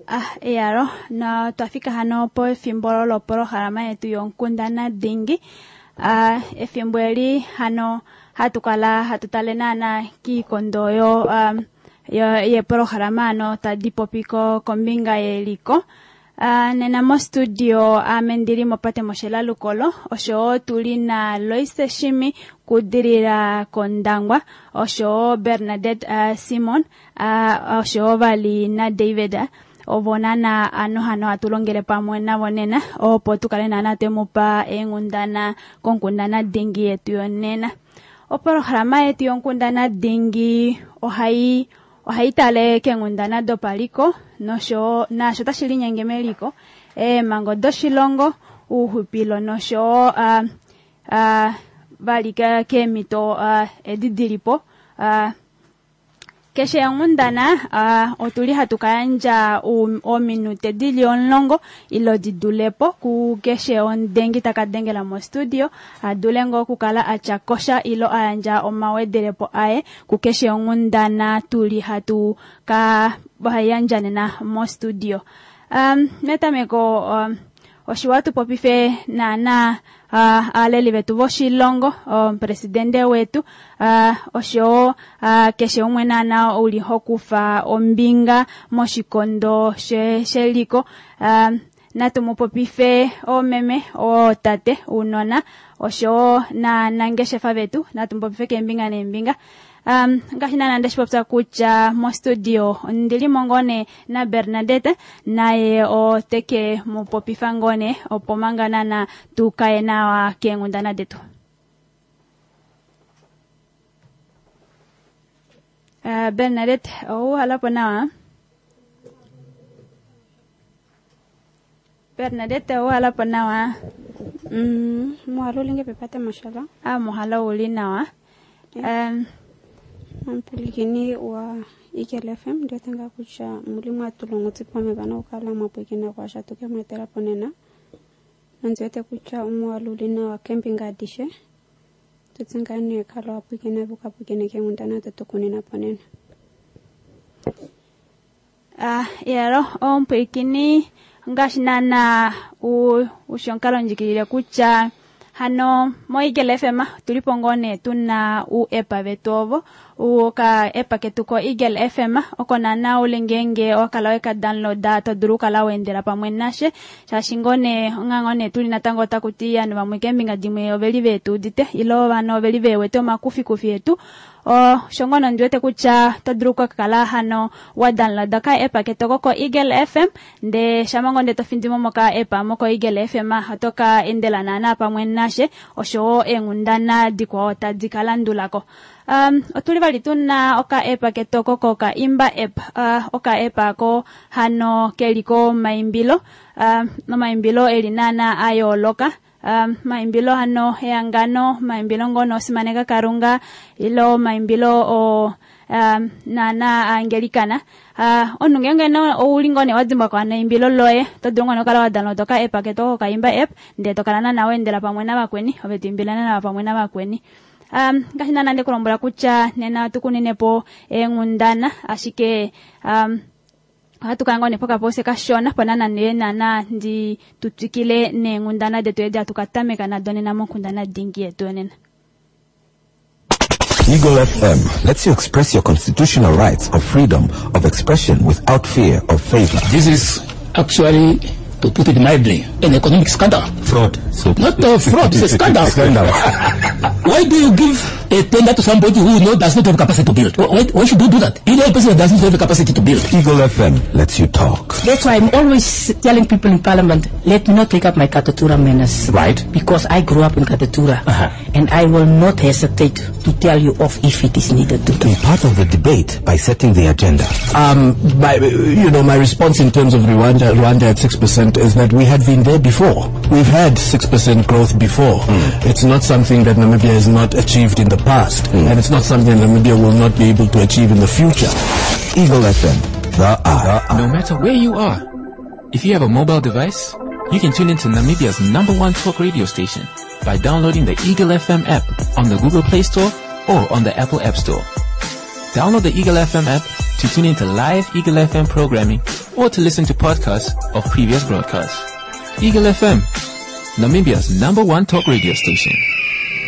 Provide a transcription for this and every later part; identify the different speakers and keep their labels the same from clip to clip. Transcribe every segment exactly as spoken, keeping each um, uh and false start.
Speaker 1: Ah, eyalo na twafika hano pefimbo lopolohalama yetu yonkundana dingi. Ah, efimbo eli hano hatu kala hatu tale naana kiikondo yo um, yo yepolohalama ano tadi popi ko kombinga yeliko. Uh, nena mostudio ame ndili mopate Moshela Lukolo oshowo tuli na Loise Shimi kudirira kOndangwa oshowo Bernadette uh, Simon uh, oshowo vali na David ovo nana ano hano hatu longele pamwe navo nena opo tukale nana twemupa eenghundana konkundana dingi yetu yonena. Opolohalama yetu yonkundana dingi ohai ohai tale keenghundana dopaliko noshowo naasho tashi linyenge meliko, eemhango doshilongo, ouxupilo noshowo uh, uh, vali keemhito uh, edi dilipo. Uh, keshe onghundana uh, otuli hatu kayandja ominute dili omulongo ilo didulepo ku keshe omudengi taka dengela mostudio adule ngoo okukala atya kosha ilo ayandja omawedelepo aye ku keshe onghundana tuli hatu ka yandja nena mostudio. Um, metameko um, oshiwa tupopife naana uh, aaleli vetu voshilongo, omupresidende wetu uh, oshowo uh, keshe umwe naana uli hokufa ombinga moshikondo sheliko. Uh, natu mupopife oomeme, ootate, uunona oshowo na nangeshefa vetu, natu mupopife keembinga neembinga. Um, ngaashi naana ndeshi popya kutya mostudio ndilimo ngoo nee na Bernadette naye oteke mupopifa ngoo nee opo manga naana tukaye nawa keenghundana detu. Uh, Bernadette, ouhalapo nawa? Bernadette, ouhalapo nawa?
Speaker 2: Mm, muhalo ulinge pepate mashala.
Speaker 1: Ah, muhalo uli nawa. Um,
Speaker 2: Ampulikini wa Eagle F M ndio tanga kucha mulimu atulongo tsipame bana ukala mapwekina kwa shatuke matera ponena. Nanzwete kucha umualulina wa camping adishe. Tutsingane kala wapwekina buka pwekina ke ngundana tutukunina ponena.
Speaker 1: Ah, yero ompwekini ngaashi nana u ushonkalo ndjikilile kutya hano mo Eagle F M tulipo ngoo nee tuna u-app vetu ovo uka app ketu ko Eagle F M oko nana uli ngeenge owakala weka downloada to dulu okukala weendela pamwe nashe shaashi ngoo nee onga ngoo nee tuli natango otakuti ovanhu vamwe keembinga dimwe oveli veetuudite ilo ovanhu oveli veewete omakufikufi etu. O sho ngono ndiwete kutya to dulu okukala hano wa downloada ka app ketu oko ko Eagle F M nde shama ngoo nde to findimo moka app moko Eagle F M oto ka endela naana pamwe nashe oshowo eenghundana dikwao tadi ka landulako. Um, otuli vali tuna oka app ketu oko ko ka Imba app, uh, oka app ako hano keliko maimbilo, uh, nomaimbilo eli naana a yooloka. Um, maimbilo hano ehangano, maimbilo ngono osimaneka Kalunga ilo maimbilo o um, naana aangelikana. Uh, omunhu ngeenge no ouli ngoo nee wa dimbwa neimbilo loye to dulu ngoo nee okukala wa download oka app ketu oko ka Imba app ndee to kala naana weendela pamwe navakweni ove to imbila naana pamwe navakweni. Um, ngaashi naana ndekulombwela kutya nena tukunenepo eenghundana ashike um, ohatu kala ngoo nee pokapose kashona po naana nee naana ndi tutwikile neenghundana detu edi hatu ka tameka nado nena monkundana dingi yetu yonena.
Speaker 3: Eagle F M lets you express your constitutional rights of freedom of expression without fear of favor.
Speaker 4: This is actually, to put it mildly, an economic scandal.
Speaker 3: Fraud. So
Speaker 4: Not a fraud, it's a scandal.
Speaker 3: Scandal.
Speaker 4: Why do you give a tender to somebody who you know does not have capacity to build? Why, why should you do that? You know a person that does not have the capacity to build.
Speaker 3: Eagle F M lets you talk.
Speaker 5: That's why I'm always telling people in Parliament, let me not take up my Katutura manners.
Speaker 3: Right.
Speaker 5: Because I grew up in Katutura.
Speaker 3: Uh-huh.
Speaker 5: And I will not hesitate to tell you off if it is needed to.
Speaker 3: Be part of the debate by setting the agenda.
Speaker 6: Um, my, you know, my response in terms of Rwanda, Rwanda at six percent is that we had been there before. We've had six percent growth before.
Speaker 3: Mm.
Speaker 6: It's not something that Namibia has not achieved in the past,
Speaker 3: mm.
Speaker 6: and it's not something Namibia will not be able to achieve in the future.
Speaker 3: Eagle F M, the eye.
Speaker 7: No matter where you are, if you have a mobile device, you can tune into Namibia's number one talk radio station by downloading the Eagle F M app on the Google Play Store or on the Apple App Store. Download the Eagle F M app to tune into live Eagle F M programming or to listen to podcasts of previous broadcasts. Eagle F M, Namibia's number one talk radio station.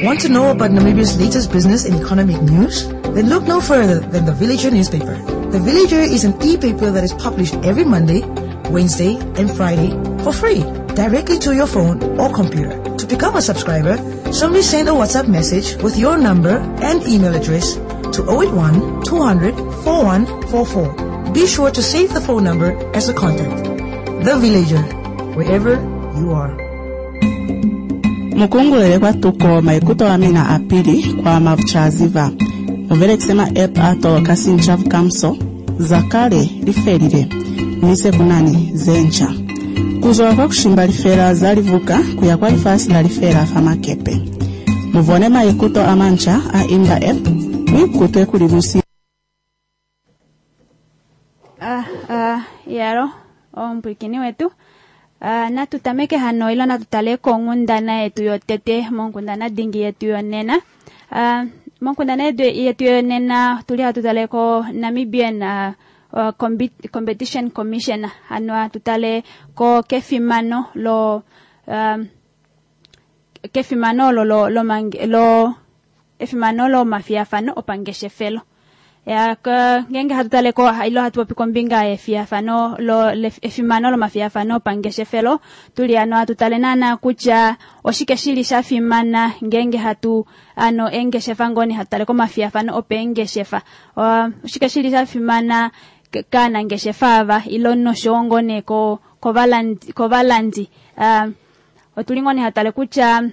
Speaker 8: Want to know about Namibia's latest business and economic news? Then look no further than The Villager newspaper. The Villager is an e-paper that is published every Monday, Wednesday, and Friday for free, directly to your phone or computer. To become a subscriber, simply send a WhatsApp message with your number and email address to oh eight one, two hundred, four one four four. Be sure to save the phone number as a contact. The Villager, wherever you are.
Speaker 9: Mukungulele kwa tuko maikuto wa mina apili kwa mavuchaziva. Muvele kusema app ato kasinchavu kamso zakale lifelile nise kunani zencha. Kuzowa kwa kushimba lifela zalivuka kuya kwa lifasi la lifela famakepe. Muvone maikuto amancha a imba app mwikutwe kulimusi.
Speaker 1: Ah, ah, yaro ompwikini wetu. Uh, natutameke hano ilo natutale kongundana yetu yotete monkundana dingi yetu yonena. Uh, monkundana yetu, yetu yonena tuli hatutale ko Namibian uh, uh, Combi- Competition Commission hano hatutale ko kefimano lo um, kefimano lo lo lo, mang, lo efimano lo mafiafano opangeshefelo. Ya, ka, ngenge hatutale ko ilo hatupopi kombinga efiafano lo le, efimano lo mafiafano pangeshefelo tuli ano hatutale nana kutya oshike shili shafimana ngenge hatu ano engeshefa ngoni hatutale ko mafiafano opengeshefa. O, oshike shili shafimana k-, kana ngeshefa ava ilo nosho ngone ko kovalandi, kovalandi. Uh, otuli ngoni hatutale kutya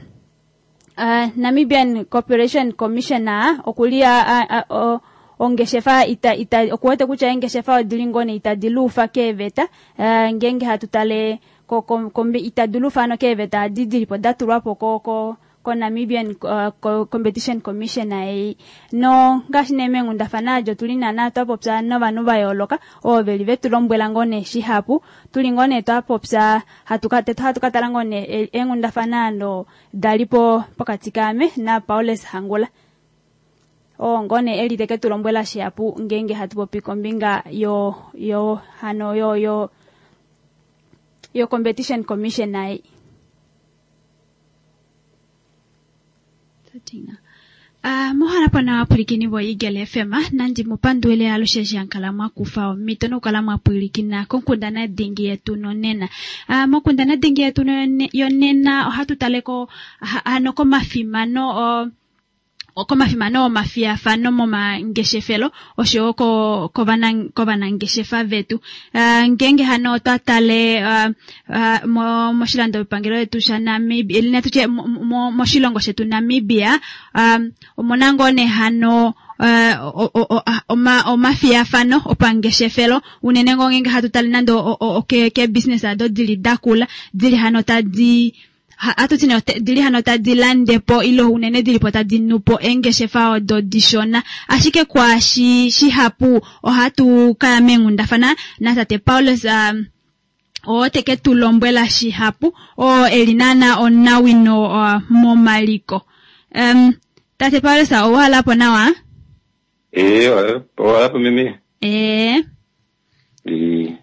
Speaker 1: uh, Namibian Corporation Commissioner okulia a, a, o, ongeshefa ita, ita, okuwete kutya engeshefa odili ngone itadilufa keveta, uh, ngenge hatutale ko, ko, kombi, itadilufa ano keveta adidilipo datulwapo ko, ko, ko Namibian, uh, ko, Competition Commission ei. No ngaashi nee meenghundafana ajo tuli nana twapopya novanhu va yooloka ovo veli vetu lombwela ngoo nee shihapu tuli ngoo nee twapopya hatu ka-, hatu ka tala ngoo nee e-, eenghundafana ando dalipo pokati kaame na Paulus Hangula. O ngone eli teke tu lombwela shihapu ngenge hatu popi kombinga yo, yo, hano, yo, yo, yo Competition Commission ai. Ah, muhara pana wapulikini bo Eagle F M, nandi mupanduele alushe jankala mwakufa omito nokukala mwapulikina konkundana dingi yetu nonena. Ah, mokundana dingi yetu none-, yonena ohatu taleko, ha, ano komafimano o, komafimano omafiafano momangeshefelo oshowo ko-, kovana-, kovanangeshefa vetu. Ah, ngenge hano otwa tale, ah, ah, mo-, moshilandopangelo yetu sha Namibia, ili natutye mo-, mo-, moshilongo shetu Namibia, ah, omuna ngoo nee hano, eh, o-, o-, o-, a-, oma-, omafiafano opangeshefelo unene ngoo ngenge hatu tale nando o-, o-, o-, ke, ke business ado dili dakula, dili hano tadi Ha, atu tine ote, dili hano tadi landepo ilo unene dili po tadi nupo engeshefa odo dishona. Ashike kwa shi, shihapu ohatu kaya mengundafana na tate Paulus, um, ote ke tulombwela shihapu o elinana onawino, uh, momaliko. Um, tate Paulus, owala po nawa?
Speaker 10: Eh, owala po mimi.
Speaker 1: Eh.
Speaker 10: Eh.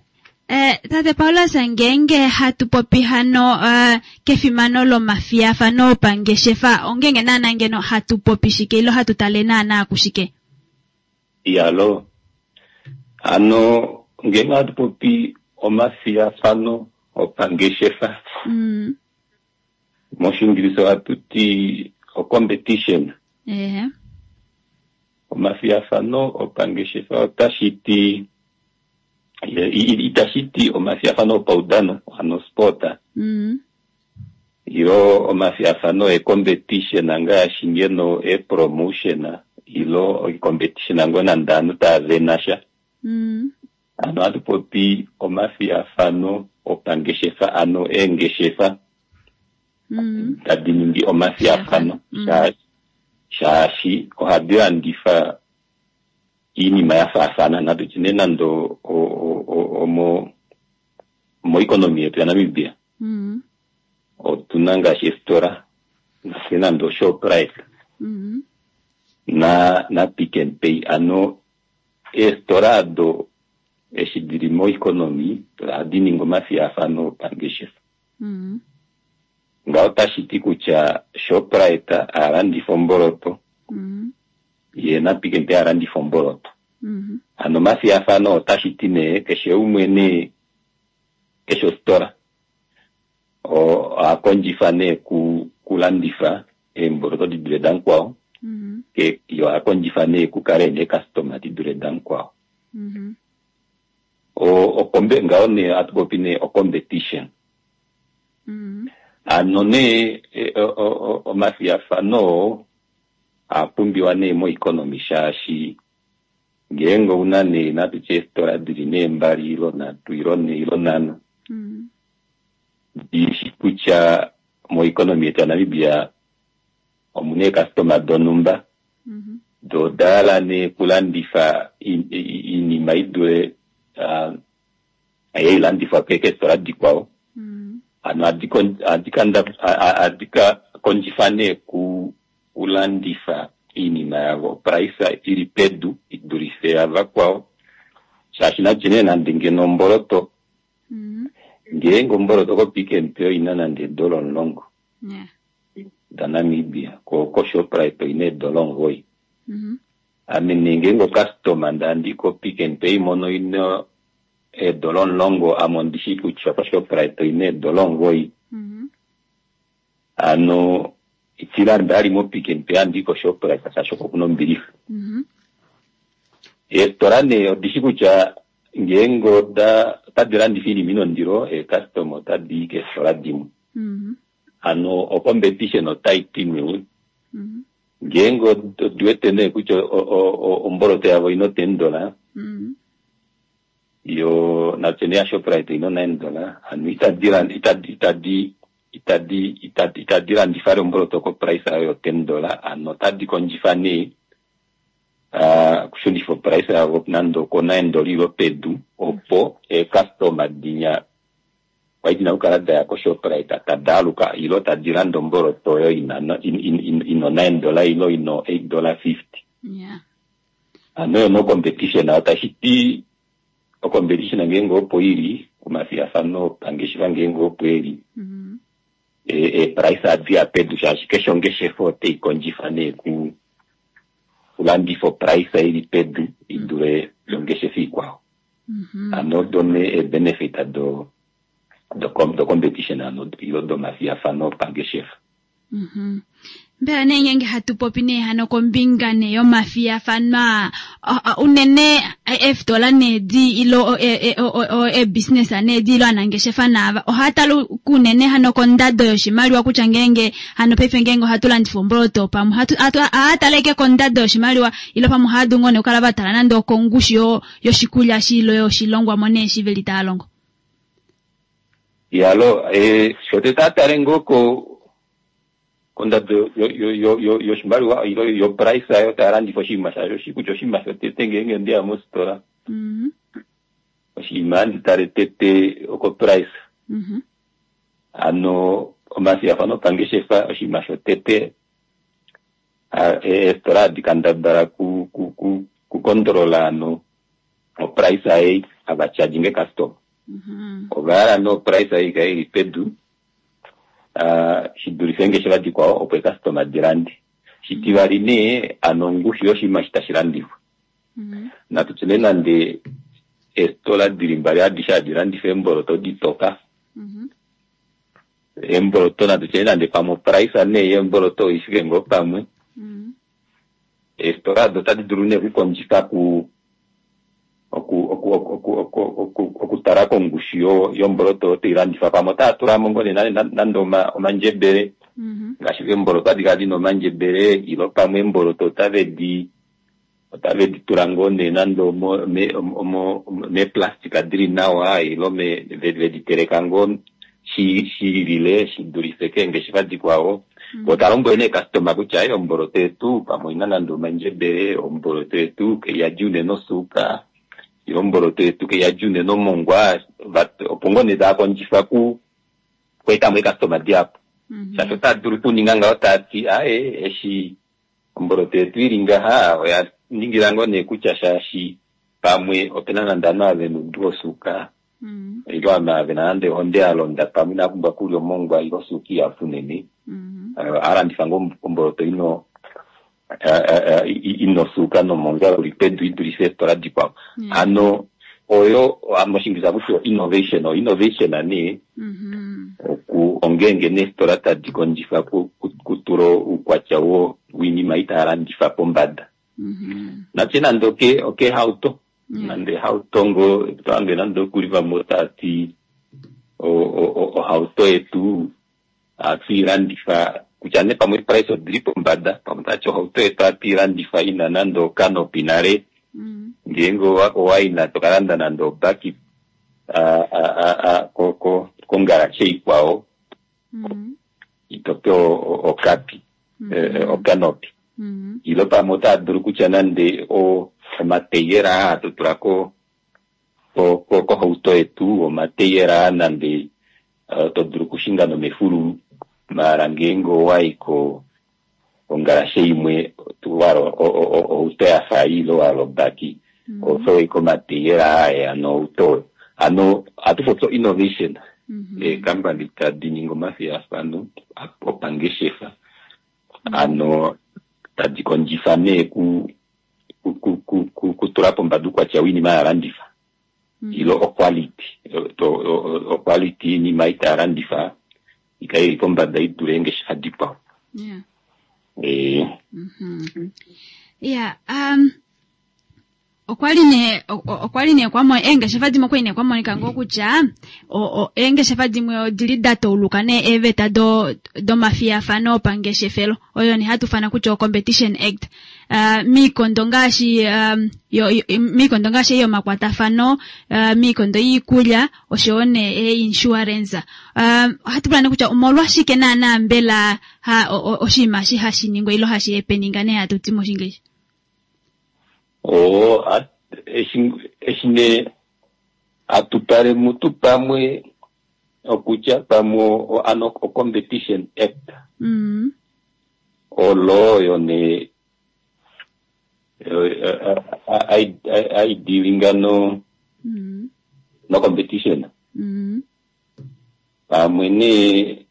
Speaker 1: Eh, tate Paulus, ngenge hatu popi hano, eh, kefimano lo mafiafano pangeshefa ongenge nana ngeno hatu popi shike ilo hatu tale nana kushike.
Speaker 10: Yalo. Ano ngenge hatu popi omafiafano opangeshefa.
Speaker 1: Mm.
Speaker 10: Moshingiriso hatu ti o competition.
Speaker 1: Eh.
Speaker 10: Omafiafano opangeshefa otashiti itashiti omafiafano opaudano ano sport.
Speaker 1: Mm.
Speaker 10: Ilo omafiafano e competition ngaashi ngeno e promotion ilo e competition ngona ndanu ta venasha.
Speaker 1: Mm.
Speaker 10: Ano atu popi omafiafano opangeshefa ano engeshefa.
Speaker 1: Mm.
Speaker 10: Tadi ningi omafiafano.
Speaker 1: Mm.
Speaker 10: Sha-, shaashi ohadi landifa iinima ya faafana natu tine nando o, o, o, omo, mo economy yetu ya Namibia.
Speaker 1: Mm.
Speaker 10: Otuna ngaashi estora, nase nando Shoprite.
Speaker 1: Mm.
Speaker 10: Na, na Pick n Pay. Ano estora do Eshi dili moeconomy ohadi ningi omafiyafano opangeshefa.
Speaker 1: Mm.
Speaker 10: Ngaho otashi ti kutya Shoprite alandifa omboloto,
Speaker 1: Mm.
Speaker 10: ye na Pick n Pay alandifa omboloto.
Speaker 1: Mm.
Speaker 10: Hano omafiyafano otashi ti nee keshe umwe nee keshe ositola ohakondjifa nee ku kulandifa eemboloto di dule damukwao,
Speaker 1: Mm.
Speaker 10: ke yo ohakondjifa nee kukale ena eekastoma di dule damukwao.
Speaker 1: Mm.
Speaker 10: O okombe ngaho nee ohatu popi nee ocompetition.
Speaker 1: Mm.
Speaker 10: Hano nee e, o- o- o- omafiyafano oo oapumbiwa nee moeconomy shaashi ngeenge ouna nee natutye eefitola dili nee mbali ilo nhatu ilo nhee ilo nhano,
Speaker 1: Mm.
Speaker 10: dishi kutya moeconomy yetu yaNamibia omuna eekastoma donhumba
Speaker 1: Mm.
Speaker 10: do odahala nee kulandifa i- i- iinima idule ah, ei hailandifwa keefitola dikwao.
Speaker 1: Mm.
Speaker 10: Hano ohadi kon- ohadi kanda- a- a- ohadi ka kondjifa nee ku kulandifa iinima yavo price ili pedu idulife yavakwao, shaashi natye nee nande ngeno omboloto,
Speaker 1: Mm.
Speaker 10: ngeenge omboloto ko Pick n Pay oina nande eedola omulongo
Speaker 1: Yeah.
Speaker 10: daNamibia, ko koShoprite oina eedola omugoyi.
Speaker 1: Mm.
Speaker 10: Ame nee ngeenge ocustoma ndandi ko Pick n Pay mono ina eedola omulongo, ame ondishi kutya koShoprite oina eedola omugoyi.
Speaker 1: Mm.
Speaker 10: Hano itilanda ali mo Pick n Pay andi koShoprite shaashi oko kuna ombilixa.
Speaker 1: Mm.
Speaker 10: Eefitola nee odishi kutya ngeenge oda otadi landifa iinima ina ondilo, eekastoma otadi i keefitola dimwe.
Speaker 1: Mm.
Speaker 10: Hano ocompetition otai ti nee
Speaker 1: Mm.
Speaker 10: ngeenge odi wete nee kutya o- o- o- omboloto yavo oina ten dollar,
Speaker 1: Mm.
Speaker 10: yo natye nee yaShoprite oina nine dollar, hano itadi lan- itadi itadi itadi itadi itadi landifa vali omboloto ko price yayo yo ten dollar, hano otadi kondjifa nee ah, okushunifa oprice yavo nande oko nine dollar ilo pedu, opo eekastoma dinya kwali dina okukala daya koShoprite tadi aluka ilo tadi landa omboloto oyo ina no- in- in- in- ino nine dollar ilo ino eight dollar fifty.
Speaker 1: Yeah.
Speaker 10: Hano oyo no competition otashi ti ocompetition ngeenge opo ili omafiyafano opangeshefa ngeenge opo eli,
Speaker 1: Mm.
Speaker 10: e- eeprice ohadi ya pedu shaashi keshe ongeshefa otai kondjifa nee ku kulandifa oprice ili pedu idule yongeshefa ikwao.
Speaker 1: Mm.
Speaker 10: Hano odo nee eebenefit do do com- do competition hano ilo domafiyafano opangeshefa.
Speaker 1: Mhm. Mbela nee ngeenge hatu popi nee hano kombinga nee yomafiyafano aa, a- a- unene eefitola nee di ilo eebusiness nee di ilo aanangeshefa naava ohaya tala kunene hano kondado yoshimaliwa kutya ngeenge hano paife ngeenge ohatu landifa omboloto pamwe ohatu- hatu- ohaya tala ashike kondado yoshimaliwa ilo pamwe ohaya dulu ngoo nee okukala va tala nande okongushu yo- yoshikulya shi ilo yoshilongwamo nee shi veli taya longo.
Speaker 10: Yalo eh, shotete atale ngoo ko kondado yo- yo- yo- yo- yoshimaliwa ilo yo price ayo taya landifa oshinima shasho oshi kutya oshinima shotete ngeenge ndeya mositola
Speaker 1: Mhm.
Speaker 10: oshinima handi tale tete oko price.
Speaker 1: Mhm.
Speaker 10: Hano omafiyafano opangeshefa oshinima shotete a- e- eefitola hadi kandabala ku ku ku kukondolola hano oprice ei hava charginge customer.
Speaker 1: Mhm.
Speaker 10: Ovahala nee oprice ei ikale ili pedu ah, shi dulife eengeshefa dikwao opo eekastoma di lande. Shitivali nee hano ongushu yoshinima eshi tashi landifwa.
Speaker 1: Mhm.
Speaker 10: Natu tye nee nande eefitola dili mbali adishe hadi landifa eemboloto ditoka,
Speaker 1: Mhm.
Speaker 10: eemboloto natu tye nande pamwe oprice nee yeemboloto oifike ngoo pamwe,
Speaker 1: Mhm.
Speaker 10: eefitola ado otadi dulu nee okukondjifa ku oku oku oku oku oku oku okutala kongushu yo yomboloto oyo tailandifwa pamwe otaya tulamo ngoo nee nande nande oma- omandjebele
Speaker 1: Mhm.
Speaker 10: ngaashi eemboloto ohadi kala dina omandjebele ilo pamwe eemboloto otave di otave di tula ngoo nee nande omo me- omo meeplastika dili nawa ilo me ve- vedi teleka ngoo shi shiilile shi dulife keengeshefa dikwao. Vo talombwele nee customer kutya "Ei, omboloto yetu pamwe oina nande omandjebele, omboloto yetu kaiyadi unene osuuka, ilo omboloto yetu kaiyadi unene omongwa," Va- opo ngoo nee tava kondjifa ku kweetamo eekastoma dihapu.
Speaker 1: Mhm.
Speaker 10: Shaashi otava dulu okuninga ngaho taati aye eshi omboloto yetu ili ngaha oya ningila ngoo nee kutya shaashi Pamwe opena nande ovanhu ava vena oudu wosuuka ile ovanhu ava vena nande ohonde ya londa pamwe inava pumbwa okulya omongwa ile osuuka ihapu unene. Ohalandifa ngoo omboloto ino ina osuuka nomongwa uli pedu idulife eefitola dikwao. Hano oyo moshiingilisa hakutiwa innovation. O innovation nee oku ongeenge nee eefitola tadi kondjifa kutula oukwatya woinima ei taalandifa pombada. Natye nande okehauto, nande ehauto ngoo tohange nande okuli vamwe otaati ohauto yetu ohatu ilandifa kutya nee pamwe price odili pombada, pamwe tati ohauto yetu ohatu ilandifa ina nande okanopi nale, ngeenge owayi tokalanda nande obaki kongalashe ikwao itopewa okapi okanopi. Ile pamwe otaa dulu kutya nande omateyela aa hatu tula kohauto yetu, omateyela aa nande to dulu okushinga nomefululu, maala ngeenge owayi kongalashe imwe wahala ohauto yafa ei ile wahala obaki oho pewa omateyela aa haeya nohauto oyo. Hano ohatu popi innovation, eekampani tadi ningi omafiyafano opangeshefa, hano tadi kondjifa nee kutula pombada oukwatya woinima hayalandifa ile oquality, oquality yoinima ei taalandifa ikale ili pombada idule eengeshefa dikwao. Ee.
Speaker 1: Iya, um okwali nee okwali nee kwamo eengeshefa dimwe okwali nee kwamonika ngoo kutya eengeshefa dimwe odili da tauluka nee eeveta do domafiyafano opangeshefelo oyo nee hatu fana kutya o Competition Act. Uh, miikondo ngaashi um, yo, yo, miikondo ngaashi yomakwatafano, uh, miikondo yiikulya oshowo nee e-insurance. Uh, ohatu pula nee kutya omolwashike naana mbela ha oshinima eshi hashi ningwa ilo hashi happeninga nee hatu ti moshinglish?
Speaker 10: Oo, eshi eshi nee hatu tale mutu pamwe okutya pamwe ano o Competition Act
Speaker 1: mm.
Speaker 10: olo oyo nee aidealinga no
Speaker 1: mm.
Speaker 10: no competition.
Speaker 1: Mm.
Speaker 10: Pamwe nee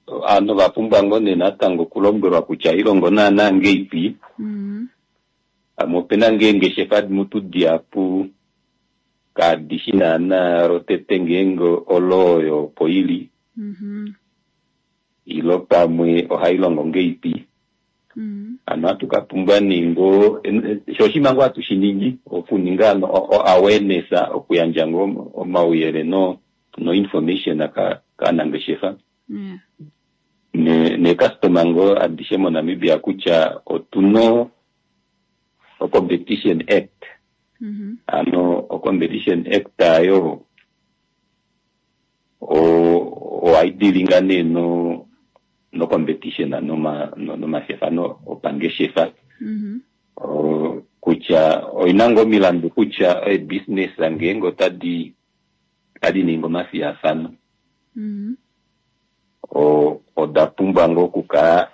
Speaker 10: ovanhu ovapumbwa ngoo nee natango okulombwelwa kutya ilongo naana ngeipi.
Speaker 1: Mm.
Speaker 10: Pamwe opena ngoo eengeshefa mutu dihapu kadishi naana lotete ngeenge olo oyo opo ili.
Speaker 1: Mm-hmm.
Speaker 10: Ilo pamwe ohailongo ngeipi.
Speaker 1: Mm.
Speaker 10: Hano ohatu kapumbwa nee ngoo sho oshinima ngoo hatu shiningi okuninga o awareness, okuyandja ngoo omauyelele no no information kaanangeshefa.
Speaker 1: Yeah.
Speaker 10: Ne neecustomer ngoo adishe moNamibia kutya otuna o Competition Act.
Speaker 1: Mm-hmm.
Speaker 10: Hano o Competition Act ayo ohaidealinga nee no no competition noma nomafiyafano opangeshefa.
Speaker 1: Mm-hmm.
Speaker 10: Kutya oina ngoo omilandu kutya eebusiness ngeenge otadi otadi ningi omafiyafano
Speaker 1: Mm-hmm.
Speaker 10: oda pumbwa ngoo okukala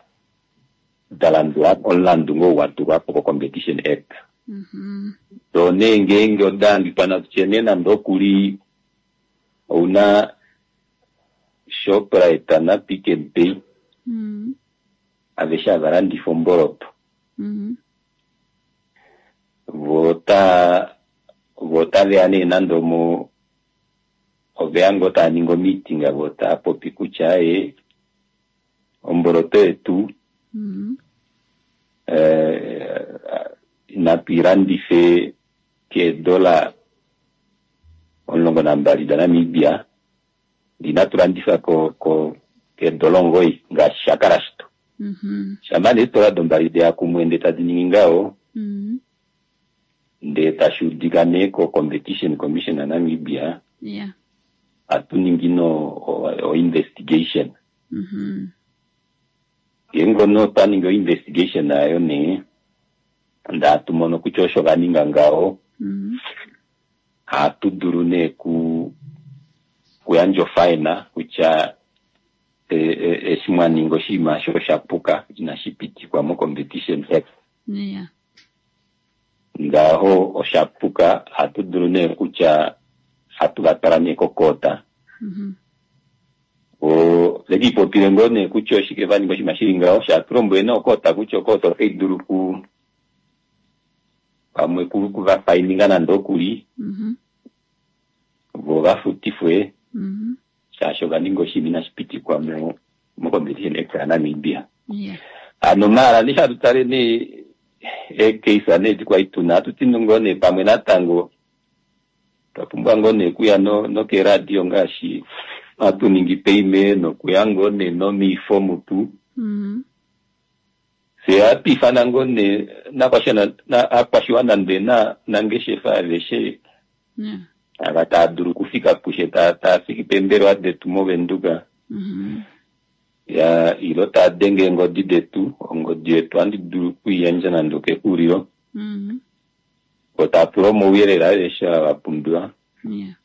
Speaker 10: da landula omulandu ngoo wa tulwa po ko Competition Act.
Speaker 1: Mm-hmm.
Speaker 10: So nee ngeenge oda hangikwa natutye nee nande okuli ouna Shoprite na Pick n Pay
Speaker 1: Mm.
Speaker 10: aveshe hava landifa omboloto.
Speaker 1: Mm-hmm.
Speaker 10: Vo ota vo otaveya nee nande omo oveya ngoo tava ningi omeeting vo tava popi kutya ee omboloto yetu
Speaker 1: Mm.
Speaker 10: eh, natu ilandife keedola omulongo nambali daNamibia, inatu landifa ko ko keedola omugoyi ngaashi shakala shito.
Speaker 1: Mm-hmm.
Speaker 10: Shampa nee eedola dombali deya kumwe ndee tadi ningi ngaho
Speaker 1: Mm.
Speaker 10: ndee tashi udika nee ko Competition Commission yaNamibia,
Speaker 1: Yeah.
Speaker 10: ohatu ningi no o investigation.
Speaker 1: Mm-hmm.
Speaker 10: Ngeenge nee otwa ningi o investigation ayo nee ndee hatu mono kutya osho vaninga ngaho,
Speaker 1: Mm.
Speaker 10: ohatu dulu nee ku kuyandja ofine kutya eshi mwaninga oshinima osho oshapuka inashi pitikwa mo Competition Act.
Speaker 1: Yeah.
Speaker 10: Ngaho oshapuka, ohatu dulu nee kutya hatu va twala nee kokoota.
Speaker 1: Mhm.
Speaker 10: O vekipopile ngoo nee kutya oshike va ninga oshinima shili ngaho, shatu lombwele nee okoota kutya okoota otai dulu ku pamwe ku kuvafaininga nande okuli
Speaker 1: Mhm.
Speaker 10: vo vafutifwe
Speaker 1: Mhm.
Speaker 10: shaashi ova ninga oshinima inashi pitikwa mo mo Competition Act yaNamibia.
Speaker 1: Yeah.
Speaker 10: Hano maala nee hatu tale nee eekeisa nee edi kwali tuna, ohatu ti ngoo nee pamwe natango twa pumbwa ngoo nee okuya no nokeradio ngaashi hatu ningi paime nokuya ngoo nee nomiifo mutu.
Speaker 1: Mhm.
Speaker 10: Fye ohatu ifana ngoo nee nakwashiwana na akwashiwana ndee na nangeshefa aveshe
Speaker 1: Yeah.
Speaker 10: ava tava dulu okufika pushe taa taa fiki peembelewa detu moVenduka.
Speaker 1: Mhm.
Speaker 10: Ya ilo taa denge eengodi detu, ongodi yetu ohandi dulu okuiyandja nande okexulilo.
Speaker 1: Mhm.
Speaker 10: Vo taa pula omauyelele aveshe ava va pumbiwa.
Speaker 1: Yeah.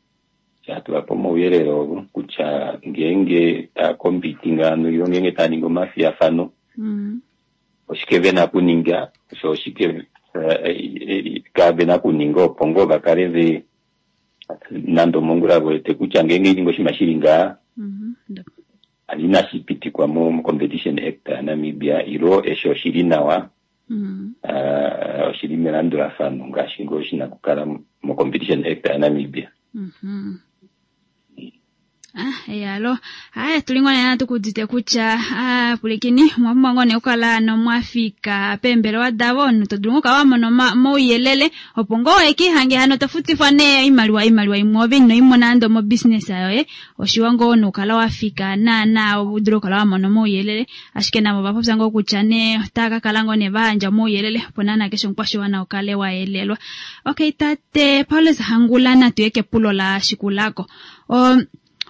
Speaker 10: Hatu vape omauyelele ovo kutya ngeenge taa compete ngano ilo ngeenge taa ningi omafiyafano
Speaker 1: Mhm.
Speaker 10: oshike vena okuninga, osho oshike eh, kavena okuninga opo ngoo va kale ve nande omongula vewete kutya ngeenge ininga oshinima shili ngaha
Speaker 1: Mhm.
Speaker 10: hano inashi pitikwa mo mo Competition Act yaNamibia ilo eshi oshili nawa
Speaker 1: Mhm.
Speaker 10: ah, oshili melandulafano ngaashi ngoo shina okukala mo Competition Act yaNamibia.
Speaker 1: Mhm. Ah, eyalo. Haya, tulingona tukudite kutya ah, pulikini mwapumbwa ngoo nee okukala nomwafika peembelewa davo to dulu ngoo wamona omauyelele opo ngoo wekihange hano tofutifwa nee oimaliwa iimaliwa imwe ove ino imona nande omo business yoye oshiwa ngoo nokukala wafika naana udule okukala wamona omauyelele ashike navo vapopya ngoo kutya nee otava kakala ngoo nee vayandja omauyelele opo naana keshe omukwashiwana ukale wayelelwa. Okay, tate Paulus Hangula natuye kepulo la shikulako. Um,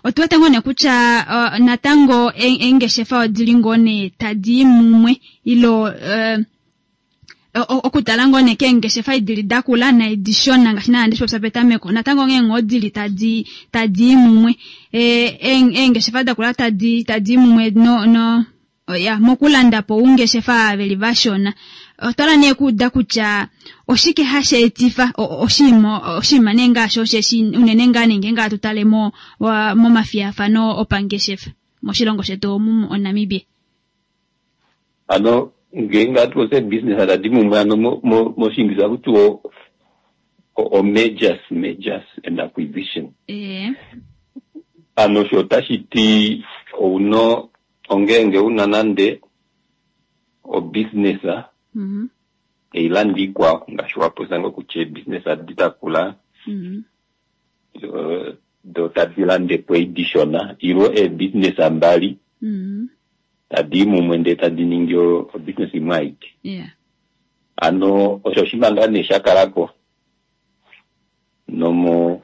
Speaker 1: otuwete ngoo nee kutya uh, natango eengeshefa odili ngoo nee tadi i mumwe ilo uh, okutala ngoo nee keengeshefa idili dakula naidi shona ngaashi naana ndeshipopya petameko natango nghee ngoo dili tadi tadi i mumwe eengeshefa dakula tadi tadi i mumwe no no ya mokulanda po oungeshefa veli vashona otwala nee kuuda kutya oshike hashi etifa oshinima oshinima nee ngaashi osheshi unene ngaa nenge ngaa tutale mo momafiyafano opangeshefa moshilongo shetu omu oNamibia.
Speaker 10: Ano ngeenge hatu popya business tadi mumwe ano moshingilisa hakuti o mergers mergers and acquisition.
Speaker 1: Eh.
Speaker 10: Ano osho otashi ti ouno ongeenge una nande o business
Speaker 1: Mhm.
Speaker 10: eilandi ikwao ngaashi wapopya ngoo kutya eebusiness adi dakula
Speaker 1: Mhm.
Speaker 10: do tadi lande po edi dishona ilo eebusiness mbali
Speaker 1: Mhm.
Speaker 10: tadi i mumwe ndee tadi ningi o business imwe aike.
Speaker 1: Yeah.
Speaker 10: Ano osho oshinima ngaa nee shakalako nomo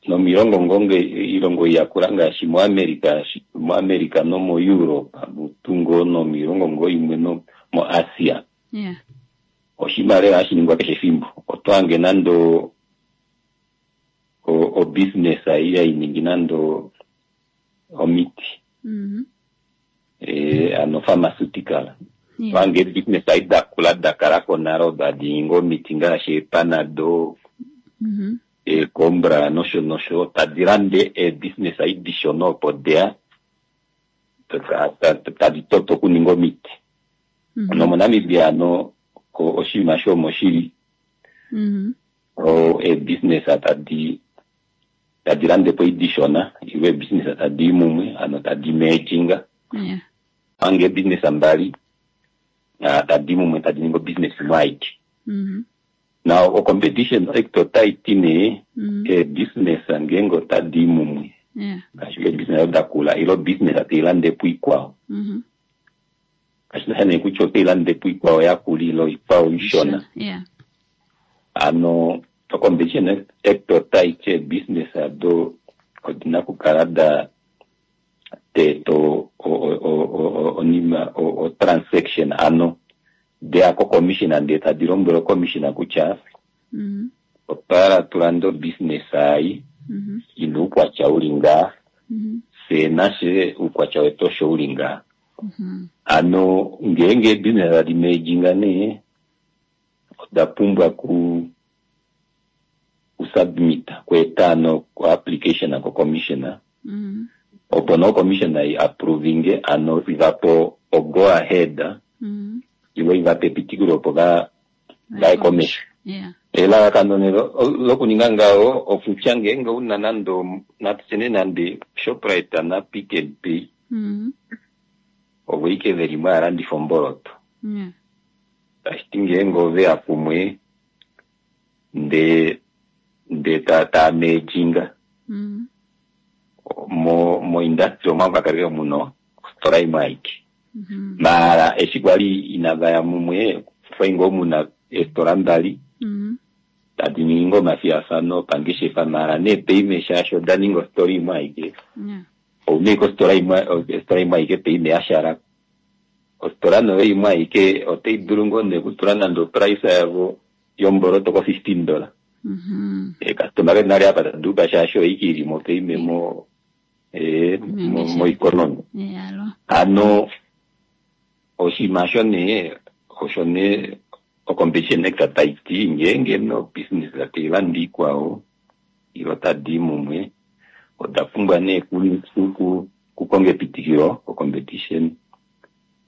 Speaker 10: nomilongo ngonge ilongo yakula ngaashi moAmerica moAmerica nomo Europe mutu ngoo nomilongo ngoo imwe no mo Asia.
Speaker 1: Yeah.
Speaker 10: Oshinima lela hashi ningwa keshe efimbo. Oto hange nande o o business ei hainingi nande omiti.
Speaker 1: Mhm.
Speaker 10: Eh, ano pharmaceutical.
Speaker 1: Yeah.
Speaker 10: Oto hange business ei dakula dakalako nale odo hadi ningi omiti ngaashi eepanado
Speaker 1: Mhm.
Speaker 10: eecombra nosho nosho tadi lande eebusiness ei dishona opo deya tadi toto okuninga omiti.
Speaker 1: Mm -hmm.
Speaker 10: NomoNamibia ano oshinima shomo shili
Speaker 1: mm
Speaker 10: -hmm. eebusiness tadi tadi lande po idishona ilo eebusiness tadi i mumwe ano tadi merginga.
Speaker 1: Yeah.
Speaker 10: Ange eebusiness mbali tadi i mumwe tadi ningi obusiness imwe aike.
Speaker 1: Mm -hmm.
Speaker 10: Now o Competition Act otai ti nee
Speaker 1: mm -hmm.
Speaker 10: eebusiness ngeenge otadi i mumwe
Speaker 1: Yeah.
Speaker 10: ngaashi eebusiness dakula ilo business tai lande po ikwao.
Speaker 1: Mm -hmm.
Speaker 10: Kashina nee kutya otai lande po ikwao yakula ilo ikwao ishona.
Speaker 1: Yeah.
Speaker 10: Ano o Competition Act otai ti eebusiness ado odina okukala da teeta onima o transaction ano deya ko commissioner ndee tadi lombwele commissioner kutya
Speaker 1: mm -hmm.
Speaker 10: otwa hala tulande obusiness ei
Speaker 1: mm -hmm.
Speaker 10: ina oukwatya uli ngaa
Speaker 1: mm -hmm.
Speaker 10: fye nashe oukwatya wetu osho uli ngaa.
Speaker 1: Mm -hmm.
Speaker 10: Ano ngeenge eebusiness tadi merginga nee oda pumbwa ku kusubmita kweeta ano ko-application ko-commissioner
Speaker 1: Mm.
Speaker 10: opo no commissioner i approvinge ano ivapo o go ahead
Speaker 1: Mm.
Speaker 10: ivo ivape epitikilo opo va vaye komesho
Speaker 1: Yeah.
Speaker 10: elalakano ne lo- lokuninga ngaho okutya ngeenge una nande natutye nande Shoprite na Pick n Pay
Speaker 1: Mm.
Speaker 10: ovo ike veli mo alandifa omboloto
Speaker 1: Yeah.
Speaker 10: tashiti ngeenge oveya kumwe nde nde ta taamejinga
Speaker 1: Mm.
Speaker 10: mo mo industry omwa kakaleke muno ositola imwe aike
Speaker 1: Mm.
Speaker 10: mara eshi kwali inavaya mumwe kwali ngoo muna eesitola mbali
Speaker 1: Mm.
Speaker 10: tadi ningi ngoo omafiyafano opangeshefa mara nee paime shaashi oda ninga ositola imwe aike
Speaker 1: Yeah.
Speaker 10: ouna ike ositola imwe ositola imwe aike paime yashala ositola noyo imwe aike otai dulu ngoo nee okutula nande oprice yavo yomboloto ko fifteen dollar
Speaker 1: Mm.
Speaker 10: ekastoma ke nale apa taduka shaashi oike ilimo paime mo eh, mo mo economy
Speaker 1: Yeah, alo.
Speaker 10: ano oshinima osho nee osho nee ocompetition act taiti ngeenge no business tailanda ikwao ilo tadi mumwe oda pumbwa nee ku- ku- ku- kukonga epitikilo ko-competition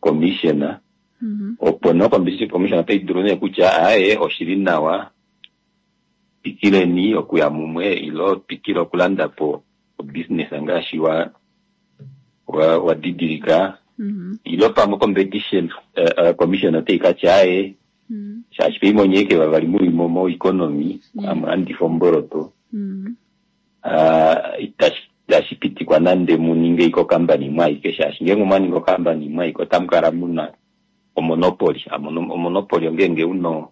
Speaker 10: commissioner
Speaker 1: Mm.
Speaker 10: opo no competition commission otai dulu nee kutya aye oshili nawa pikileni okuya mumwe ilo pikile okulanda po obusiness ngaashi wa wa wadidilika
Speaker 1: Mm.
Speaker 10: ilo pamwe competition uh, uh, commission otai katya aye
Speaker 1: Mm.
Speaker 10: shaashi peimonyeke vavali muli mo mo economy
Speaker 1: Yeah.
Speaker 10: amulandifa omboloto
Speaker 1: Mm.
Speaker 10: uh, itashi itashi pitikwa nande muninge iko company imwe aike shaashi ngeenge omwaninga ocompany imwe aike otamu kala muna omonopoly Amono- omonopoly ongeenge uno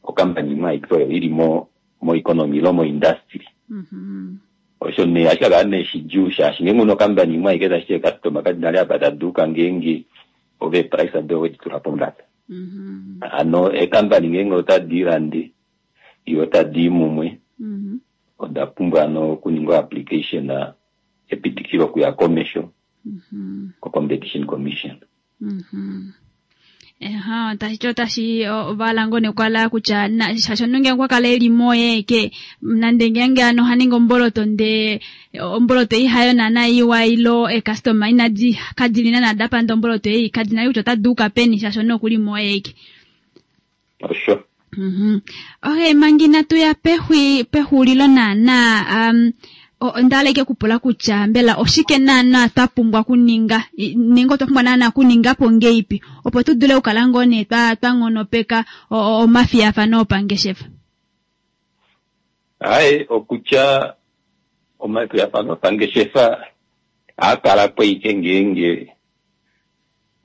Speaker 10: ocompany imwe aike oyo ili mo mo economy ilo mo industry
Speaker 1: Mm.
Speaker 10: osho nee ashi kakala nee shidjuu shaashi ngeenge una ocompany imwe aike tashi customer kadi nale apa taduka ngeenge ove price ado owedi tula pombada
Speaker 1: Mm.
Speaker 10: ano ecompany ngeenge otadi ilande iyo otadi i mumwe
Speaker 1: Mm.
Speaker 10: oda pumbwa ano okuninga application ah, epitikilo okuya komesho
Speaker 1: Mm.
Speaker 10: ko competition commission
Speaker 1: Mhm. Eha, tashi otashi ovala ngoo nekwala kutya na- shaashi omunhu ngenge okwa kala eli moye ke nande ngenge ano ohaningi omboloto nde omboloto ei hayo naana iwa ilo ecustomer inadi kadili naana dapanda omboloto ei kadina kutya ota duuka peni shaashi omunhu okuli moye eke.
Speaker 10: osho
Speaker 1: Mhm. Okay, manga inatu ya pexwi pexulilo naana um, o- onda hala kupula kutya mbela oshike naana twa pumbwa okuninga I- nenge otwa pumbwa naana okuninga po ngeipi opo tu dule okukala ngoo nee twa twa nghonopeka o- o- omafiyafano opangeshefa.
Speaker 10: aye okutya omafiyafano opangeshefa aakala po ike ngeenge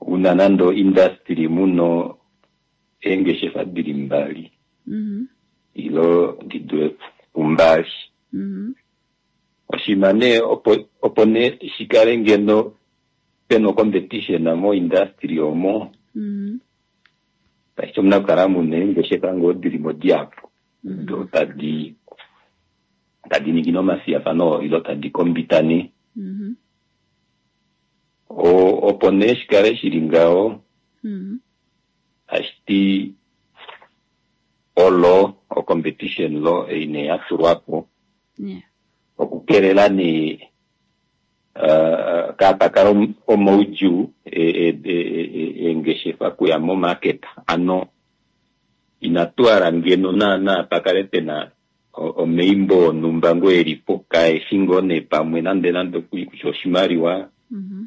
Speaker 10: una nande industry muno eengeshefa dili mbali
Speaker 1: Mhm.
Speaker 10: ilo di dule pumbali
Speaker 1: Mhm.
Speaker 10: oshinima nee opo opo nee shikale ngeno pena ocompetition mo industry omo
Speaker 1: Mhm.
Speaker 10: tashi omuna okukala muna eengeshefa ngoo dili mo dihapu do tadi tadi ningi nomafiyafano ilo tadi kombitane
Speaker 1: Mhm.
Speaker 10: O- opo nee shikale shili ngaho
Speaker 1: Mhm.
Speaker 10: tashiti olo ocompetition law ei nee yatulwapo
Speaker 1: Yeah.
Speaker 10: okukelela nee uh, kaapakala om- omaudjuu e- e- e- e- eengeshefa kuya momarket ano inatu hala ngeno naana pakale pena o- omaimbo onumba ngoo elipo kaeshi ngoo nee pamwe nande nande okuli kutya oshimaliwa
Speaker 1: Mhm.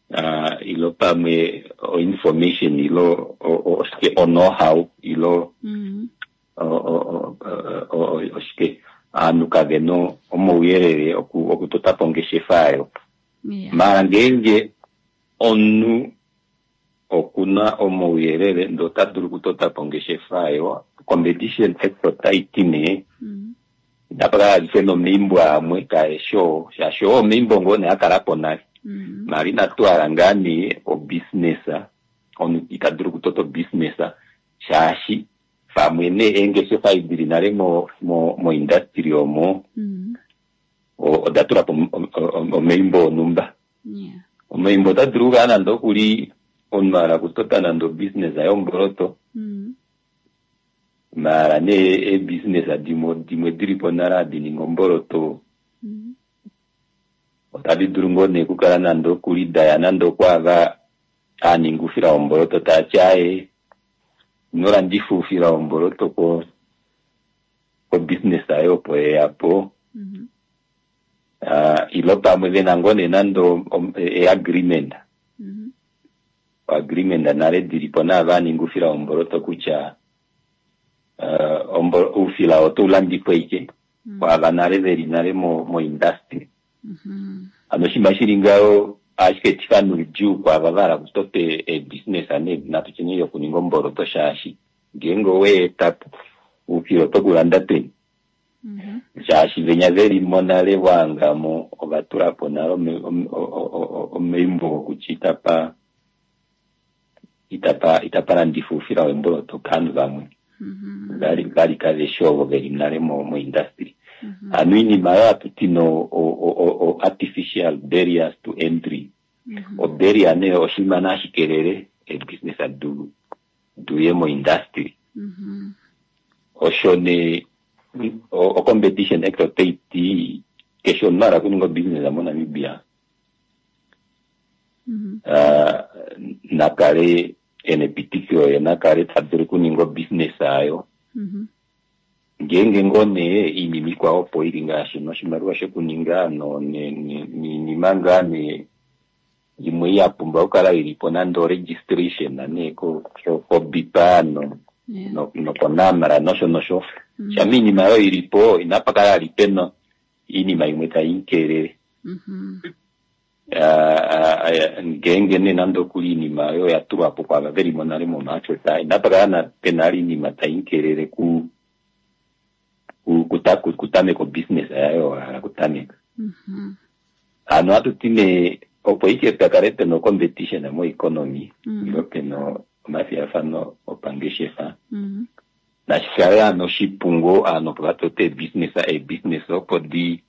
Speaker 10: uh, ilo pamwe o information ilo o- o- oshike o know-how ilo
Speaker 1: Mhm.
Speaker 10: o- o- o- o- o- oshike aanhu kavena omauyelele oku- okutota po ongeshefa ayo
Speaker 1: Yeah.
Speaker 10: mara ngeenge omunhu okuna omauyelele ndee ota dulu okutota po ongeshefa ayo competition act otai ti nee
Speaker 1: Mhm.
Speaker 10: inapa kala life nomaimbo amwe kaeshi oo shaashi oo omaimbo ngoo nee akala po nale
Speaker 1: Mhm.
Speaker 10: mara inatu hala ngaa nee obusiness omunhu ita dulu okutota obusiness shaashi pamwe nee eengeshefa dili nale mo mo mo industry omo
Speaker 1: Mhm.
Speaker 10: o- oda tula po om- om- omaimbo onumba
Speaker 1: Yeah.
Speaker 10: omaimbo ota dulu okukala nande okuli omunhu ahala okutota nande obusiness yomboloto
Speaker 1: Mhm.
Speaker 10: Mara nee eebusiness dimwe dimwe dili po nale hadi ningi omboloto otadi dulu ngoo nee okukala nande okulidaya nande okwaava aninga oufila womboloto taati aaye ino landifa oufila womboloto ko kobusiness ayo opo yeyapo uh, ilo pamwe vena ngoo nee nande e-agreement agreement nale dilipo naava aninga oufila womboloto kutya uh, oufila oto ulandifwa ike kwaava nale veli nale mo, mo industry. Ano oshinima shili ngaho ohashi etifa noudjuu kwaava vahala okutota eebusiness nee natu tye nee yokuninga omboloto shaashi ngeenge oweetapo oufila oto kulanda peni shaashi venya velimo nale waangamo ovatulapo nale omaumbo kutya itapa itapa itapa landifa oufila wemboloto kovanhu vamwe vali vali kaveshi ovo veli nale mo mo industry. Ano iinima oyo hatuti no o artificial barriers to entry. O barrier nee oshinima nashi kelele eebusiness du duye mo industry. Osho nee o Competition Act otai ti keshe omunhu ahala okuninga obusiness moNamibia uh, nakale ena epitikilo ye nakale tadulu okuninga obusiness ayo. Ngeenge ngoo nee iinima ikwao opo ili ngaashi noshimaliwa shokuninga no niinima ngaa nee imwe yapumbwa okukala ilipo nande o registration nee koBIPA no nokoNamra nosho nosho. Shama iinima oyo ilipo inapa kala ali pena iinima imwe tai kelele. Ngeenge nee nande okuli iinima oyo yatulwapo kwaava velimo nale momarket inapa kala pena ali iinima tai kelele ku kutameka obusiness yayo wahala kutameka. Ano hatuti nee opo ike pakale pena competition mo economy ilo pena omafiyafano opangeshefa nashikale ano oshipu ano opo vatote eebusiness eebusiness opo di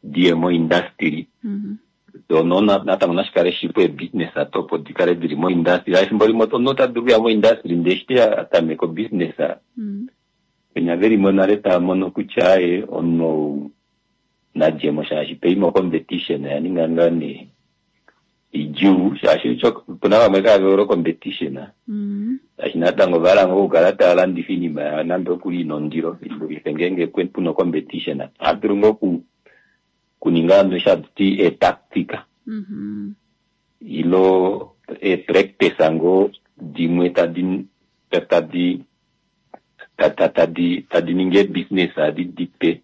Speaker 10: diye mo industry dono natango nashikale shipu eebusiness ato opo dikale dili mo industry. Efimbo limwe omunhu ota dulu okuya mo industry ndee eshi atameka obusiness penya velimo nale taamono kutya aaye omunhu ou nadjemo shaashi peima competition oya ninga ngaa nee idjuu shaashi opuna vamwe kave competition shaashi natango ovahala ngoo okukala tava landifa iinima yawo nande okuli ina ondilo idulife ngeenge puna competition ohadulu ngoo kuninga ano eshi hatuti eetactic ilo eepractice ngoo dimwe tadi tadi tadi tadi ningi eebusiness adi dipe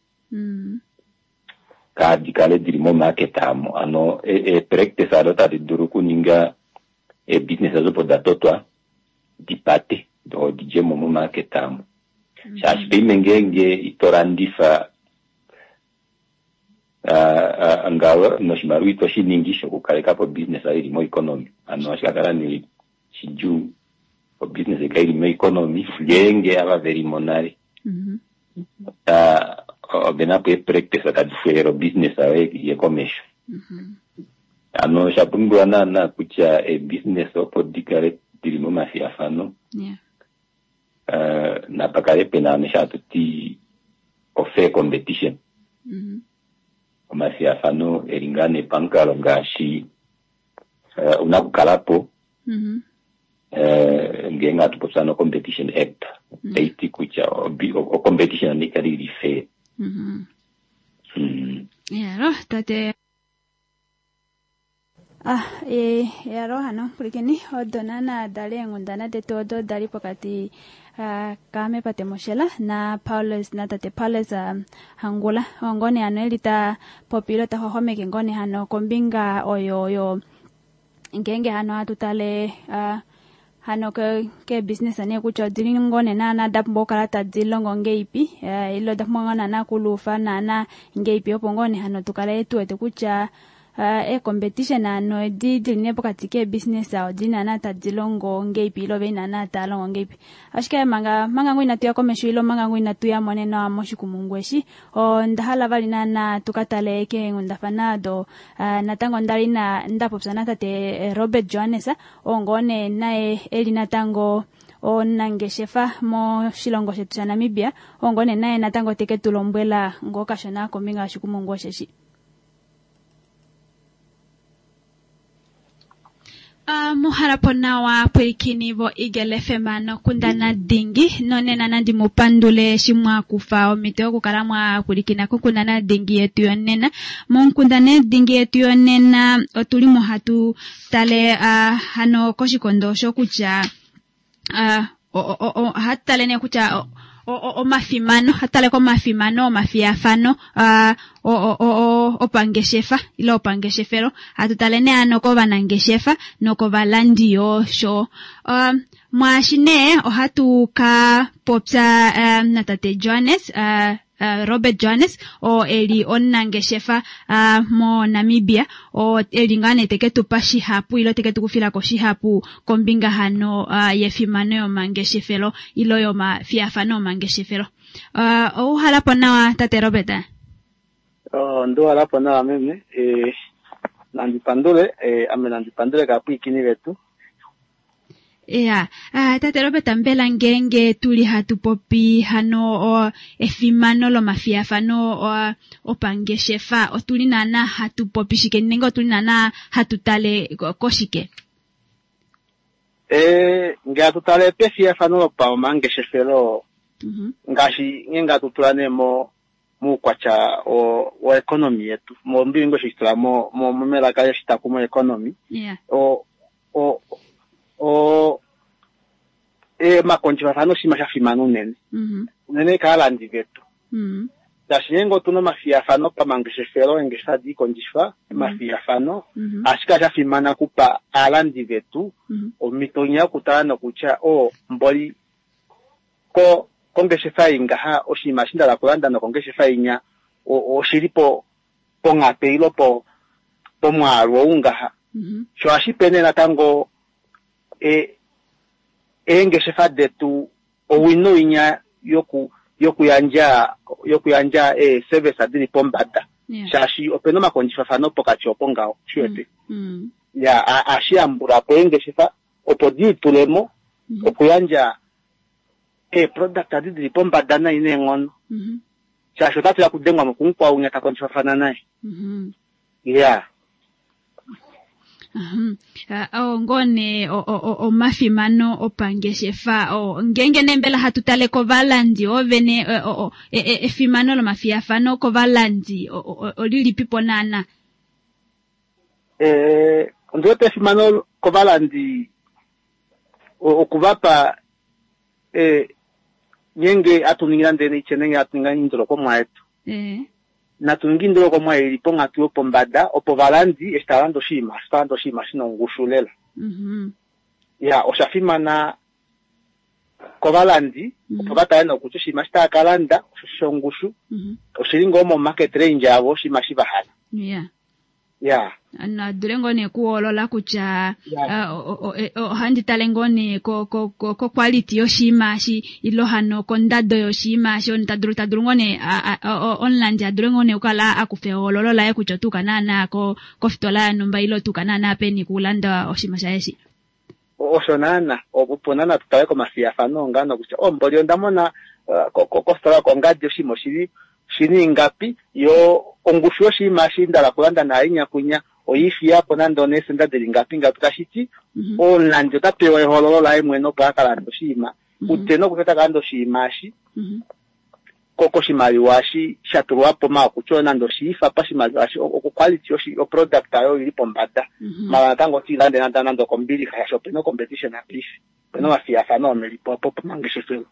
Speaker 10: kaadi kale dili momarket amo. Ano eepractice ado tadi dulu okuninga eebusiness ado opo datotwa dipate do didjemo momarket amo. Shaashi peime ngeenge ito landifa ngawo noshimaliwa ito shiningi shokukalekapo obusiness ayo ili moeconomy. Ano ohashi kakala nee shidjuu obusiness ikale ili moeconomy ngeenge ava velimo nale ovenapo eepractice tadi fwelele obusiness ayo iye komesho. Ano osha pumbiwa naana kutya eebusiness opo dikale dili momafiyafano napakale pena ano eshi hatuti ofair competition. Omafiyafano eli ngaa nee pamukalo ngaashi una okukalapo ngeenge hatu popya no Competition Act taiti kutya ocompetition ikale ili fair.
Speaker 1: Yalo tate ah e yalo hano pulikeni odo naana dali eenghundana detu odo dali pokati uh, kaame Pate Moshela na Paulus na tate Paulus uh, Hangula ongone hano eli ta popilo ta xwaxwameke ngone hano kombinga oyo yo ngeenge hano hatu tale uh, hano ke ke business ane kutya odili ngone naana da pumbwa okukala tadi longo ngeipi uh, ilo da pumbwa naana kulufa naana ngeipi opo ngone hano tukale tuwete kutya uh, e-competition ano edi dili nee pokati keebusiness odi naana tadi longo ngeipi ilo vei naana taa longo ngeipi. Ashike manga manga ngoo inatu ya komesho ilo manga ngoo inatu ya mone nawa moshikumungu eshi onda hala vali naana tukatale keenghundafana ado uh, natango ndali na ndapopya natate Robert Johannes oo ngoo nee naye eli natango Omunangeshefa moshilongo shetu shaNamibia, oo ngoo nee naye natango teke tu lombwela ngoo kashona kombinga yoshikumungu osheshi. Uh, muhalapo nawa pwilikini vo Eagle F M nokundana dingi nonena nandi mupandule eshi mwakufa omhito yokukala mwapwilikina kokundana dingi yetu yonena. Monkundana dingi yetu yonena otuli mo hatu tale uh, hano koshikondo osho kutya uh, ohatu tale nee kutya omafimano, hatu tale komafimano omafiyafano uh, opangeshefa ile opangeshefelo, hatu tale nee ano kovanangeshefa nokovalandi yosho. Uh, mwaashi nee ohatu ka popya uh, natate Johannes uh, Uh, Robert Johannes oo eli omunangeshefa uh, mo Namibia, oo eli ngaa nee teke tupa shihapu ilo teke tukufilako shihapu kombinga hano uh, yefimano yomangeshefelo ilo yomafiyafano omangeshefelo. Uh, ouhalapo nawa tate Robert?
Speaker 11: Oh, nduhalapo nawa meme. Eh, nandipandule eh, ame nandipandule kaapwiikini vetu.
Speaker 1: Ya, yeah. uh, tate Robert, mbela ngenge tuli hatu popi hano o, efimano lomafiyafano opangeshefa, otuli nana hatu popi shike nenge otuli nana hatu tale koshike?
Speaker 11: Eh, nge hatu tale pefiyafano lopamangeshefelo, mm-hmm. ngaashi nge hatu tula nee mo muukwatya wo economy yetu, mo mbilingo shitula mo mo melaka yeshitaku mo economy.
Speaker 1: Yeah.
Speaker 11: O o o e makondjifafano oshinima sha fimana unene. Unene kaalandi vetu. Shaashi ngeenge otuna omafiyafano pamangeshefelo, eengeshefa hadi kondjifa omafiyafano, ashike sha fimana kupa aalandi vetu omhito nya yokutala nokutya o mboli ko kongeshefa ei ngaha oshinima eshi ndala kulanda nokongeshefa inya oshili po ponghape ilo po pomwaalu ou ngaha. Sho ohashi pe nee natango e eengeshefa detu owino inya yoku yokuyandja yokuyandja e service dili pombada.
Speaker 1: Yeah.
Speaker 11: Shaashi opena omakondjifafano pokati opo ngaho shiwete.
Speaker 1: Mm.
Speaker 11: Ya ashiyambula po eengeshefa opo diitulemo
Speaker 1: mm -hmm.
Speaker 11: okuyandja e product adi dili pombada nai neenghono.
Speaker 1: Mm -hmm.
Speaker 11: Shaashi otatu ya kudengwa mokumukwa unya takondjifafana naye.
Speaker 1: Mm -hmm.
Speaker 11: Yeah.
Speaker 1: Uh, uh, ngone omafimano opangeshefa o ngenge nembela hatu tale kovalandi ovene efimano lomafiyafano kovalandi olilipipo nana?
Speaker 11: Eh, ndiwete efimano kovalandi okuvapa eh nyenge atuningira ndene ichenenge atuninga indolokomwa yetu.
Speaker 1: Eh
Speaker 11: natuningi indolokomwa ili ponghatu yopombada opo valandi eshi talanda oshinima talanda oshinima shina ongushu lela.
Speaker 1: Mm-hmm.
Speaker 11: Ya osha fimana kovalandi
Speaker 1: mm -hmm.
Speaker 11: opo vatale nokutya oshinima shi tava kalanda shongushu
Speaker 1: mm -hmm.
Speaker 11: oshili ngoo mo market range yavo oshinima shi vahala.
Speaker 1: Yeah.
Speaker 11: Yeah.
Speaker 1: Nadule ngoo nee kuhoolola kutya ohandi tale ngoo nee ko ko ko quality yoshinima eshi ilo hano kondado yoshinima eshi tadulu tadulu ngoo nee omulandi adule ngoo nee okukala akufa ehoololo laye kutya otuuka naana ko kofitola yanumba ilo otuuka naana peni kulanda oshinima shaye eshi.
Speaker 11: Osho naana opo naana tutale komafiyafano ngano kutya omboli onda mona kofitola kongadi oshinima oshili shini ingapi yo ongushu yoshinima eshi ndala kulanda nayo inyakunya oifiyapo nande oneesenda dili ngapi ngapi tashiti omulandi ota pewa ehoololo laye mwene opo akalanda oshinima kutye nokutya takalanda oshinima eshi koshimaliwa eshi sha tulwapo maa kutya nande oshiifa pashimaliwa eshi oquality yoproduct ayo ili pombada mala natango otiilande nande okombilixa shaashi opena ocompetition apaife opena omafiyafano omelipo opo pomangeshefelo.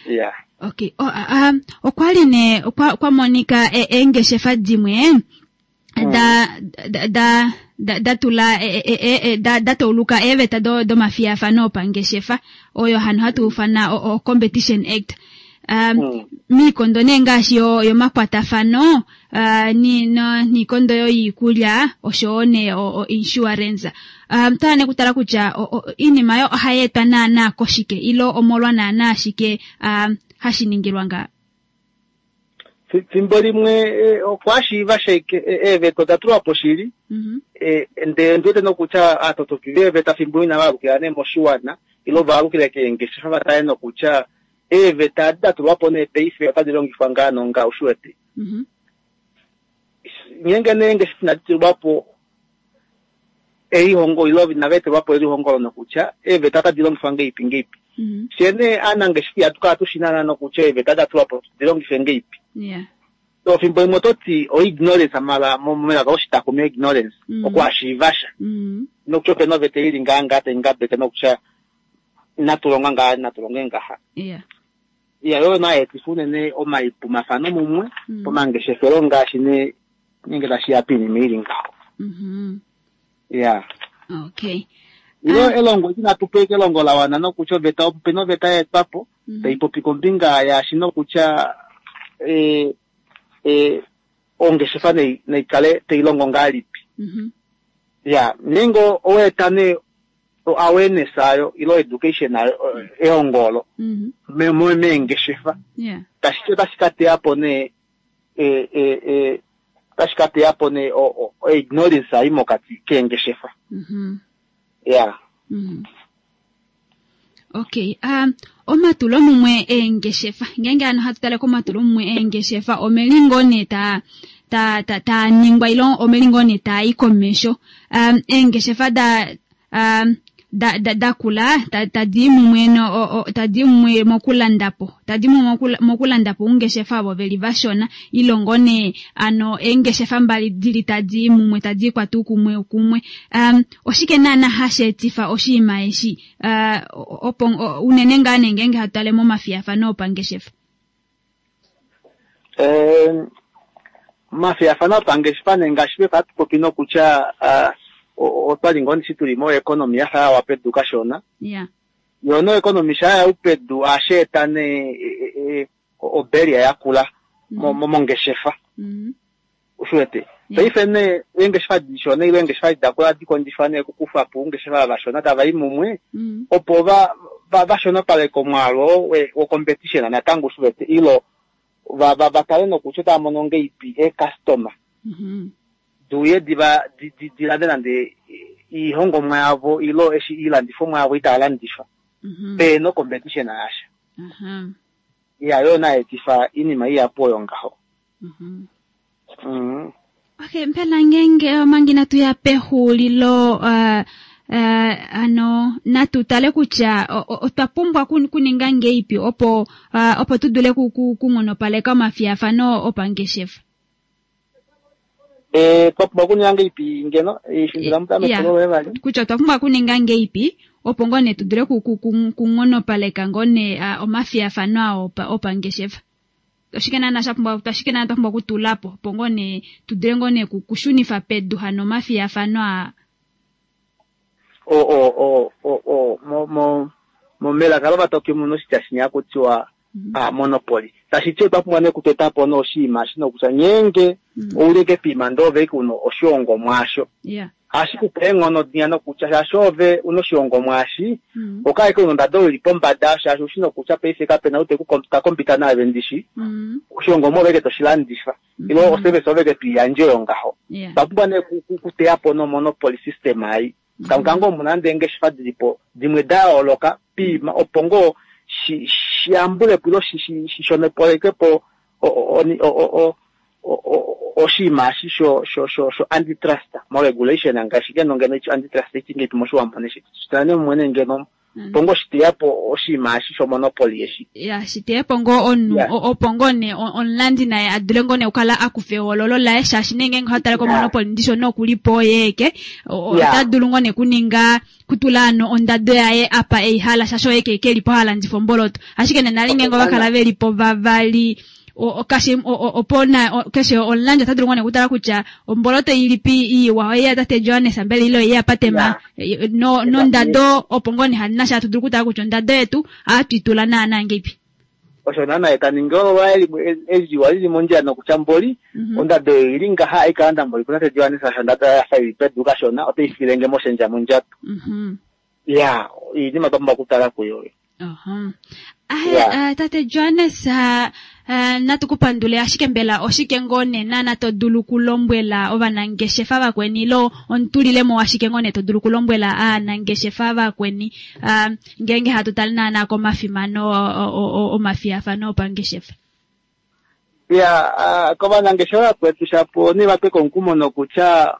Speaker 11: Yeah.
Speaker 1: Okay. Oh, um, okwali ne okwa, kwa monika eengeshefa dimwe da da da da, da tula e, e, e, da, da tauluka eeveta do domafiyafano opangeshefa oyo hano hatu ufana o, o Competition Act. Um,
Speaker 11: mm.
Speaker 1: miikondo nee ngaashi yomakwatafano uh, ni, no, niikondo yoikulya oshowo nee o, o insurance. Um, tala nee kutala kutya iinima yo ohayi etwa naana koshike ilo omolwa naana shike um, hashi ningilwa nga?
Speaker 11: Fimbo limwe okwashiiva sheke eeveta oda tulwa po shili, ndele ndi wete nokutya aatotoki veeveta fimbo ina valukila nee moshiwana ile valukile keengeshefa vatale nokutya eeveta adi da tulwa po nee paife otadi longifwa ngaa nonga ushiwete. Ngeenge nee eengeshefa inadi tulwa po elihongo ile inava etelwa po elihongo nokutya eeveta otadi longifwa ngeipi ngeipi. Fye nee aanangeshefa ihatu kala tushi naana nokutya eeveta da tulwa po di longife ngeipi. Ofimbo limwe ototi o-ignorance mala melaka loshitakumi ignorance okwashiivasha nokutya opena oveta ili ngaa ngaa tai ngabeke nokutya inatu longa ngaa inatu longe ngaha. Iya yo naayetifa unene omaipumafano mumwe pomangeshefelo ngaashi nee nenge tashiya piinima ili ngaho. Ya.
Speaker 1: Okay.
Speaker 11: Ilo elongo inatu pewa elongo la wana nokutya oveta opena oveta ya etwa po tai popi kombinga yaashi nokutya e e ongeshefa nei naikale tai longo ngahelipi. Ya, ngeenge oweeta nee awareness ayo ilo education ayo ehongo olo meengeshefa tashi otashi ka teya po nee e e e otashi ka teya po nee ignorance ai mokati keengeshefa. Ya.
Speaker 1: Okay, um omatulo mumwe eengeshefa ngeenge ano hatu tale komatulo mumwe eengeshefa omelingo nee ta ta ta ta ningwa ilo omelingo nee ta i komesho um eengeshefa da um da da dakula tadi mumwe no tadi mumwe mokulandapo tadi mumwe mokulandapo ungeshefa avo veli vashona ilongo ne ano engeshefa mbali dili tadi mumwe tadi kwatu kumwe kumwe um oshike naana hasheetifa oshiima eshi uh, opo unene ngaa nee ngeenge hatu tale momafiyafano opangeshefa?
Speaker 11: Eh mafiyafano opangeshefa nee ngaashi hatu popi nokutya uh, otwali ngoo ndishi tuli mo economy yafa yawa pedu kashona.
Speaker 1: Yeah.
Speaker 11: Yono economy sha ya upedu asheeta ne oberia yakula mongeshefa. Ushiwete. Paife ne engeshefa dishona ile engeshefa dakula dikondjifa ne kukufa po ungeshefa vashona tava i mumwe opo va vashonopaleke omwaalu wo competition natango ushiwete ilo va va vatale nokutya otava mono ngeipi e-customer. Duye diva dilande nande iihongomwa yavo ilo eshi iilandifomwa yavo itaya landifa peno competition yasha. Ya yo naetifa iinima iyapu oyo ngaho.
Speaker 1: Okay, mpela ngeenge manga inatu ya pexulilo uh, uh, ano natu tale kutya otwa pumbwa kuninga ngeipi opo uh, opo tu dule kungonopaleka omafiyafano opangeshefa.
Speaker 11: Eh twa pumbwa kuninga ngeipi ngeno ishindula mutame kulo vali
Speaker 1: kutya otwa pumbwa kuninga ngeipi opo ngoo nee tu dule kungonopaleka ngoo nee omafiyafano ao opangeshefa. Oshike naana sha pumbwa oshike naana twa pumbwa kutula po opo ngoo nee tu dule ngoo nee kushunifa pedu hano omafiyafano a
Speaker 11: o o o o o mo mo mo melaka lovatoki muno oshitya shinya kutiwa a monopoly. Tashi ti otwa pumbwa nee kuteta po noshiima shi nokutya ngeenge ouleke piima ndee ove uno oshihongomwa asho hashi kupe eenghono dinya nokutya shaashi ove una oshihongomwa ashi okaeke una ondado ili pombada shaashi ushi nokutya paife kapena ou takompita naave ndishi oshihongomwa oveke toshilandifa ilo oservice oveke toiyandje oyo ngaho. Otwa pumbwa nee kuteya po nomonopoly system ai kamwe omuna nande eengeshefa dilipo dimwe da yooloka piima opo ngoo shi shiyambulepo ilo shishonopaleke po oshiima eshi sho sho sho sho antitrust mo regulation ngaashi ngeno ngeno antitrust ichingeipi moshiwambo neshitane mumwe ngeno opo ngoo shiteyapo oshiima eshi sho monopoly eshi.
Speaker 1: Ya shiteyapo ngoo omunhu opo ngoo nee omulandi naye adule ngoo nee okukala akufa ehoololo laye shaashi nee ngeenge ohatale ko monopoly ndisho nokulipo yeeke ota dulu ngoo nee kuninga kutula ano ondado yaye apa eihala shaashi oye kelipo halandifa omboloto ashike nenali ngeenge ovakala velipo vavali okashi opo na keshe omulandi ota dulu ngoo nee kutala kutya omboloto ilipi iwa oye tate Johannes mbele ilo ye apatema no nondado opo ngoo nee hanasha atu dulu kutala kutya ondado yetu atwitula naana ngeipi.
Speaker 11: Osho naana etaningi olo eziwa lili mondjila nokutya mboli ondado ili ngaha aikalanda mboli kutate Johannes asho ondado yafa ili pedu kashona otai filenge moshendja mondjato. Ya iinima twa pumbwa okutala kuyo.
Speaker 1: Aha. Ahe, uh, tate Johannes, uh, uh, natu kupandule ashike mbela oshike ngoo nena nato dulu kulombwela ovanangeshefa vakweni ilo ontulilemo ashike ngoo nee to dulu kulombwela aanangeshefa vakweni uh, ngeenge hatu tale naana komafimano omafiyafano opangeshefa.
Speaker 11: Ya, uh, kovanangeshefa vakwetu shapo nivape komukumo nokutya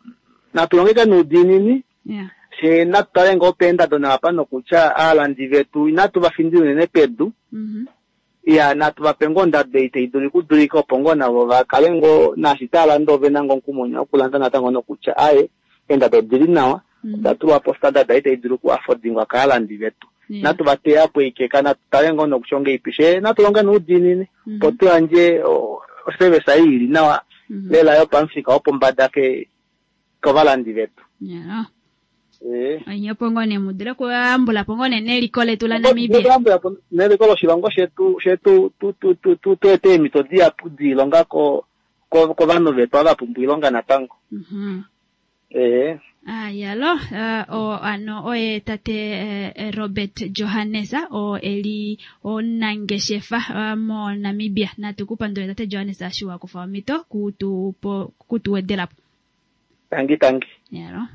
Speaker 11: natu longeke nuudiinini.
Speaker 1: Yeah.
Speaker 11: She natu tale ngoo peendado nawapa nokutya aalandi vetu inatu va findile unene pedu.
Speaker 1: Mm-hmm.
Speaker 11: Ya, natu vape ngoo ondado ei tai dulu okudulika opo ngoo navo va kale ngoo naashi tava landa ove na ngoo omukumo okulanda natango nokutya aye eendado odili nawa, oda tulwa po standard ei tai dulu okuafodingwa kaalandi vetu.
Speaker 1: Yeah.
Speaker 11: Natu va teya po ikeka, natu tale ngoo nokutya ongeipi she natu longe noudiinini opo tu yandje oservice ei ili nawa lela yopamufika wopombada ke kovalandi vetu.
Speaker 1: Yeah.
Speaker 11: Eh.
Speaker 1: Onye opo ngoo nee mudule okuyambula po ngoo nee neliko letu la Namibia.
Speaker 11: Okuyambula po neliko loshilongo shetu shetu tu tu tu tu tu ete eemhito dihapu diilonga ko kovanhu vetu ava pumbwa oilonga natango.
Speaker 1: Mhm.
Speaker 11: Eh.
Speaker 1: Ah, yalo, uh, o ano oye tate uh, Robert Johannes o eli onangeshefa uh, mo Namibia. Natu kupandule tate Johannes ashiwa kufa omito kutu po kutuwedelapo.
Speaker 11: Tangi tangi.
Speaker 1: Yalo.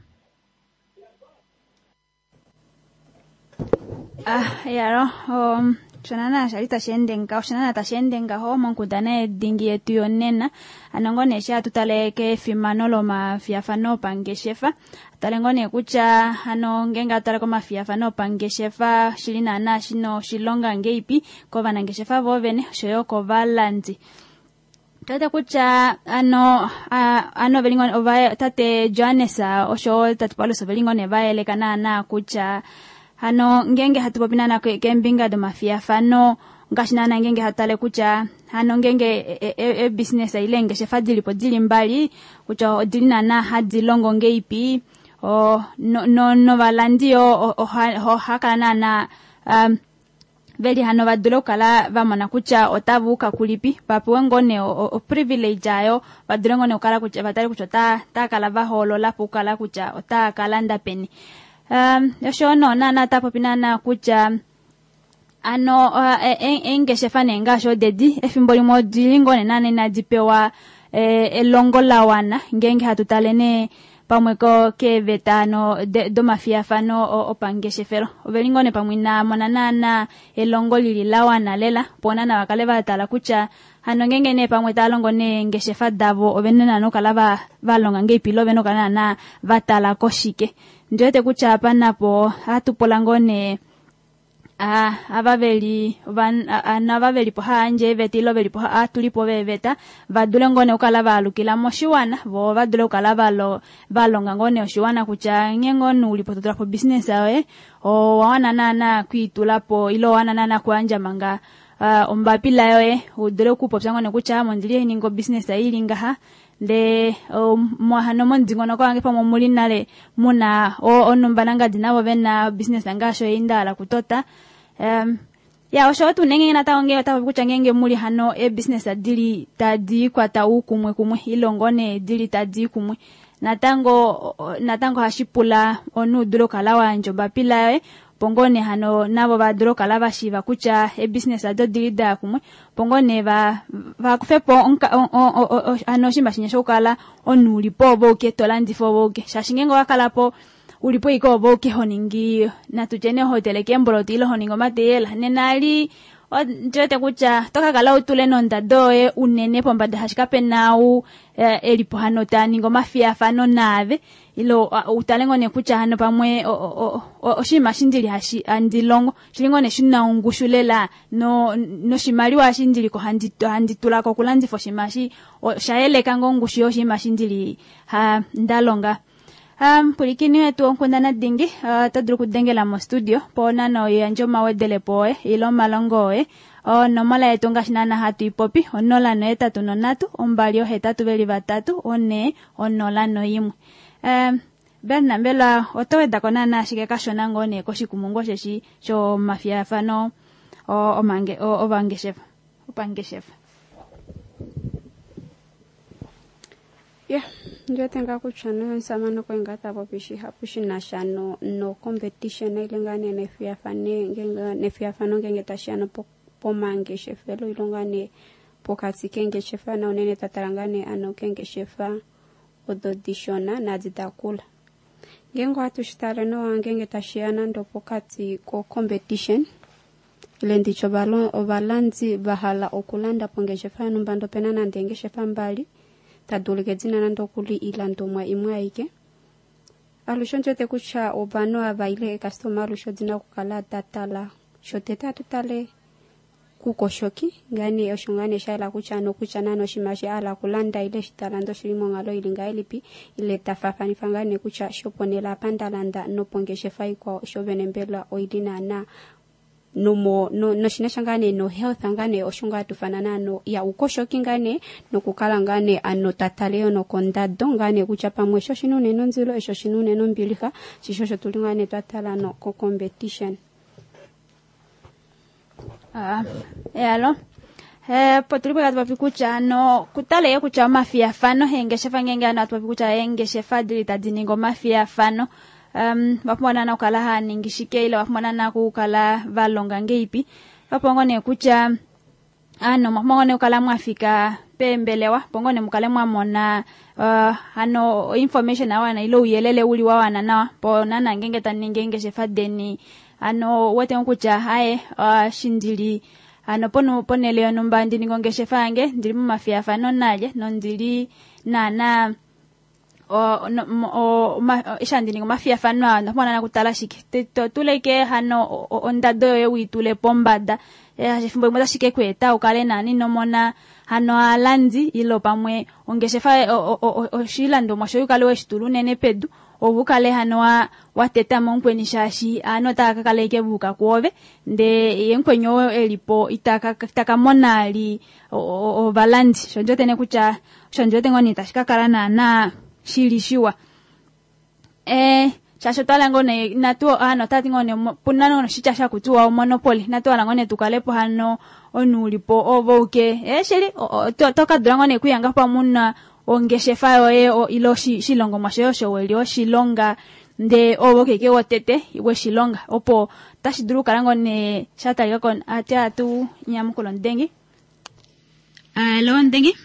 Speaker 1: Ah, yalo, um, shonana shali tashi ende ngaho, shonana tashi ende ngaho monkundana yedingi yetu yonena. Ano ngoo nee sha tutale kefimano lomafiyafano opangeshefa. Tale ngoo nee kutya ano ngeenge atale komafiyafano opangeshefa shili naana shino oshilonga ngeipi kovanangeshefa voovene oshoyo kovalandi. Tuwete kutya ano ano veli ngoo ova tate Johannes osho tate Paulus oveli ngoo nee vayeleka naana kutya hano ngenge hatu popi naana keembinga domafiyafano ngaashi naana ngenge hatale kutya hano ngenge e-business ile eengeshefa dilipo dili mbali kutya odili naana hadi longo ngeipi o no no novalandi yo ohakala naana um, veli hano vadule okukala vamona kutya otava uka kulipi vapewe ngoo nee oprivilege ayo vadule ngoo nee okukala kutya vatale kutya otaa kala vahoolola po okukala kutya otaa kalanda peni. Um, osho no naana tapopi naana kutya ano uh, eengeshefa nee ngaashi odedi efimbo limwe odili ngoo nee naana inadi pewa eh, elongo la wana ngeenge hatu tale nee pamwe ko keeveta ano domafiyafano opangeshefelo. Oveli ngoo nee pamwe inamona naana elongo lili la wana lela opo naana vakale vatala kutya hano ngeenge nee pamwe tava longo neengeshefa davo ovene naana okukala va valonga ngeipi ile ovene okukala naana vatala koshike. Ndiwete kutya apa napo hatu pula ngoo nee ah ava veli ano ava velipo haandje eeveta ile velipo hatulipo veeveta vadule ngoo nee okukala vaalukila moshiwana vo vadule okukala valo valonga ngoo nee oshiwana kutya nghee ngoo nee ulipo totulapo business yoye owawana naana kwiitulapo ile owawana naana kuyandja manga uh, ombapila yoye udule okupopya ngoo nee kutya mondili hainingi obusiness ili ngaha ndee hano momudingonoko wange pamwe omuli nale muna onumba nangadi navo vena business ngaashi oyo ndahala kutota. Um, ya osho tuu nengenge natango ngee otapopi kutya ngeenge muli hano eebusiness dili tadi kwata uukumwe kumwe ile ngoo nee dili tadi kumwe natango natango hashi pula omunhu udule okukala wayandja ombapila yoye opo ngoo nee hano navo vadule okukala vashiiva kutya eebusiness ado odili daya kumwe opo ngoo nee va vakufepo hano oshinima shinya shokukala omunhu ulipo ove uke tolandifa ove uke shaashi ngeenge owakalapo ulipo ike ove uke honingi natutye nee hoteleke eemboloto ile honingi omateyela nena ali ndiwete kutya tokakala utule nondado yoye unene pombada shaashi kapena ou elipo hano taningi omafiyafano naave ile utale ngoo nee kutya hano pamwe oshinima eshi ndili handi longo shili ngoo nee shina ongushu lela no noshimaliwa eshi ndiliko handi handi tulako okulandifa oshinima eshi oshayeleka ngoo ongushu yoshinima eshi ndili ndalonga. Um, pulikini wetu onkundana dingi oto dulu okudengela mostudio po nana oyandje omawedelepo oye ile omalongo oye. Onomola yetu ngaashi naana hatu ipopi onola nohetatu nonhatu ombali ohetatu veli vatatu one onola noimwe. Um, Berna mbela oto wedako naana ashike kashona ngoo nee koshikumungu osheshi shomafiyafano omange ovangeshefa opangeshefa.
Speaker 2: Yeah, ndiwete ngaa kutya nomusamane okwe ngaa tapopi shihapu shina no no competition ile ngaa nee nefiyafano ngenge nefiyafano ngenge tashiya pomangeshefelo ile ngaa nee pokati kengeshefa na unene twatala ngaa nee ano kengeshefa odo dishona nadi dakula. Ngeenge ohatu shi tale nawa ngeenge tashiya nande pokati ko competition ile nditye ovalandi va hala okulanda pongeshefa yonhumba ndee opena nande eengeshefa mbali tadi ulike dina nande okuli ilandomwa imwe aike. Alushe ondiwete kutya ovanhu ava ile eekastoma alushe odina okukala datala shotete atu tale kukoshoki ngane osho ngane shayela kutya nokutya nani oshinima eshi a hala okulanda ile eshi talanda oshili monghalo ili ngahelipi ile tafaafanifa ngane kutya shoponele apa ndalanda nopongeshefa ikwao shovene mbela oili naana nomo no, noshinasha ngaa nee no health ngaa nee osho ngaa tufana naano ya ukoshoki ngaa nee nokukala ngaa nee ano tatale yo nokondado ngaa nee kutya pamwe osho oshina unene ondilo osho oshina unene ombilixa shisho osho tuli ngaa nee twatala no ko competition.
Speaker 1: Ah, alo eh po tuli po tatu kutya ano kutale kutya omafiyafano eengeshefa ngenge ano atu kutya eengeshefa dili tadi ningi omafiyafano um vapumbwa naana okukala haya ningi shike ile vapumbwa naana okukala va longa ngeipi vapumbwa nee kutya ano mwapumbwa nee okukala mwafika peembelewa opo nee mukale mwamona uh, ano information awana ile ouyelele uli wawana nawa po naana ngenge taningi eengeshefa deni ano wete kutya haye uh, shindili ano pono ponele yonhumba ndi ningi ongeshefa yange ndili momafiyafano nalye nondili naana o no o eshi handi ningi omafiyafano aa onda pumbwa naana okutala shike totuleke hano ondado yoye wiitule pombada efimbo limwe otashi ke ku eta ukale naana inomona hano aalandi ile pamwe ongeshefa oshilandomwa shoye ukale weshitula unene pedu ove ukale hano wa wateta mo mukweni shaashi aanhu otava ka kala ashike va yuka kwoove ndee ye mukweni oo elipo itaka mona ali ovalandi sho ndiwete nee kutya osho ndiwete ngoo nee tashi ka kala naana shili shiwa eh shaashi otwahala ngoo nee natu ano otati ngoo nee puna noshitya shakutiwa omonopoly natu hala ngoo nee tukalepo hano omunhu ulipo ove uke eh shili oto kadula ngoo nee okuyanga pamwe una ongeshefa yoye ile oshilongomwa shoye osho weli oshilonga ndee ove okeke wotete weshilonga opo otashi dulu okukala ngoo nee shatalikako ati atu nyamukula omudengi. Alo omudengi.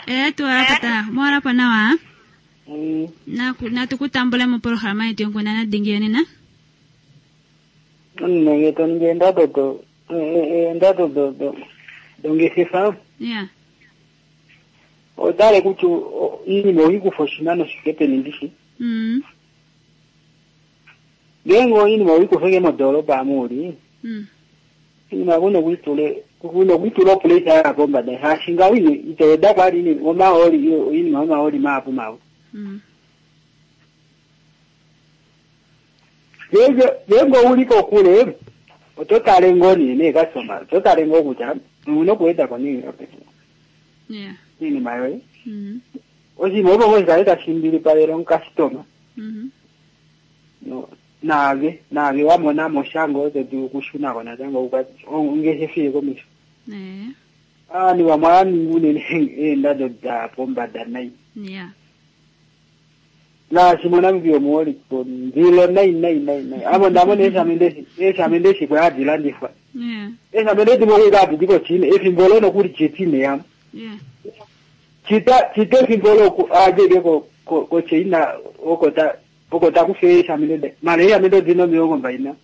Speaker 1: Eh tuwalapata mwalapa nawa. Mm. Natukutambula mopolohalama yetu yonkundana dingi yonena.
Speaker 12: Nenge toningi eendado do eendado do do dongeshefa.
Speaker 1: Yeah.
Speaker 12: Otale kutya iinima oikufa oshinano shike peni ndishi.
Speaker 1: Mm.
Speaker 12: Ngeenge oinima oikufa modoolopa amu uli.
Speaker 1: Mm.
Speaker 12: Iinima kuno kuitule kuno kuitula opulesa ya pombada shaashi ngawo itoyeda kwali omahooli iinima omahooli mahapu mahapu.
Speaker 1: Mm.
Speaker 12: Ngeenge uli kokule oto tale ngoo nee neekasitoma oto tale ngoo kutya una okuwedako nee
Speaker 1: Yeah.
Speaker 12: iinima yoye.
Speaker 1: Mm.
Speaker 12: Oshinima opo ngoo shikale tashi mbilipalele omukasitoma.
Speaker 1: Mm.
Speaker 12: No naave naave wamona mo sha ngoo to dulu okushunako natango ongeshefa iye komesho.
Speaker 1: Eh.
Speaker 12: Ovanhu vamwe ohava ningi unene eendado da pombada nai.
Speaker 1: Yeah.
Speaker 12: Ngaashi moNamibia omuholike ndilo nai nai nai nai. Amo ndamona eeshamende eeshamende eshi hadi landifwa.
Speaker 1: Yeah.
Speaker 12: Eeshamende dimwe okuli hadi di koChina efimbo olo nokuli chitine yamo.
Speaker 1: Yeah.
Speaker 12: Chita chita efimbo olo adjeke ko ko koChina oko ta oko takufa eeshamende mara eeshamende odina omilongo mbali na.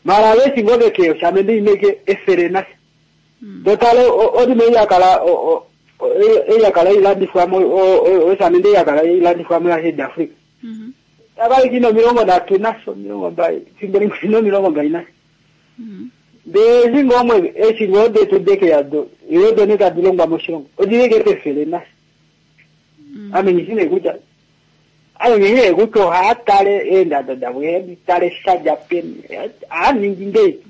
Speaker 12: Mara veshi ngoo veke oshamende imwe efele nasha. Totale odimo eyakala eyakala ilandifwamo oshamende eyakala ilandifwamo ya South Africa. Takali kina omilongo nhatu nasho omilongo mbali efimbo limwe ina omilongo mbali nasho. Ndee eshi ngoo omwe eshi ngoo detu dekeya do iyo done tadi longwa moshilongo odileke pefele nasho. Ame nghishi nee kutya ame nghishi nee kutya ohaya tale eendado davo ehadi tale shadja peni ohaningi ngeipi.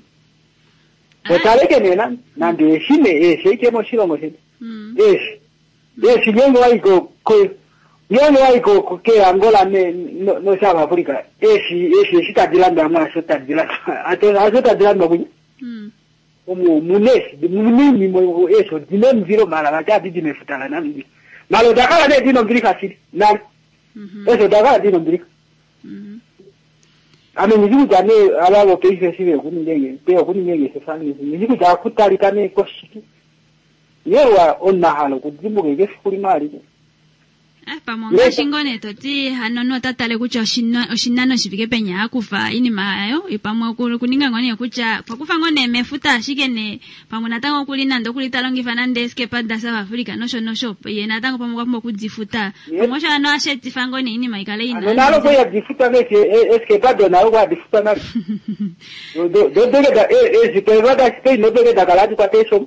Speaker 12: Totaleke nee nande eeshi nee eeshi ashike moshilongo shetu. Eeshi eeshi ngeenge wayi ko ngeenge wayi ko keAngola no South Africa eeshi eeshi eshi tadi landwa mwaasho tadi landwa hasho tadi landwa kunya. Omu muna eeshi muna iinima eeshi odina omundilo mara vati ohadi di mefuta laNamibia. Mara oda kala nee dina ombilixa shili nale. Eeshi oda kala dina ombilixa. Ame ndishi kutya nee ava vopaife eshi vekuninga pe okuninga eengeshefa ndishi kutya akutalika nee koshike yewa onahala okudimbuka eke efiku limwe alike.
Speaker 1: Pamwe ongaashi ngoo nee toti hano nota tale kutya oshinano shifike peni akufa iinima yayo, pamwe okuninga ngoo nee kutya pakufa ngoo nee mefuta ashike nee pamwe natango okuli nande okuli ta longifa nande eskepa da South Africa nosho nosho ye natango pamwe okwa pumbwa okudifuta pamwe osho hano ashetifa ngoo nee iinima ikale ina
Speaker 12: ano nalo kwa difuta ngeke eskepa do nalo kwa difuta nalo do do do da eskepa da Spain no do da kala kwa tesho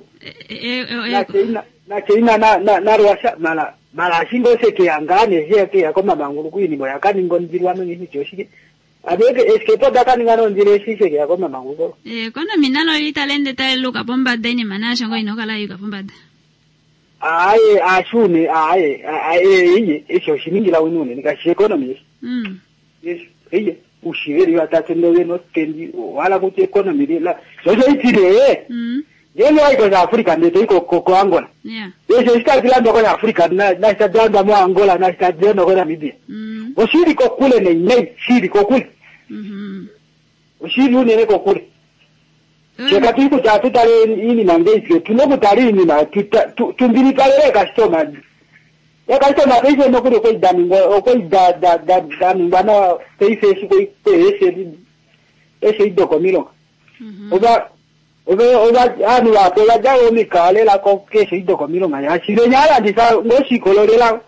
Speaker 12: na China na na na Russia mala mala shingo seke yangane zeke yakoma mangulu kuinimo yakaningo ndirwano ngisi choshike abeke eskepo dakaninga no ndire shike yakoma mangulu
Speaker 1: eh kono minalo litalende tailuka pombada iinima nasho ngo inokala yuka pombada
Speaker 12: aye ashune aye aye iye esho shiningira winune nikashi economy
Speaker 1: mm
Speaker 12: yes iye ushiveri watatendo no tendi wala kuti economy la soso itire
Speaker 1: mm
Speaker 12: Yelo iko za Afrika ndio iko ko Angola.
Speaker 1: Yeah.
Speaker 12: Yesho shikazilando kwa Afrika na na shadanda mo Angola na shadanda kwa Namibia.
Speaker 1: Mm.
Speaker 12: Oshiri ko kule ne ne shiri ko kule.
Speaker 1: Mhm.
Speaker 12: Oshiri unene ko kule. Cheka tiko cha tutale ini mangezi tunokutali ini na tumbiri palele customer. Ya customer pese no kule ko damingo ko da da da damingo na pese ko pese ese idokomilo.
Speaker 1: Mhm.
Speaker 12: Oba Obe oba anu wa kola ja omi kale la ko ke se idokomilo ngaya shire nyala ndisa ngo shikololela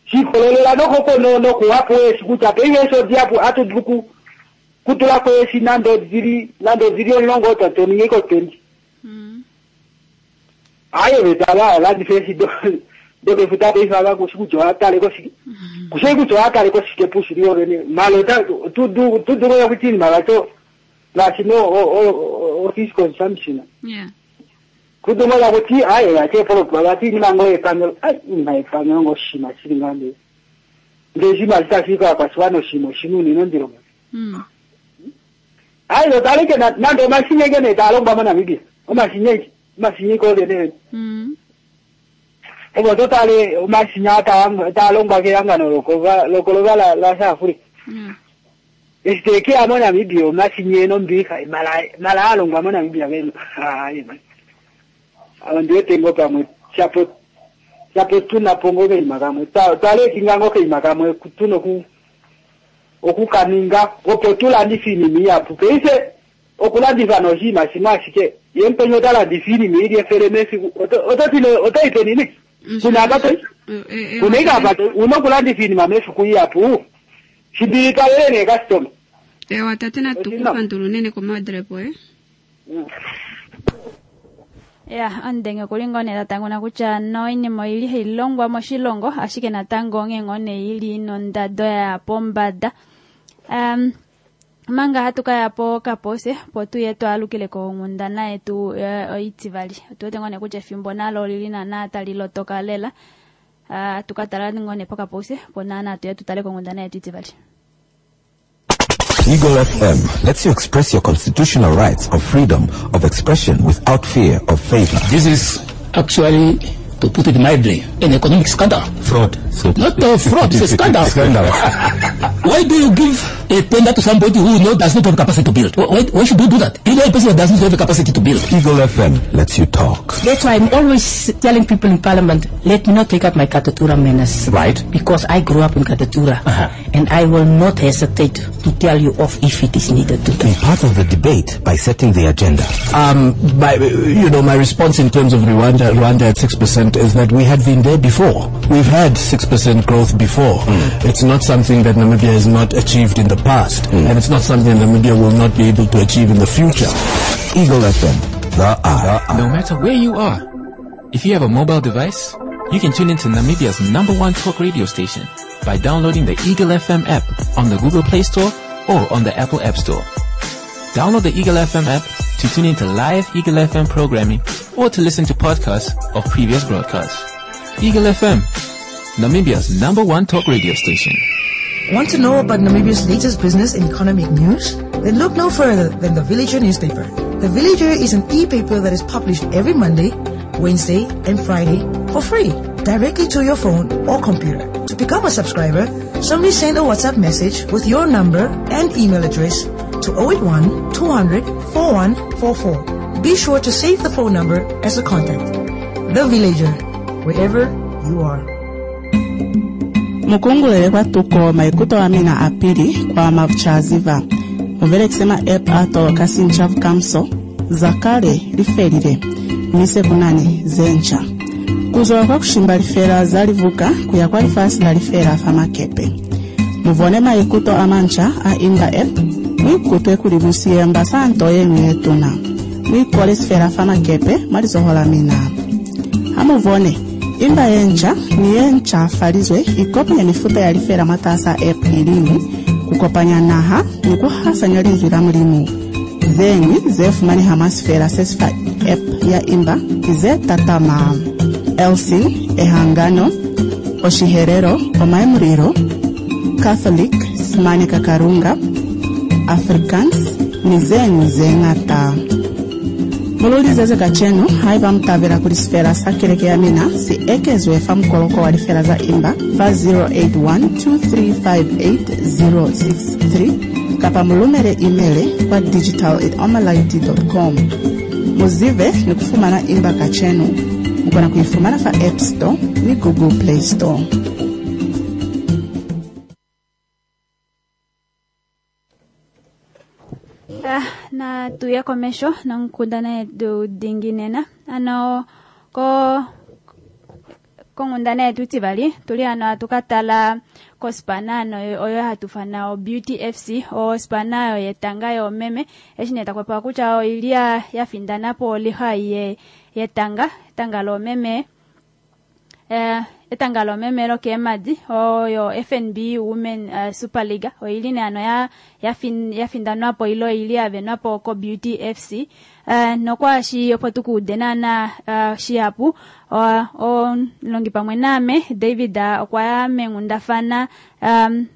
Speaker 12: shikololela no koko no no kuwapo esikuta pe yeso diapo atuduku kutula ko esi nando ziri nando ziri onlongo tato ningeko tendi
Speaker 1: mm
Speaker 12: ayo betala la difesi do do ke futa pe fa ko siku jo atale ko siki kusiku jo atale ko sike pusi rio ne malo ta tu du tu du ya kutini malato la sino o o o fisco consumption
Speaker 1: yeah
Speaker 12: kudumola kuti aye ate polo bati ni mango epangelo ai ni epangelo ngo shima shingande ngejima zitafika kwa swano shimo shinu ni ndiro
Speaker 1: mm
Speaker 12: aye lo taleke na nando mashine gene talongwa mana Namibia o mashine mashine ko gene
Speaker 1: mm
Speaker 12: obo totale o mashine ata talongwa ke yangano loko loko la la South Africa
Speaker 1: yeah
Speaker 12: este ke amo Namibia o mashine no mbika mala mala alongwa mo Namibia ke ai man awo tengo pamwe chapo chapo tuna pongo ke makamwe tale kingango ke makamwe kutuno ku okukaninga opo tulandifini miyapu peise okulandifa noshima shimwe ashike yempenyo talandifini miili efele mesiku ototile otoipenini kuna apato kuna ikapato unokulandifini mamefiku iyapu shimbilikalele ne customer
Speaker 2: ewa tate natukupandula unene komadrepo eh
Speaker 1: Ya, ondenge kuli ngoo nee tatanguna kutya no iinima oyili hayi longwa moshilongo ashike natango onghee ngoo nee ili nondado ya pombada. Um, manga hatu kaya po kapose po tuye twaalukile konghundana yetu oitivali. Otu wete ngoo nee kutya efimbo nalo olili naana tali lotoka lela. Uh, tukatala ngoo nee pokapose po naana tuye tutale konghundana yetu itivali.
Speaker 3: Eagle F M lets you express your constitutional rights of freedom of expression without fear of favor.
Speaker 4: This is actually, to put it mildly, an economic scandal.
Speaker 3: Fraud. So
Speaker 4: Not a fraud, it's a scandal.
Speaker 3: Scandal.
Speaker 4: Why do you give a tender to somebody who know does not have capacity to build? Why, why should you do that? You know a person that does not have the capacity to build.
Speaker 3: Eagle F M lets you talk.
Speaker 5: That's why I'm always telling people in Parliament, let me not take up my Katutura manners.
Speaker 3: Right.
Speaker 5: Because I grew up in Katutura.
Speaker 3: Uh-huh.
Speaker 5: And I will not hesitate to tell you off if it is needed to.
Speaker 3: Be part of the debate by setting the agenda.
Speaker 6: Um, my, you know, my response in terms of Rwanda, Rwanda at six percent is that we had been there before. We've had six percent growth before.
Speaker 3: Mm.
Speaker 6: It's not something that Namibia has not achieved in the past,
Speaker 3: mm.
Speaker 6: and it's not something Namibia will not be able to achieve in the future.
Speaker 3: Eagle F M, the eye.
Speaker 7: No matter where you are, if you have a mobile device, you can tune into Namibia's number one talk radio station by downloading the Eagle F M app on the Google Play Store or on the Apple App Store. Download the Eagle F M app to tune into live Eagle F M programming or to listen to podcasts of previous broadcasts. Eagle F M, Namibia's number one talk radio station.
Speaker 8: Want to know about Namibia's latest business and economic news? Then look no further than the Villager newspaper. The Villager is an e-paper that is published every Monday, Wednesday, and Friday for free, directly to your phone or computer. To To become a subscriber, simply send a WhatsApp message with your number and email address to oh eight one, two hundred, four one four four. Be sure to save the phone number as a contact. The Villager, wherever you are.
Speaker 9: Mukungulele kwa tuko maikuto wa mina apili kwa mavchaziva. Muvele kusema app ato kasinchavu kamso zakale lifelile mise kunani zencha. Kuzola kwa kushimba lifela zalivuka kuya kwa lifasi la lifela famakepe. Muvone maikuto amancha a imba app mwikutwe kuli musiyemba santo yenu yetuna. Mwikole sifela famakepe mwalizohola mina. Hamuvone imba yencha ni yencha falizwe ikopanya mifuta ya lifela mwatasa app ilimu kukopanya naha ni kuhasanya linzwi la mulimu. Zeñwi ze fumaneha mwa sifela sesifa app ya imba ze tatama Elsin, Ehangano, Oshiherero, Omaemuriro, Catholic, Simani Kakarunga, Afrikaans ni zeñwi zeñata. Mululizeze kacenu haiba mutavela kuli sifela sa keleke ya mina si ekezwe fa mukoloko wa lifela za imba fa zero eight one, two three five eight zero six three kapa mulumele email kwa digital at omalight dot com. Muzive ni kufumana imba kacenu. Mukona kuifumana fa App Store ni Google Play Store.
Speaker 1: Ah, na tuya komesho nonkundana yetu dinginena ano ko kongundana yetu tivali tuli ano atukatala kospana ano oyo hatufana o Beauty F C o spana oyo yetanga yomeme eshi takwepa kutya oili yafindanapo oliha ye yetanga etanga lomeme eh etanga lomeme lokemadi oyo F N B Women uh, Super League oili ne ano ya yafin yafindanwapo ilo ili avenwapo ko Beauty F C uh, nokwashi opo tukuudenana uh, shiapu o, o longi pamwe name David uh, okwa mengundafana um,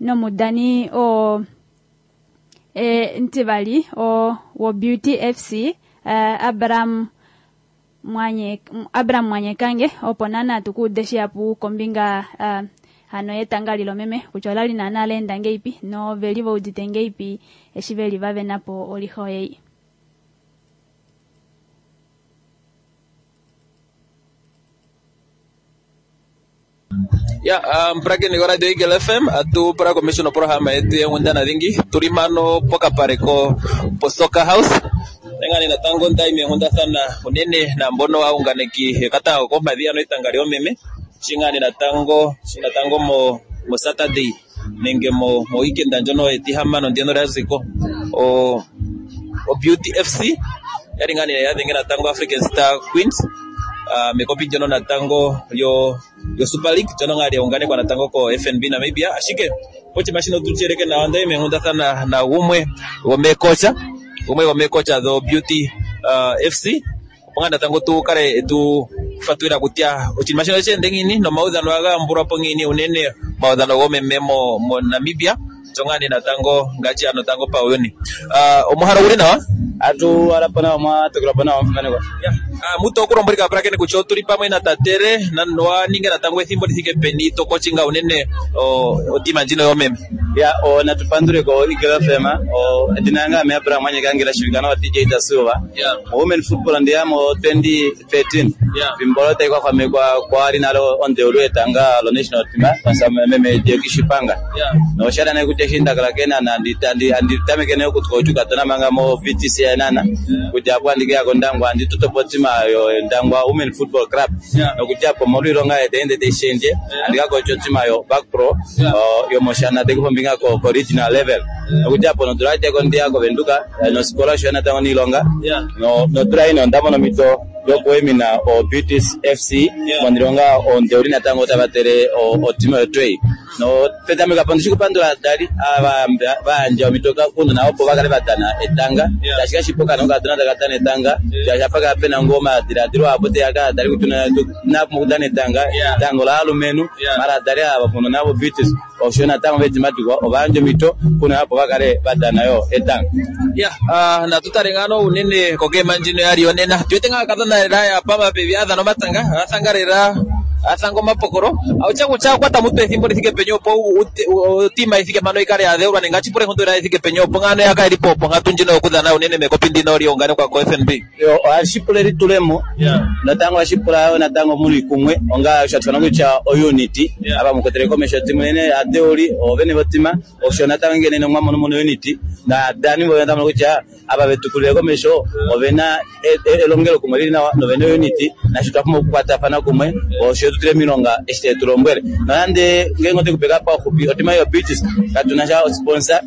Speaker 1: nomudani o e, ntivali o wo Beauty F C uh, Abraham Mwanye Abraham Mwanyekange opo nana tukuude shiapu kombinga uh, hano yetanga lilomeme kutya olali nana alenda ngeipi no veli voudite ngeipi eshi veli vavenapo oliho yei.
Speaker 13: Ya, um, prakeni ko Radio Eagle F M atu pra commission programa yetu yengundana dhingi tulimano pokapare ko po Soccer House nengani natango ndaime yengunda sana unene na mbono waunganeki kata ko madhiano itanga lyomeme shingani natango shinatango mo mo Saturday nenge mo mo weekend ndjono etihamano ndieno raziko o o Beauty F C yaringani yadhenge natango African Star Queens Uh, mekopi jono natango yo yo Super League jono ngali ungane kwa natango ko F N B Namibia ashike pochi mashino tuchereke na wanda imehunda sana na umwe womekocha umwe womekocha the Beauty uh, F C ponga natango tu kare tu fatuira kutia ochini mashino chende ngini no maudhano aga mbura pongini unene maudhano gome memo mo Namibia jongani natango ngachi ano tango pa uyuni uh, omuhara uri nawa
Speaker 14: atu arapana ma tukrapana mfane kwa
Speaker 13: yeah. Ah, muto okulombolika prakene kutya otuli pamwe na tatere na noa ninge natango ethimbo lithike peni tokochinga unene o otima ndjino yomeme
Speaker 14: ya o natupandule ko Eagle F M o edinanga me Abraham Mwanyekange la shirikana wa D J da Silva
Speaker 13: yeah.
Speaker 14: Women football ndiyamo twenty thirteen
Speaker 13: yeah.
Speaker 14: Vimbolo taikwa kwa mekwa kwa ali nalo on the ulwetanga lo national team pasa meme Jekishipanga
Speaker 13: yeah.
Speaker 14: No shada na kuteshinda kala kena na ndi ndi ndi tamekene kutkochuka tona manga mo V T C nana
Speaker 13: yeah.
Speaker 14: Kujapo andike yako ndangwa ndi tutopotima yo ndangwa Women Football Club
Speaker 13: yeah.
Speaker 14: No kujapo molwilonga etende teshenje
Speaker 13: yeah.
Speaker 14: Andika kochotima yo back pro
Speaker 13: yeah.
Speaker 14: o, yo moshana tekufombinga ko, ko regional level
Speaker 13: yeah.
Speaker 14: No kujapo no dura ko ndi yako venduka no scholarship na tango nilonga
Speaker 13: yeah.
Speaker 14: No no dura ino ndamo mito yokuemina o Beauty F C
Speaker 13: yeah.
Speaker 14: Monilonga o ndeuri natango tabatere o, o timu yotwei no petamika pano shikupandula dali aba baanja mitoka kuno na opo bakale batana etanga
Speaker 13: yeah.
Speaker 14: Tashika shipoka no katana takatana etanga
Speaker 13: yeah.
Speaker 14: Jashapaka pena ngoma diradiro apote aka dali kutuna na mukutana etanga
Speaker 13: yeah.
Speaker 14: Tango la alumenu
Speaker 13: yeah.
Speaker 14: Mara dali aba kuno nabo Beauty oshona tango betimatiko obanje mito kuno apo bakale batana yo etanga
Speaker 13: yeah uh, na tutarengano unene koke manjino yali onena twete nga katana raya pama pevi adhano matanga athangarera Athanga omapokolo autya kutya okwata mutu ethimbo lithike peni opo otima ithike mpano ikale yadheulwa nenge atshipula enkondo ithike peni opo ngano yaka ilipo opo nkatu ndjino yokudhana unene mekopi ndino lyounganekwa ko F N B.
Speaker 14: Ohashi pula elitulemo natango ohashi pula yo natango muli kumwe onga shatufana kutya ounity ava mukwatele komesho timu nene adeuli ovene votima osho natango ngene nomwa mono mono unity na dani voyo natango kutya ava vetukulile komesho ovena elongelo kumwe lili nawa novene unity nasho twapumbwa okukwatafana kumwe osho tutule milonga eshi tulombwele nonande ngenge otekupeka paufupi otima yo Beauties katuna sha sponsor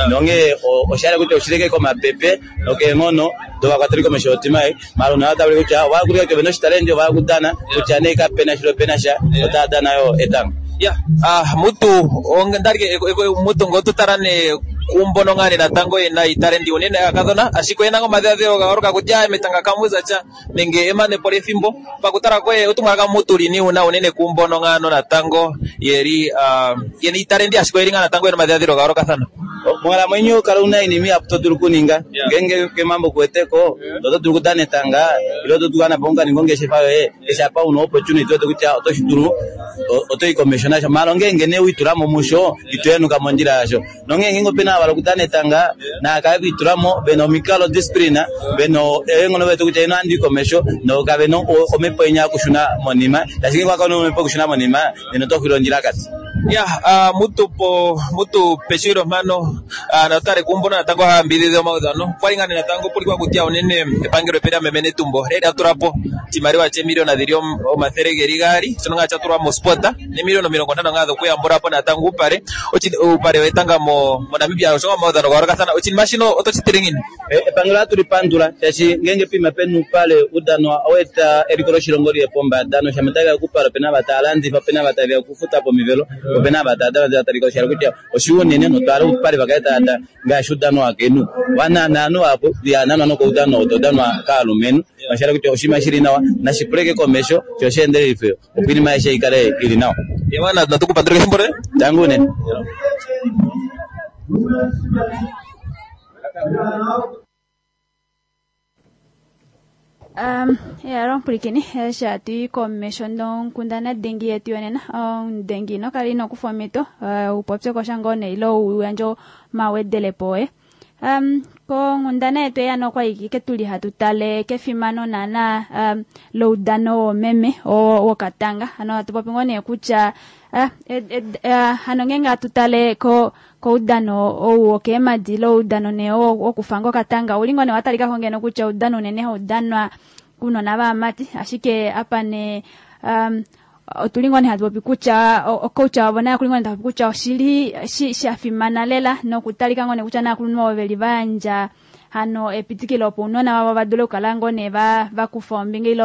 Speaker 14: nonge oshala kutya oshileke komapepe nokenghono dovakwateli komesho otima ei mara onawatabule kutya ovakulika kutya ovena oshitalenti ovakudana kutya nee kapena shilo pena sha otadana yo etanga.
Speaker 13: Ya, ah mutu ondarike mutu ngotutala ne kumbono ngane natango yena italenti unene akadhona ashike yena ngomadhiladhilo gayooloka kutya metanga kamuza tya nenge emanepo lyethimbo pakutala koye otumwalaka mutu lini una unene kumbono ngano natango yeli yena italenti ashike yeli nga natango yena omadhiladhilo gayoolokathana.
Speaker 14: Monkalamwenyo kala una inimi apo to dulu kuninga ngenge kemambo kuweteko oto dulu kudana etanga ile oto dulu kukana ponga ongeshefa yoye keshe apa una opportunity oto kutya oto shi dulu oto yi komesho nasho mara ngenge ne uitulamo musho itoyenuka mondjila yasho nongenge opena avala okudana etanga nakale kuitulamo vena omikalo discipline vena enghono vetu kutya ino andi komesho nokavena omhepo yenya okushuna monima ashike kwakona omhepo okushuna monima nena oto xwile ondjila kati.
Speaker 13: Ya, uh, mutu po mutu peshiro mano uh, natare kumbono natango hambidhidha omaudhano kwali ngane natango pulikwa kutya unene epangelo epera memene tumbo reri atulapo chimaliwa che miliona dhili omathele geli gaali shono nga chatulwa mo spota ne miliona omilongo ntano nga dhokuyambulapo natango upale upale wetanga mo mo Namibia osho omaudhano gayoolokathana oshinima shino otoshitile ngini?
Speaker 14: Epangelo atulipandula shaashi ngenge pima penu upale udano oweta eliko loshilongo liye pombada noshamataga okupala opena vatalandifa opena vatavya okufuta pomivelo opena vatata vatalika oshala kutya oshiunene notwala upale vakaetata ngaashi udano wakenu wanananu apo yananwa nokoudano otodanwa kaalumenhu oshala kutya oshinima shili nawa nashipuleke komesho sho sheendelelife opo iinima aishe ikale ili nawa.
Speaker 13: Yamana natukupandula kethimbo le
Speaker 14: tangu unene.
Speaker 1: Um, ya rompulikini shati komesho nonkundana dengi yetu yonena dengi nokali nokufa omito upopye kosha ngoo ne ile uyandje omawedelepo oye. Um, konkundana yetu eya nokwa tuli hatu tale kefimano naana um, loudano womeme wokatanga ano hatu popi ngoo nee kutya uh, uh, hano ngenge hatu tale ko koudano ou wokeemadi loudano ne wokufanga okatanga uli ngoo nee watalikako ngeno kutya oudano unene haudanwa kunona vaamati ashike apa ne um, otuli ngoo nee hatu popi kutya ocoach wavo naye okuli ngoo nee tapopi kutya oshili shafimana lela nokutalika ngoo nee kutya naakulunhu ovo veli vayandja hano epitikilo opo ounona vavo vadule okukala ngoo nee vakufa ombinga ile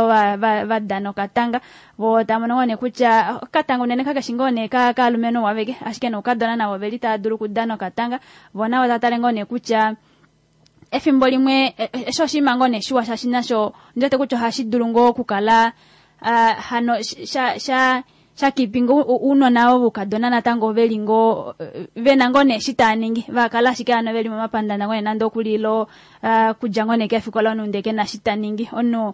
Speaker 1: vadana okatanga vo tamono ngoo nee kutya okatanga unene kakeshi ngoo nee kaalumenhu waveke ashike noukadona navo veli tava dulu okudana okatanga vo navo tatale ngoo nee kutya efimbo limwe esho oshinima ngoo nee shiwa shaashi nasho ndiwete kutya ohashi dulu ngoo okukala Uh, hano sha sha shakipinga uunona voukadona natango veli ngoo vena ngoo nee shi taaningi vakala ashike hano veli momapandanda ngoo nee nande okulilo uh, kudja ngoo nee kefikola omunhu ndee kena shi taningi omunhu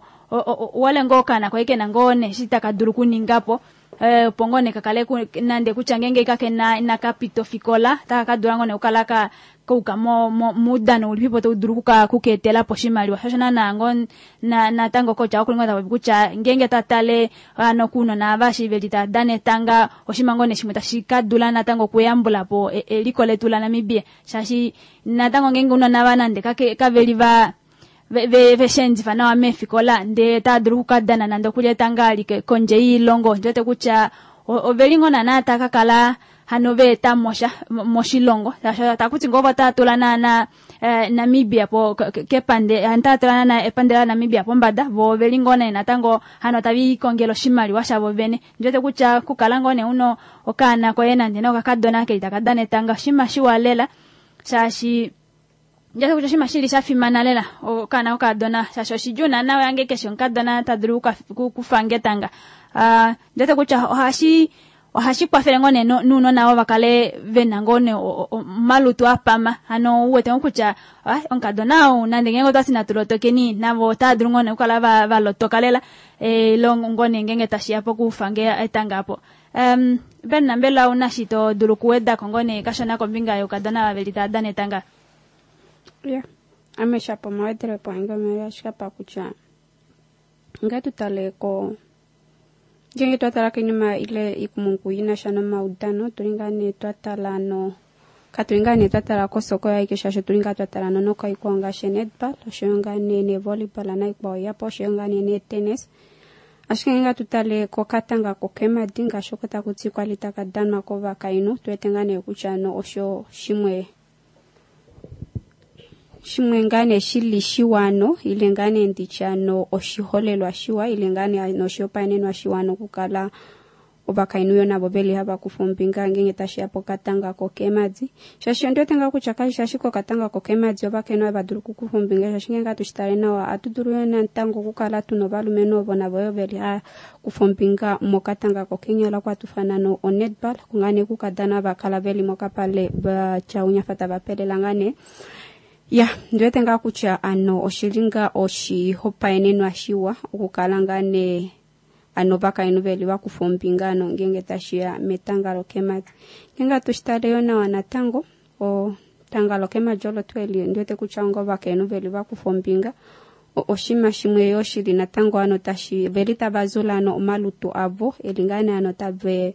Speaker 1: wale ngoo okaana koye kena ngoo nee shi taka dulu kuningapo opo ngoo nee kakale nande kutya ngenge kakena inakapita ofikola taka kadula ngoo nee okukala ka kouka mo muudano ulipipo taudulu kukeetelapo oshimaliwa shosho naana ngoo natango kocha okuli ngoo tapopi kutya ngenge tatale ano kuunona ava shi veli tadana etanga oshinima ngoo nee shimwe tashi kadula natango okuyambulapo eliko letu la Namibia shaashi natango ngenge ounona va nande kaveli va veshendifa nawa meefikola ndee tadulu okukadana nande okulya etanga alike kondje yiilongo ndiwete kutya oveli ngoo naana takakala hano veeta mosha moshilongo takuti ngoo votatula naana Namibia po kepande hantatula naana epandela la Namibia pombada vo veli ngoo nee natango hano tavikongela oshimaliwa shavo vene ndiwete kutya kukala ngoo nee uno okaana koye nande nokakadona keli takadana etanga oshinima shiwa lela shaashi ndiwete kutya oshinima shili shafimana lela okaana kokadona shaashi oshidjuu naana yange keshe omukadona tadulu kufanga etanga. Ndiwete kutya ohashi Ohashi kwafele ngoo nee nuunona vo vakale vena ngoo nee omalutu apama. Hano uwete ngoo kutya omukadona ou nande ngeenge otwati natu lotokeni navo otava dulu ngoo nee okukala va, va lotoka lela e, ngoo nee ngeenge tashiya pokufa nge etanga apo. Um, Ben, mbela una shi to dulu kuwedako ngoo nee kashona kombinga youkadona vaveli tava dana etanga?
Speaker 2: Yeah. Ame shapo mawedelepo ange omele ashike pa kutya nge tutale ko ngenge twatala koinima ile ikumungu inasha nomaudano tuli ngaa nee twatala no katuli ngaa nee twatala kosoko yaike shaashi tuli ngaa twatala no nokaikwao ngaashi netball oshoyo ngaa nee nevolleyball naikwao yapo oshoyo ngaa nee netennis. Ashike ngeenge tutale kokatanga kokemadi ngaashi oko takuti kwali taka danwa kovakainhu tuwete ngaa nee kutya no osho shimwe shimwe ngaa nee shili shiwano ile ngaa nee nditya no oshiholelwa shiwa ile ngaa nee noshihopaenenwa shiwa nokukala ovakainhu yo navo veli hava kufa ombinga ngeenge tashiya pokatanga kokemadi. Shaashi ondiwete ngaa kutya kashi ashike okatanga kokemadi ovakainhu hava dulu okukufa ombinga, shaashi ngeenge hatu shi tale nawa ohatu dulu yo natango okukala tuna ovalumenhu ovo navo yo veli hava kufa ombinga mokatanga kokeenyala kwatufana no onetball kungaa nee kukadana vakala veli mokapale vatya unyafa tava pelela ngaa nee. Ya, ndiwete ngaa kutya ano oshili ngaa oshihopaenenwa shiwa okukala ngaa nee ano ovakainhu veli vakufa ombinga ano ngeenge tashiya metanga lokemadi. Ngeenge hatu shitale yo nawa natango etanga lokemadi olo tuu eli ndiwete kutya onga ovakainhu veli vakufa ombinga oshinima shimwe yo shili natango ano tashi veli tava zula ano omalutu avo eli ngaa nee ano tave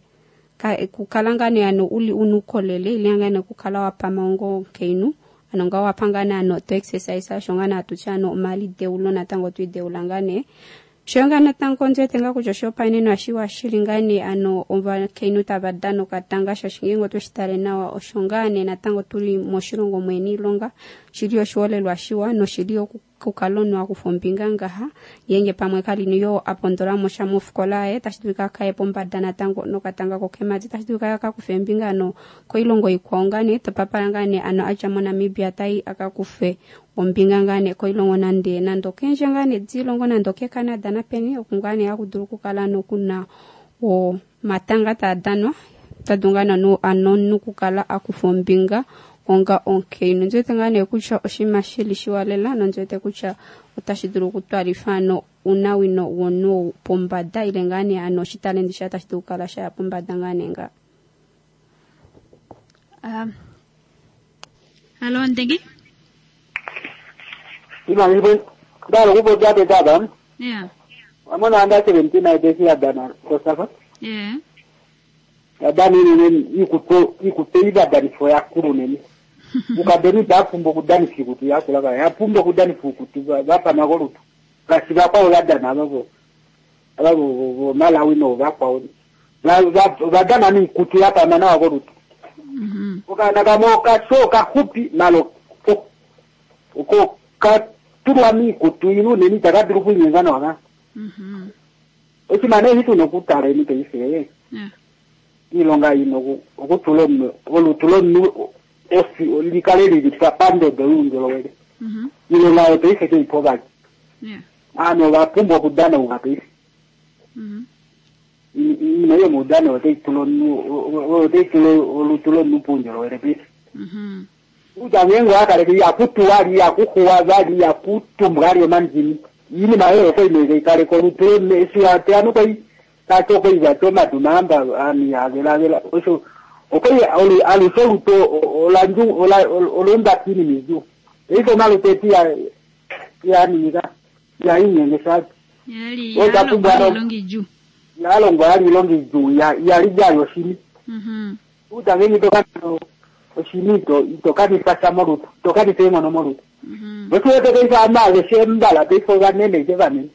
Speaker 2: kukala ngaa nee ano uli unukolele ile ngaa nee kukala wapama onga omukainhu ano nga wapa nee ano to exercise osho ngaa nee hatutya ano omalideulo natango twiideula ngaa nee. Oshoyo ngaa natango ndiwete ngaa kutya oshihopaenenwa shiwa shili ngaa nee ano ovakainhu tava dana okatanga shaashi ngeenge otweshi tale nawa osho ngaa nee natango tuli moshilongo mwene iilonga shili oshiholelwa shiwa noshili okukala omunhu akufa ombinga ngaha ngeenge pamwe kali yo apondola mo sha mofikola yaye tashi dulika akaye pombada natango nokatanga kokemadi tashi dulika akakufe ombinga ano koilongo ikwao ngaa nee topapala ngaa nee ano adja moNamibia tai akakufe ombinga ngaa nee koilongo nande nande okendje ngaa nee dilongo nande okeCanada napeni oku ngaa nee hakudulu okukala nokuna omatanga taa danwa tadu ngaa nee ano nokukala akufa ombinga onga omukainhu. Ndiwete ngaa nee kutya oshinima shili shiwa lela nondiwete kutya otashi dulu okutwalifa ano unawino womunhu pombada ile ngaa nee ano oshitalendi shaye tashi dulu okukala shaya pombada ngaa nee nga.
Speaker 1: Um, halo Ndegi?
Speaker 12: Ndalo kupopya tata.
Speaker 1: Yeah.
Speaker 12: Amona under seventeen aidesi yadana kosafa.
Speaker 1: Yeah.
Speaker 12: Yadani nene ikuto ikuto ibadanifo yakulu nene. Ukadeni bapumbo kudani fikutu yakula ka yapumbo kudani fukutu bapa makolutu. Kasi bakwa yadana babo. Ababo Malawi no bakwa. Badana ni kutu yapa mana wakolutu.
Speaker 1: Mhm.
Speaker 12: Ukana kamoka soka hupi malo uko katulwa mikutu inu neni takadiri kunyengana waka.
Speaker 1: Mhm.
Speaker 12: Osimane hitu nokutala eni peife.
Speaker 1: Yeah.
Speaker 12: Ilonga ino okutula olutu lomunhu ofi likale lili pandodo youndjolowele.
Speaker 1: Mhm.
Speaker 12: Ilonga oyo paife keipo vali.
Speaker 1: Yeah.
Speaker 12: Ano vapumbwa okudana unga paife.
Speaker 1: Mhm.
Speaker 12: Iinima yomaudano otayi tula otayi tula olutu lomunhu puundjolowele paife.
Speaker 1: Mhm.
Speaker 12: Kutya ngeenge owakaleke ihakutuwa li ihakuxuwa vali ihakutumbwa ali omandini iinima oyo okoinenge ikaleka olutu lomunhu eshi wateya nokoi tati okoivati omadu mahamba ami avelavela osho okoi alushe olutu olanju olumbati iinima idjuu paife omalutu etu iyaninga iyainyenge shati
Speaker 1: Yali yalongwa ilonga idjuu.
Speaker 12: Yalongwa yali ilonga idjuu iyali djayo oshini.
Speaker 1: Mhm.
Speaker 12: Kutya ngeenge itoka oshini ito itokanisa sha molutu itokanisa eenghono molutu.
Speaker 1: Mhm.
Speaker 12: Oshiwete paife ovanhu aveshe mbala paife ovanene ike vanene.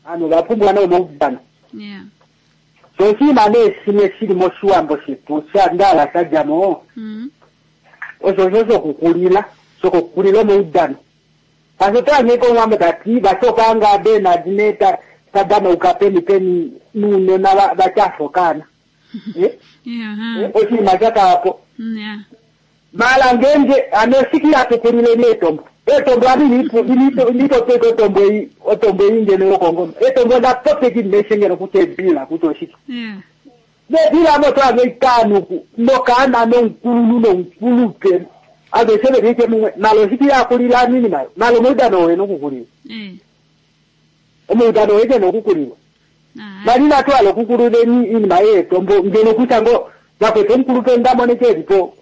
Speaker 12: Ano vapumbwa nomaudano.
Speaker 1: Yeah.
Speaker 12: So oshinima nee shimwe shili moshiwambo shetu shandala shadjamo
Speaker 1: Mhm.
Speaker 12: osho osho shokukulila shokukulila omaudano. Kasi otanyeka omuwambo tati vashokanga Bernard ne tadanauka peni peni nuunona vatyafokana. Eh?
Speaker 1: Yeah.
Speaker 12: Oshinima shakalapo.
Speaker 1: Yeah.
Speaker 12: Mala ngeenge ano siki yatukulile neetombo etombo ami nitopeka otombo ei otombo ei ngeno yokongoma etombo ndapopeki neshengelo kutya ebila kutya oshike.
Speaker 1: Yeah.
Speaker 12: Nedilamo twange itano nokaana nomukulunhu nomukulupe aveshe veliike mumwe malo shiki yakulila nini mayo malo omuudano wena okukulilwa omuudano weke nokukulilwa mali natwala okukulula inima yeetombo ngeno kutya ngo vakwete omukulupe ndamoneke elipo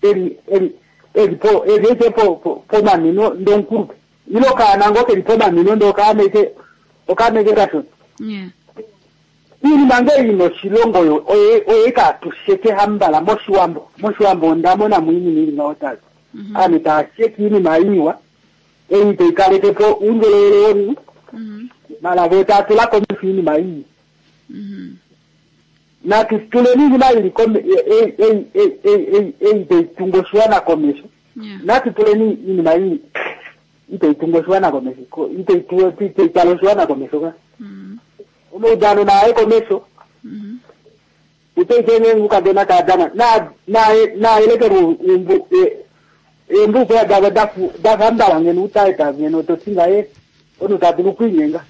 Speaker 12: eli eli elipo elieke po pomanino ndomukulupe ilo kaana ngo keli pomanino ndokaameke okaameke kashona iinima nge ino oshilongo oyo oye katusheke hambala moshiwambo moshiwambo ondamona muinima ili ngaho tali ame taasheke iinima iwa ei toikalekepo uundjolowele womunhu mala vo tatula komesho iinima iyi natu tuleni iinima ili ei toitunga oshiwana komesho natu tuleni iinima iyi itoitunga oshiwana komesho itoitwala oshiwana komesho ka omaudano naye komesho utoitene ukadona kadana naelekelwa embuku yadava dafambala ngeno utaeta ngeno totinga ye onu tadulu okuinyenga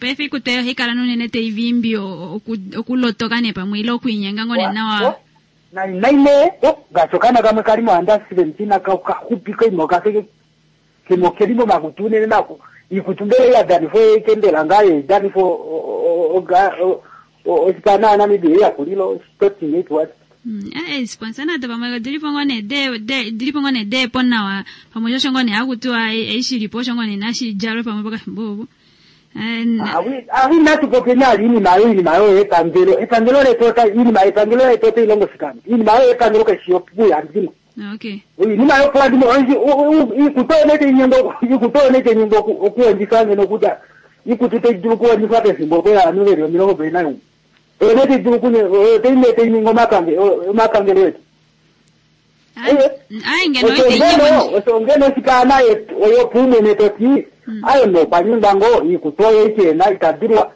Speaker 1: paife ikutu eyo ohaikala nunene taivimbi okulotoka ne pamwe ile okuinyenga ngoo ne nawa
Speaker 12: naine ngaashi okaana kamwe kali mo under seventeen kaxupi koima okafeke kemo keli momakutu unene nako ikutu mbele yadanifo ekembela ngaa yeidanifo osipana yaNamibia eyakulilo sporting eight what
Speaker 1: sponsor nado pamwe odilipo ngoo nee dilipo ngoo nee deepo nawa pamwe shosho ngoo nee hakutiwa eishilipo osho ngoo nee nashidjalwe pamwe pokafimbo opo
Speaker 12: awi natupope nali iinima yo iinima yo epangelo epangelo letu iinima epangelo letu otoilongo shikano iinima yo epangelo kaishi yopuya ndimo
Speaker 1: okay
Speaker 12: iinima yopuya ndimo ikutu onete inyengo ikutu onete inyengo okuwendisa ngeno kutya ikutu taidulu okuwendiswa pefimbo kwevanhu veli omilongo mbili naimwe onete idulu toinete ininga omapangelo etu osho ngeno shikaana oyopuumwene toti ayo nokwanyinga ngo ikutu oyo ichena itadulwa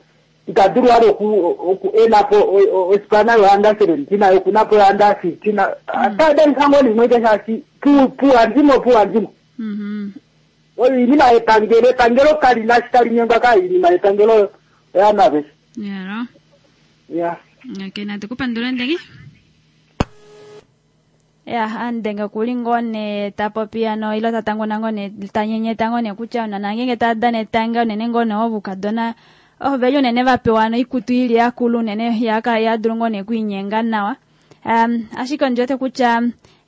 Speaker 12: itadulwa oku enapo osipana yo under seventeen ayo kunapo yo under fifteen atadanisa ngo limwe shaashi puwa ndimo puwa ndimo oyo iinima yepangelo epangelo kalina shi tali nyengwa ka iinima yepangelo oyamaveshe
Speaker 1: yaro
Speaker 12: ya
Speaker 1: okay natukupandula ndenge ya andenga kuli ngoo nee tapopi ano ilo tatanguna ngoo nee tanyenyeta ngoo nee kutya onana ngenge tadana etanga unene ngoo nee ovukadona oveli unene vapewa ano ikutu ili yakulu unene yaka yadulu ngoo nee kuinyenga nawa um, ashike ondiwete kutya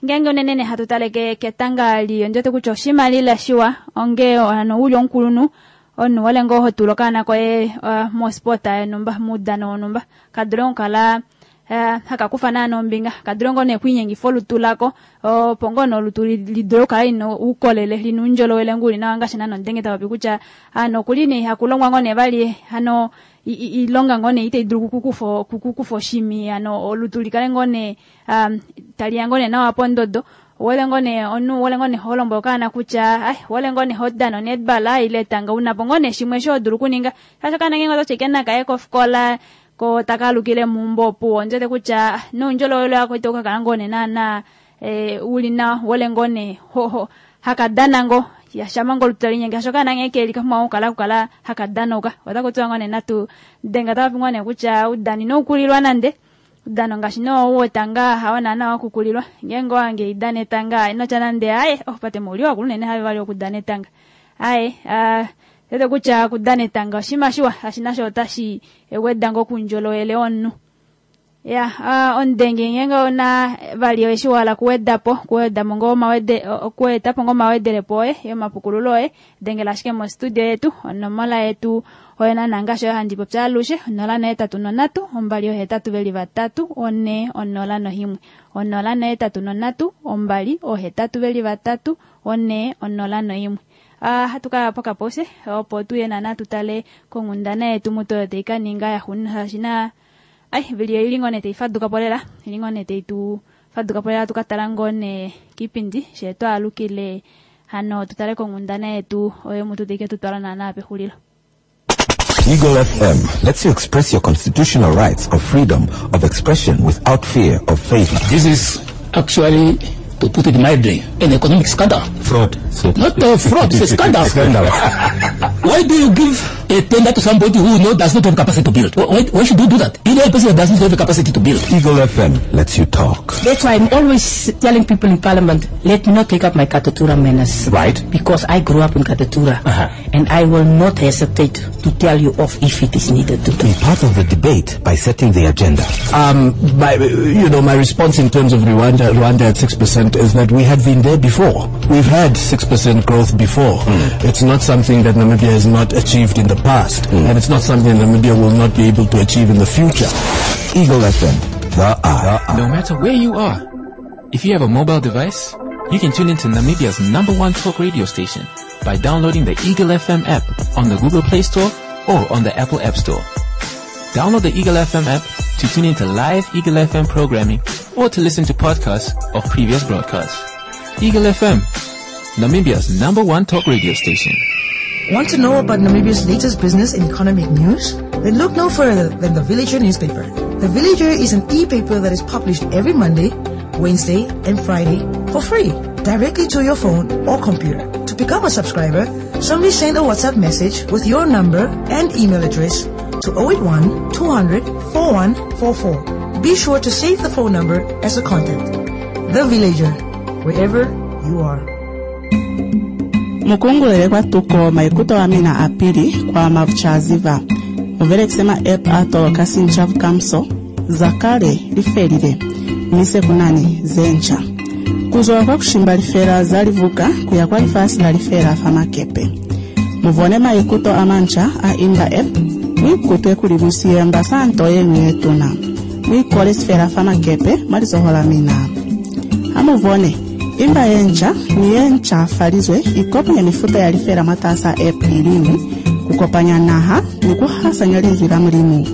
Speaker 1: ngenge unene ne hatu tale ketanga li ondiwete kutya oshimalila shiwa onge ano uli omukulunhu omunhu wole ngoo hotula okaana koye uh, mosport yonhumba muudano wonhumba kadule okukala Uh, hakakufa naana ombinga kadule ngoo nee okuinyengifa olutu lako opo ngoo nee olutu lidule okukala lina uukolele lina uundjolowele nguli nawa ngaashi naana ondenge tapopi kutya ano okuli nee hakulongwa ngoo nee vali hano ilonga ngoo nee itaidulu kukufa oshimi ano olutu likale ngoo nee um, taliya ngoo nee nawa pondodo wole ngoo nee omunhu wole ngoo nee holombwela okaana kutya ai wole ngoo nee hodana onetball ile etanga unapo ngoo nee shimwe sho hodulu okuninga shaashi okaana ngenge ototi ashike nakaye kofikola ko takalukile muumbo opuwo ondiwete kutya noundjolowele wako ito kakala ngoo nee naana eh, uli nawa wole ngoo nee hoho hakadana ngo yashama ngoo olutu talinyenge hasho okaana ngee keli kapumbwa okukala kukala hakadanauka otakutiwa ngoo nee natu denga tapopi ngoo nee kutya udano inaukulilwa nande udano ngaashi noo wetanga hawo naana wakukulilwa ngeenge owange idana etanga inotya nande aye oh pate mouli wakulu unene have vali okudana etanga aye uh, tete kutya okudana etanga oshinima shiwa ashi nasho otashi weda ngoo kuundjolowele womunhu ya uh, omudenge ngenge ona vali eshi wahala kuwedapo kuwedamo ngoo omawede okuetapo ngoo omawedelepo oye yomapukululo oye dengela ashike mostudio yetu onomola yetu oyo naana ngaashi oyo handi popi alushe onola nohetatu nonhatu ombali ohetatu veli vatatu one onola nohimwe onola nohetatu nonhatu ombali ohetatu veli vatatu one onola noimwe Uh, hatu kala pokapose opo tuye naana tutale konghundana yetu mutu oyo taikaninga yaxuuninwa shaashi na ai vili ili ngoo nee taifadukapo lela ili ngoo nee taitu fadukapo lela tukatala ngoo nee kiipindi shee twaalukile hano tutale konghundana yetu oyo mutu taike tutwala naana pexulilo.
Speaker 3: Eagle F M lets you express your constitutional rights of freedom of expression without fear of favor.
Speaker 4: This is actually, to put it mildly, an economic scandal.
Speaker 3: Fraud. So
Speaker 4: Not a fraud, it's a scandal.
Speaker 3: Scandal.
Speaker 4: Why do you give a tender to somebody who know does not have capacity to build? Why, why should you do that? You know a person that does not have the capacity to build.
Speaker 3: Eagle F M lets you talk.
Speaker 5: That's why I'm always telling people in Parliament, let me not take up my Katutura manners.
Speaker 3: Right.
Speaker 5: Because I grew up in Katutura.
Speaker 3: Uh-huh.
Speaker 5: And I will not hesitate to tell you off if it is needed to.
Speaker 3: Be part of the debate by setting the agenda.
Speaker 6: Um, my, you know, my response in terms of Rwanda, Rwanda at six percent is that we had been there before. We've had six percent growth before.
Speaker 3: Mm.
Speaker 6: It's not something that Namibia has not achieved in the past,
Speaker 3: mm.
Speaker 6: and it's not something Namibia will not be able to achieve in the future.
Speaker 3: Eagle F M, the eye.
Speaker 7: No matter where you are, if you have a mobile device, you can tune into Namibia's number one talk radio station by downloading the Eagle F M app on the Google Play Store or on the Apple App Store. Download the Eagle F M app to tune into live Eagle F M programming or to listen to podcasts of previous broadcasts. Eagle F M, Namibia's number one talk radio station.
Speaker 8: Want to know about Namibia's latest business and economic news? Then look no further than the Villager newspaper. The Villager is an e-paper that is published every Monday, Wednesday, and Friday for free, directly to your phone or computer. To become a subscriber, simply send a WhatsApp message with your number and email address to oh eight one, two hundred, four one four four. Be sure to save the phone number as a contact. The Villager, wherever you are.
Speaker 9: Mukungulele kwa tuko maikuto wa mina apili kwa mavchaziva. Muvele kusema app ato kasinchavu kamso zakale lifelile. Mise kunani zencha. Kuzowa kwa kushimba lifela zalivuka kuya kwa lifasi la lifela famakepe. Muvone maikuto amancha a imba app mwikutwe kuli musiyemba santo yenyu yetuna. Mwikole sifela famakepe mwalizohola mina. Amuvone imba yencha ni yencha falizwe ikopanya mifuta ya lifela mwatasa app ilimu kukopanya naha ni kuhasanya linzwi la mulimu.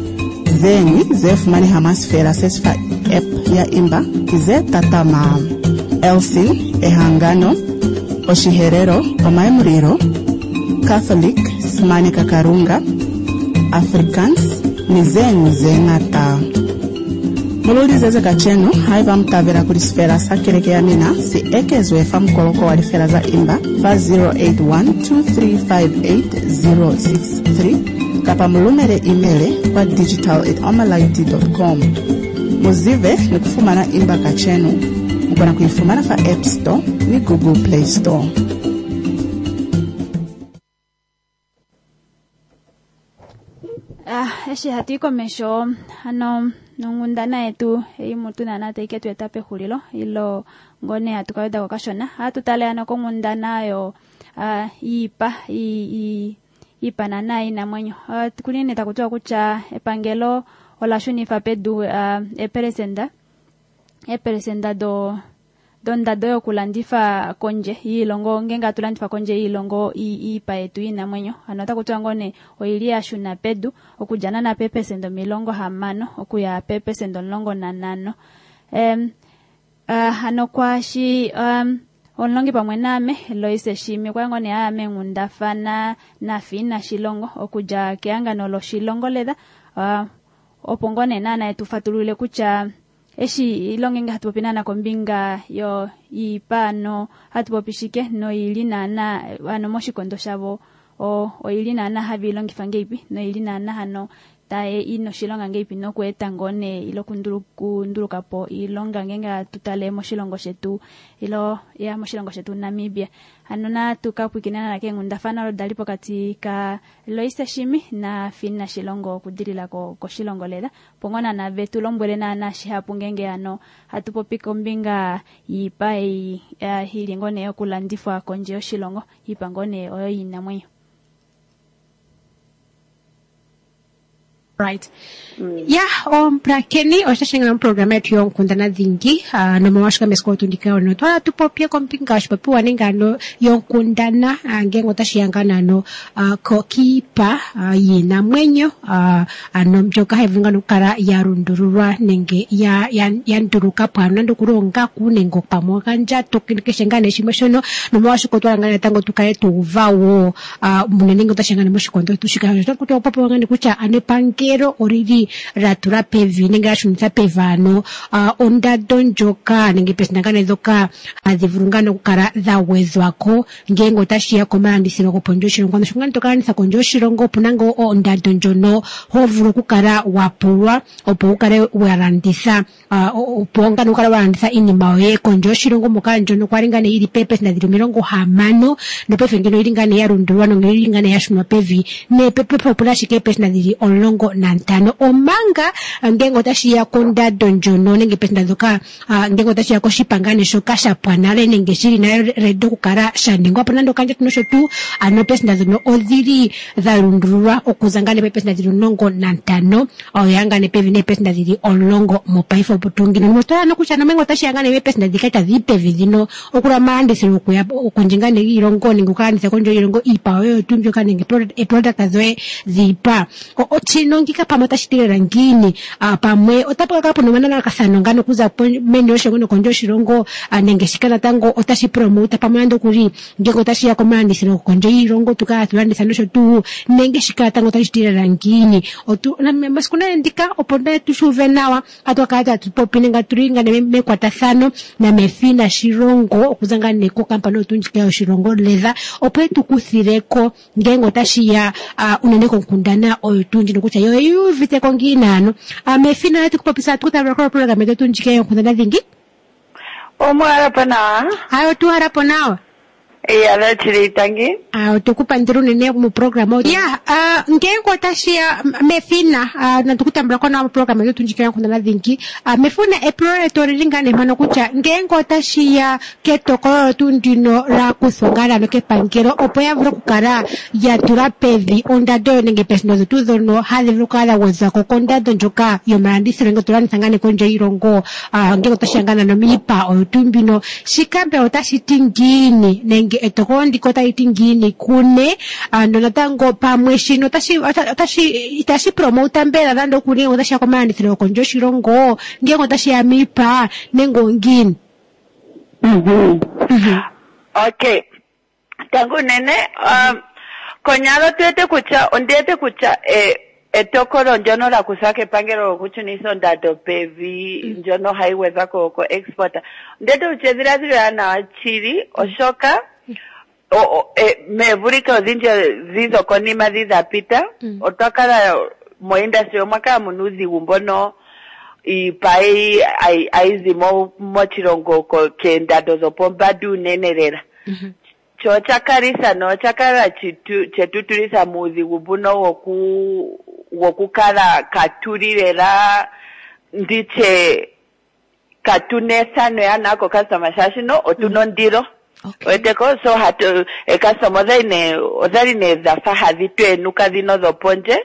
Speaker 9: Zenyi zefumani hamasifela sesifa app ya imba kize tatama Elsin, Ehangano, Oshiherero, Omaemuriro, Catholic, Simani Kakarunga, Afrikaans, ni zenyu zeng'ata. Mululizeze kachenu haiva mtavela kuli sifela sa keleke ya mina si ekezwe fa mukoloko wa lifela za imba fa zero eight one two three five eight zero six three kapa mulumele imele kwa digital at omalight dot com. Muzive ni kufumana imba kachenu mukona kuifumana fa App Store ni Google Play Store.
Speaker 1: Ah, eshi hatu ikomesho ano nongundana yetu eimutu nana teike tueta pehulilo ilo ngone hatukaweda kokashona hatutale ano kongundana yo uh, iipa i, iipa nana inamwenyo uh, kunini takutua kutya epangelo olashunifa pedu uh, eperesenda eperesenda do dondado yokulandifa konje iilongo ngenga atulandifa konje iilongo iipa yetu inamwenyo ano otakutua ngone oili yashuna pedu okudjana na pepesendo omilongo hamano okuya pepesendo omulongo nanano um, uh, ano kwashi um, omulongi pamwe naame Loise Shimi kwa ngone aame ngundafana naFiina Shilongo okudja kehangano loshilongo ledha uh, opo ngone nana etufatulule kutya eshi ilonge nga hatupopi nana kombinga yo iipa ano hatupopi shike noili nana ano moshikondo shavo o oili nana havilongifa ngeipi noili nana hano tae inoshilonga ngeipi nokueta ngone ilo kundulukapo ilonga ngenga tutale moshilongo shetu ilo ya moshilongo shetu Namibia. Ano na tukapwikinana na kengundafana olo dali pokati ka Loise Shimi na Fiina Shilongo okudilila ko koshilongo lela pongona na vetu lombwele na na shihapu ngenge ano hatupopi kombinga yiipa ei ili ngone yokulandifwa konje yoshilongo iipa ngone oyo yinamwenyo.
Speaker 15: Right. Mm. Yeah, omprakeni oshashenga program yetu yonkundana dhingi uh, nomawashika mesiko tundika ono twala tupopye kombinga oshipopiwa nengano yonkundana uh, ngenge otashi nano uh, kokiipa uh, yiinamwenyo uh, ano mbyoka hayi vulu okukala ya lundululwa nenge ya, ya, ya ndulukapo ano nande okuli oongaku nenge pamwe okandjato keshe ngaa nee shimwe shono nomawashika otwala ngaa natango tukale tuuva wo uh, unene nge otashi ya moshikondo tuu shika osho otakupopiwa ngaa nee kutya ano epangelo epangelo olili la tula pevi nenge la shunitha pevi ano uh, ondando ndjoka nenge pesina ngaa ndhoka hadhi vulu ngaa okukala dha gwedhwako ngele otashi ya komalandithilo gopondje yoshilongo. Ano sho ngaa to ka landitha kondje yoshilongo opuna ngoo ondando ndjono ho vulu okukala wa pulwa opo wu kale wa landitha uh, opo ngaa wu kale wa landitha iinima yoye kondje yoshilongo moka ndjono kwali ngaa nee yili peepesenda dhili omilongo hamano nopaife ngeno oyili ngaa nee ya lundululwa noyili ngaa nee ya shunwa pevi nee pepe opuna ashike eepesenda dhili omulongo nantano omanga ngele otashi ya kondando ndjono nenge pesenda ndhoka uh, ngele otashi ya koshipangane shoka sha pwa nale nenge shili nale ready okukala sha ningwa po nande okandjato nosho tuu ano eepesenda ndhono odhili dha lundululwa okuza ngaa nee peepesenda dhili omulongo nantano oya ngaa nee pevi neepesenda dhili omulongo mopaife opo tuu ngino notola nokutya nomengo otashi ya ngaa nee peepesenda dhika itadhi yi pevi dhino okula omalandithilo okuya kondje ngaa nee yiilongo nenge okukalanditha kondje yiilongo iipa yoye tuu mbyoka nenge eproduct dhoye dhiipa. Otshino ngika pamwe otashi ti lela ngiini pamwe otapu ka kala puna omananakathano ngaa okuza meni yoshilongo nokondje yoshilongo nenge shika natango otashi promota pamwe nande okuli ngele otashi ya komalandithilo kondje yiilongo tu kala hatu landitha nosho tuu nenge shika natango otashi ti lela ngiini. Masiku nale ndika opo nde tu shuve nawa atu kala tatu popi nenge tuli ngaa nee mekwatathano naMefina Shilongo okuza ngaa nee kokampani oyo tuu ndjika yoshilongo Leather opo etu kuthileko ngele otashi ya unene konkundana oyo tuu ndjino kutya yo oyu uviteko ngiini ano. Mefina atu kupopisa atu kutambula ko program yetu ndjika yonkundana dhingi.
Speaker 16: Omuhalapo nawa.
Speaker 15: Hayo tuhalapo nawa.
Speaker 16: Iya, lachili tangi.
Speaker 15: Ah, otukupandira unene mu program. Ya, uh, ngele otashi ya Mefina, uh, natukutambula ko nawa mu program yetu ndjika yonkundana dhingi. Uh, Mefina epulo letu olili ngaa nee mpano kutya ngele otashi ya ketokolo tuu ndino la kuthwa ngaa ano kepangelo opo ya vule okukala ya tula pevi ondando nenge pesino dhetu dhono hadhi vulu okukala dha gwedhwa ko kondando ndjoka yomalandithilo ngele to landitha ngaa nee kondje yiilongo uh, ngele otashi ya ngaa nano miipa oyo tuu mbino shika mbela otashi ti ngiini nenge etokolo ndika otali ti ngiini kune ano natango pamwe shino otashi otashi itashi promota mbela nande okuli ngele otashi ya komalandithilo gokondje yoshilongo ngele otashi ya miipa nenge ongiini.
Speaker 16: Okay, tango unene um, konyala otu wete kutya ondi wete kutya eh, etokolo ndyono la kuthwa kepangelo lokushunitha ondando pevi ndyono hayi gwedhwa ko ko export ondi wete kutya edhiladhilo ewanawa shili oshoka meevulika odhindji dhi dhokonima dhi dha pita otwa kala mo industry omwa kala muna uudhigu mbono iipa ayi zi mo moshilongo keendando dhopombanda unene lela. Sho osha kalisa nosha kala chetu tulisa muudhigu mbuno woku wokukala katuli lela nditye katuna ethano ewanawa ko customer shaashi otuna ondilo. Weteko so hatu ekastoma odhali nee odhali nee dhafa hadhi tu enuka dhino dhopondje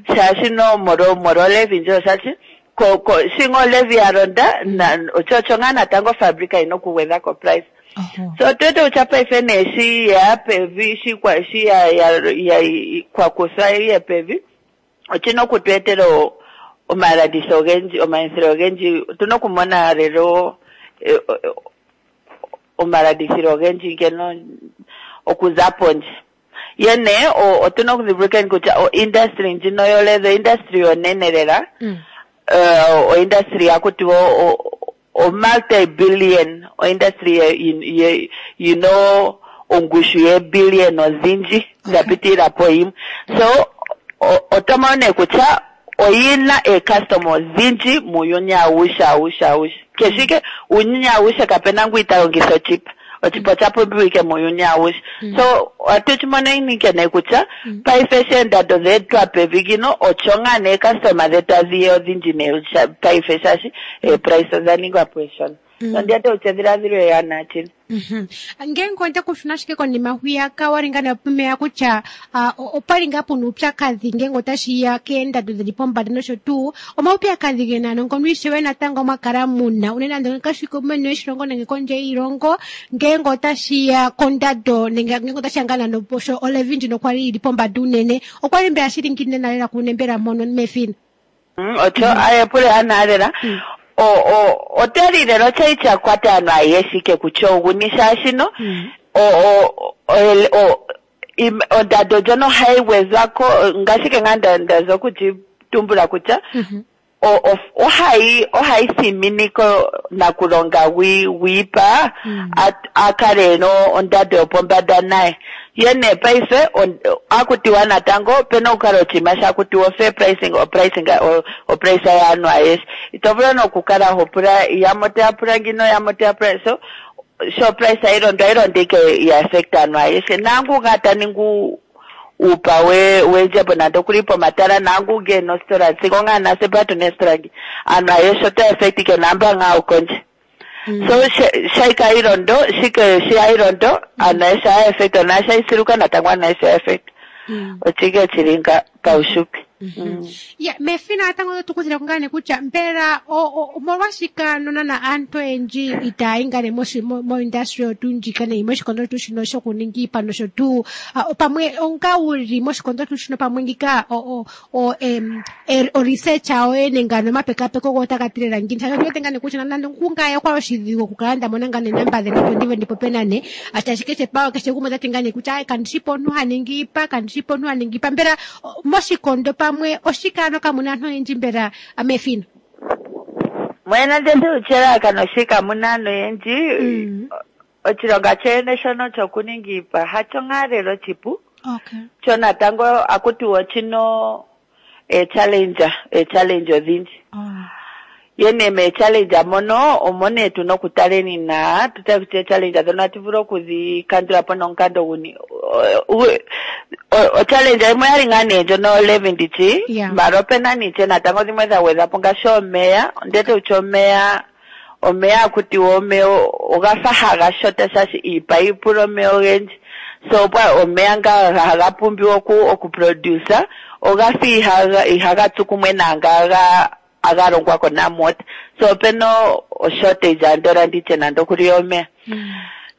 Speaker 16: shaashi no molo molo levi ndjo shaashi ko ko shingo levi ya londa na osho osho ngaa natango fabrika ina okugwedha ko price. So otwete kutya paife nee shi ya pevi shi kwa shi ya ya ya kwa kuthwa iye pevi oshina okutu etela omalanditho ogendji omalandithilo ogendji otuna okumona lelo omalandithilo ogendji ngeno okuza pondje. Yene otuna okudhimbulukeni kutya o industry ndjino yo leather industry onene lela uh, o industry yakutiwa o, o multi billion o industry ye, you know ongushu ye billion odhindji dha pitilila po yimwe. So oto mono nee kutya oyina eecustomer odhindji muuyuni awushe awushe awushe keshike uuyuni awushe kapena ngu ita longitha oshipa oshipa osha pumbiwa ike muuyuni awushe. So ohatu shimoneni ike nee kutya paife sho eendando dheetwa pevi ngino osho ngaa nee customer dhetu adhiye odhindji nee paife shaashi eeprice odha ningwa po eeshona. Ondi wete kutya edhiladhilo ewanawa shili.
Speaker 15: Ngele onda kushuna ashike konima hwiyaka wali ngaa napumeya kutya opwali ngaa puna uupyakadhi ngele otashi ya keendando dhili pombanda nosho tuu omaupyakadhi gena ano ngono ishewe natango mwa kala muna unene nande kashi meni yoshilongo nenge kondje yiilongo ngele otashi ya kondando nenge ngele otashi ya ngaa nando sho olevi ndjino kwali yili pombanda unene okwali mbela shili ngiini lela kune mbela mono Mefina.
Speaker 16: Osho ayepule ana lela o o otali lelo chai cha kwata ano ayeshike kutya oguni shaashino o o o ondando ndjono hayi gwedhwako ngashike ngaa nda ndaza okuti tumbula kutya o- o- ohayi ohayi thiminike nakulonga gwi- gwiipa a- a kale ena ondando yopombanda naye. Ye nee paife on- akutiwa natango opena okukala oshinima shakutiwa fair pricing o pricing o, o price yaanhu ayeshe. Ito vulu nokukala ho pula yamwe otaya pula ngino yamwe otaya pula so sho price ayilondo ayilondo ike ya affect aanhu ayeshe. Nangu nga ta ningi uupa we wendjembo nande okuli pomatala nangu nge nositola sigo ngaa nase patu nesitola ngi aanhu ayeshe ota affect ike namba ngaa okondje. So shaika ilondo shike shi ilondo aanhu ayeshe aya affect na shaisiluka natango aanhu ayeshe aya affect. Ochike chili nga paushupi.
Speaker 15: Ya, mefina natango oto kuthile ko ngaa nee kutya mbela omolwashike ano nana aantu oyendji itaya yi ngaa nee moindustry oyo tuu ndjika nenge moshikondo tuu shino shokuninga iipa nosho tuu pamwe onga wuli moshikondo tuu shino pamwe ngika o-research yoye nenge ano omapekapeko go otaga tilela ngiini shaashi ondi wete ngaa nee kutya nande kungaye okwali oshidhigu okukala nda mona ngaa nee namba dhe opo ndive ndi popye nane shaashi keshe pa keshe gumwe otati ngaa nee kutya kandi shi po omuntu ha ningi iipa kandi shi po omuntu ha ningi iipa mbela moshikondo pamwe oshike ano kamuna aantu oyendji mbela mefino
Speaker 16: Mwena ndende uchelalakano shika muna aantu oyendji oshilonga chene shono chokuninga iipa hacho ngaa lelo oshipu.
Speaker 15: Okay.
Speaker 16: Cho natango akutiwa ochino e challenge e challenge odhindji. Ye nee mee challenge mono omo nee tuna okutaleni na tutale kutya challenge dhono atu vulu okudhi kandula po nomukando guni. O challenge yimwe yali ngaa nee ndjono levy ndichi mara opena niche natango dhimwe dha gwedhwapo ngaashi omeya ondete kutya omeya omeya akutiwa omeya ogafa haga shota shaashi iipa ipula omeya ogendji. So pwa omeya nga haga pumbiwa oku okuproduce ogafa ihaga ihaga tsu kumwe naanga ga aga longwa ko NamWater. So opena oshortage andola nditye nande okuli omeya.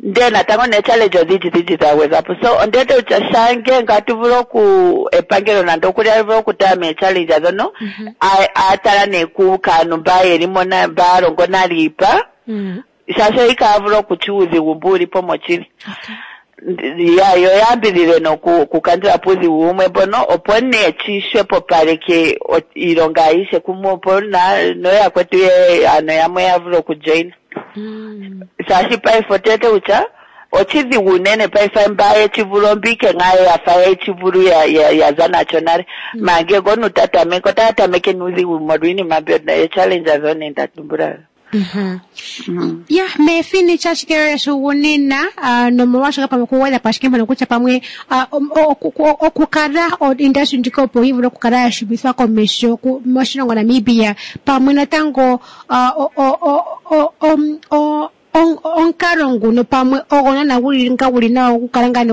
Speaker 16: Ndele natango nee challenge odhindji dhindji dha gwedhwapo. So ondete kutya shange ngatu vulu oku epangelo nande okuli ali vulu okutala mee challenge dhono a tala nee ku kaanhu mba yelimo mba longo nale iipa shaashi ikaya vulu okutya uudhigu mbu ulipo mochili. Ya yo yambidhidhe noku kukandula po uudhigu wumwe mbono opo nee chixwepopaleke iilonga ayishe kumwe opo noyakwetu ye ano yamwe ya vule okujoina. Shaashi paife otete kutya oshidhigu unene paife mba yechivulu ombike ngaa yafa yechivulu ya ya za nacho nale. Mange ngono tatameke otaya tameke nuudhigu molwa iinima mbyono e-challenge dho nda tumbula.
Speaker 15: Ya, mefini chashike shugunina nomolwashoka pamwe okugwedha po ashike mpono kutya pamwe okukala industry ndjika opo yi vule okukala ya shumithwa komeho moshilongo Namibia pamwe natango omukalo nguno pamwe ogo naana guli nga guli nawa okukala ngaa nee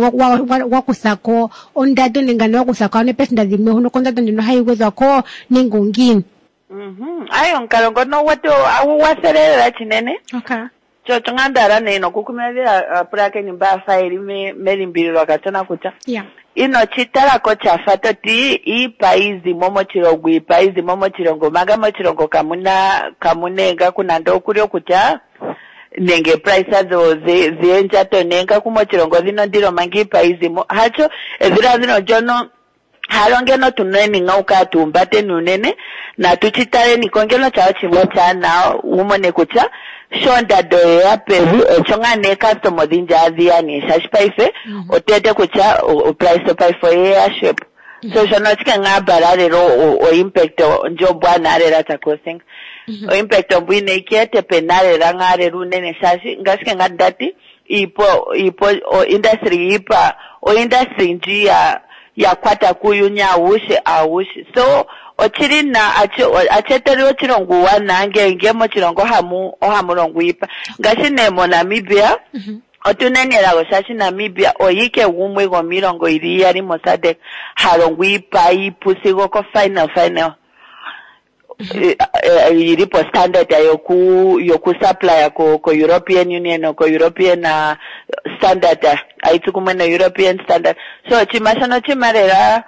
Speaker 15: wakuthako ondando nenge ano wakuthako ano eepesenda dhimwe hono kondando ndjono hayi gwedhwa ko nenge ongiini.
Speaker 16: Mhm. Ayo omukalo ngono gwetu agugwathele lela chinene.
Speaker 15: Okay.
Speaker 16: Cho chongandala nee nokukumilila apulakeni mba afa yeli melimbililo kachona kutya.
Speaker 15: Yeah.
Speaker 16: Ino chitalako chafa toti iipa izimo mochilongo iipa izimo mochilongo manga mochilongo kamuna kamunenga kunande okuli okutya nenge price dho ziendjato nenga kumochilongo dhino ndilo manga iipa izimo hacho edhiladhilo ndjono halongeno tuneni ngauka tuumbateni unene natu chitaleni kongeno chawo chimwe chana umone kutya sho ondando yeya pevi osho ngaa nee customer odhindji adhiya nee shaashi paife otete kutya oprice paife oyeya shepo. So shono oshike ngaa bala lelo o impact ndjo ombwaanawa lela takusinga. O impact ombwiinayi keete pena lela ngaa lela unene shaashi ngashike ngaa ndati iipo iipo o industry yiipa o industry ndji ya ya kwata kuuyuni awushe awushe. So ochili na acheteli ochilongo uuwanawa ngele mochilongo ohamu ohamu longwa iipa. Ngaashi nee moNamibia otuna elago shaashi Namibia oyike gumwe gomiilongo yili iyali moSADC ha longwa iipa iipu sigo ko final final. Yili po standard yoku yoku supply ko ko European Union ko European standard ayitsu kumwe no European standard. So chima shono chima lela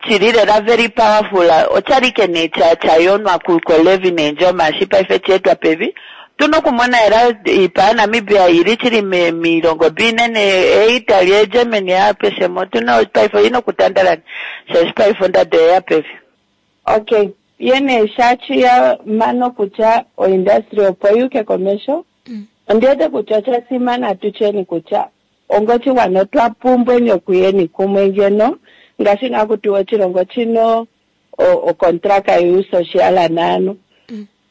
Speaker 16: chili lela very powerful ochalike nee cha chayonwa ku ko levy nendjo mashi paife chetwa pevi. Tuna okumona ela iipa ya Namibia yili chili miilongo binene e Italy e Germany apeshe mo tuna paife oyina okutandalana shaashi paife ondando oyeya pevi. Okay, yene shachiya mano kutya oindustry opo yuke komesho ondiwete kutya osha tutyeni kutya ongochigwana otwa pumbweni okuyeni kumwe ngeno ngaashi nga kutiwa oshilongo chino okontraka yuusociala naanhu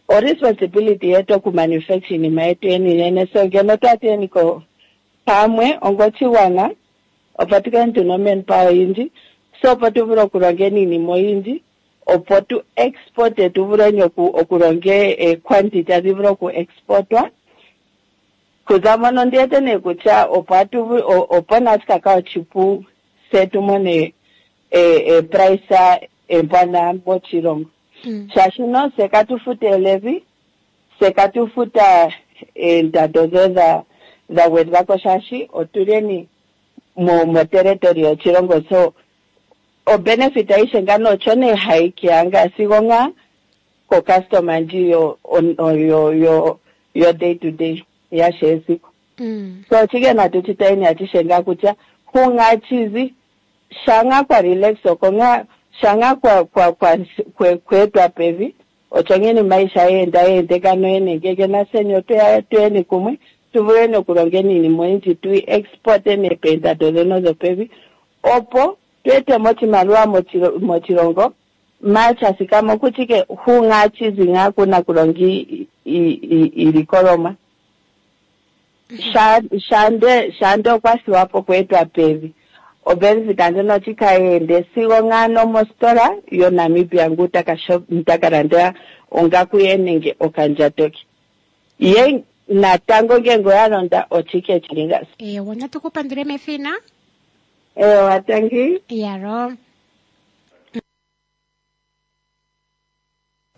Speaker 16: o responsibility yetu okumanufacture iinima yetu yeni yene so ngeno twatiyeni ko pamwe ongochigwana opo tukale tuna omanpower oyindji so opo tu vule okulonga iinima oyindji opo tu exporte tu vuleni oku okulonga equantity adhi vule oku exportwa kuza mono ndiwete nee kutya opo atu opo nashi oshipu se tumone e price embwana moshilongo shaashi no se katufuta elevi se katufuta eendado dho dha dha gwedhwako shaashi otuleni mo mo territory yoshilongo so o benefit aishe ngano osho nee hayi nga sigo nga ko customer ndji yo yo yo yo day to day yashe esiku so chike natu chitaini achishe nga kutya hungachizi shanga kwa relax oko nga shanga kwa kwa kwa kwe kwetwa pevi osho ngene maisha yenda yende kano yene ngeke naseni otweya tuyeni kumwe tuvuleni okulongeni iinima oyindji tu exporte nepeendado dheno dhopevi opo twetemo oshimaliwa moshilongo machasikamo kuchike hungachizi nga kuna kulonga iilikolomwa shande shande okwathiwapo kweetwa pevi obenefit ndjono chikayende sigo ngano mositola yoNamibia ngu takalanda ongaku ye nenge okandjato ke ye natango ngenge oya londa ochike chilinga.
Speaker 15: Ewa, natukupandule mefina.
Speaker 16: Ewa, tangi.
Speaker 15: Yaro.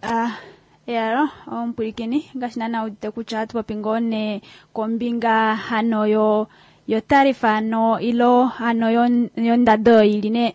Speaker 1: Ah, yaro, omupwilikini ngaashi naana udite kutya ohatu popi ngoo nee kombinga hano yo yo tarifa hano ilo hano yondado ili ne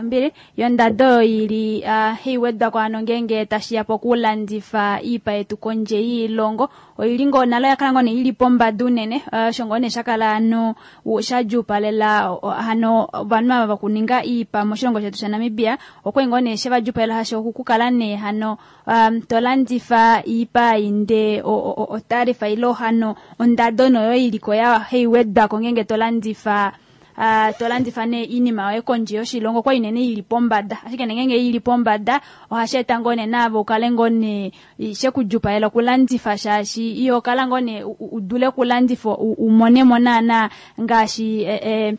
Speaker 1: mbili yondado ili uh, hiwedwako hano ngenge tashiya pokulandifa iipa yetu kondje yiilongo oili ngoo nalo yakala ngoo nee ili pombada unene uh, osho ngoo nee shakala hano shadjuupalela hano ovanhu ava vakuninga iipa moshilongo shetu shaNamibia okwali ngoo nee shevadjuupalela hasho okukala nee hano um, tolandifa iipa inde otarifa ilo hano ondado noyo iliko ya heiwedwako ngenge tolandifa Uh, tolandifa ne iinima yoye kondje yoshilongo kwa inene ili pombada ashike nengenge ili pombada ohashi eta ngoo nee naave ukale ngoo nee shekudjupalela okulandifa shaashi iyo kala ngoo nee udule okulandifa umonemo naana ngaashi eh, eh,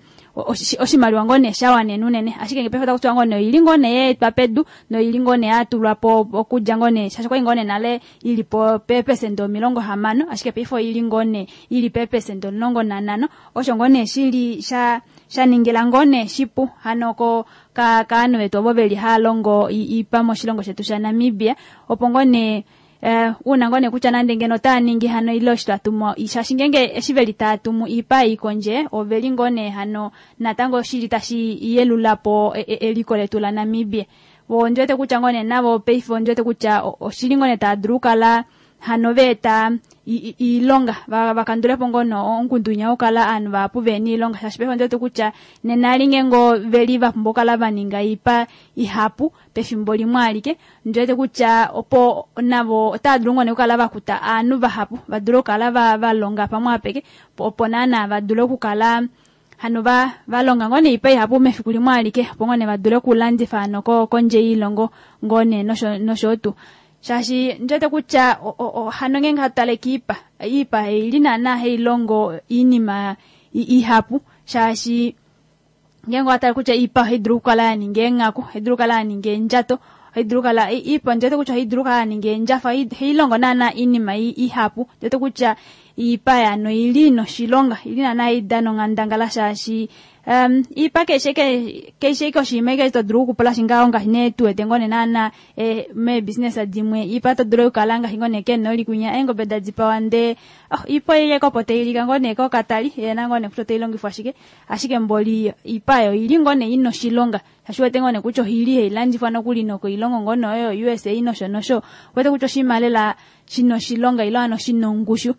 Speaker 1: oshimaliwa ngoo nee shawanene unene ashike ngepaife otakutiwa ngoo nee oili ngoo nee yeetwa pedu noili ngoo nee yatulwapo okudja ngoo nee shaashi kwali ngoo nee nale ili po peepesenda omilongo hamano ashike paife oili ngoo nee ili peepesenda omulongo nanhano osho ngoo nee shili sha shaningila ngoo nee shipu hano ko ka kaanhu vetu ovo veli haalongo iipa moshilongo shetu shaNamibia opo ngoo nee Uh, una ngoo nee kutya nande ngeno otaa ningi hano ile osho twatumu shaashi ngenge eshi veli taatumu iipa ei kondje oveli ngoo nee hano natango shili tashi yelulapo eliko letu laNamibia vo ondiwete kutya ngoo nee navo paife ondiwete kutya oshili ngoo nee taadulu okukala hano veeta iilonga vakandulepo ngoo nee ongundu okukala aanhu vahapu vena iilonga shaashi paife ondiwete kutya nena ali ngenge veli vapumbwa okukala vaninga iipa ihapu pefimbo limwe alike ndiwete kutya opo navo otava dulu ngoo nee okukala vakuta aanhu vahapu vadule okukala valonga pamwe apeke opo naana vadule okukala hano va valonga ngoo nee iipa ihapu mefiku limwe alike opo ngoo nee vadule okulandifa hano kondje yiilongo ngoo nee nosho nosho tuu shaashi ndiwete kutya hano ngenge hatu tale kiipa iipa eili naana hailongo iinima ihapu shaashi ngenge owatale kutya iipa ohaidulu okukala yaninga eenghaku ohaidulu okukala yaninga eendjato ohaidulu okukala iipa ndiwete kutya ohaidulu okukala yaninga eendjafa ohailongo naana iinima ihapu ndiwete kutya iipa yano ili noshilonga ili naana haidana onghandangala shaashi um, iipa keshe keshe ike oshinima ike todulu okupula shingaho ngaashi nee tuwete ngoo nee naana eh, meebusiness dimwe iipa todulu okukala ngaashi ngoo nee kenoli kunya eengobe dadipawa ndee oh, iipa oileko opo tailika ngoo nee kokatali yena ngoo nee kutya otailongifwa shike ashike mboli iipa oyo ili ngoo nee ina oshilonga shaashi wete ngoo nee kutya oili hailandifwa nokuli nokoilongo ngoo nee oyo U S A nosho nosho wete kutya oshinima lela shina oshilonga ilo hano shina ongushu.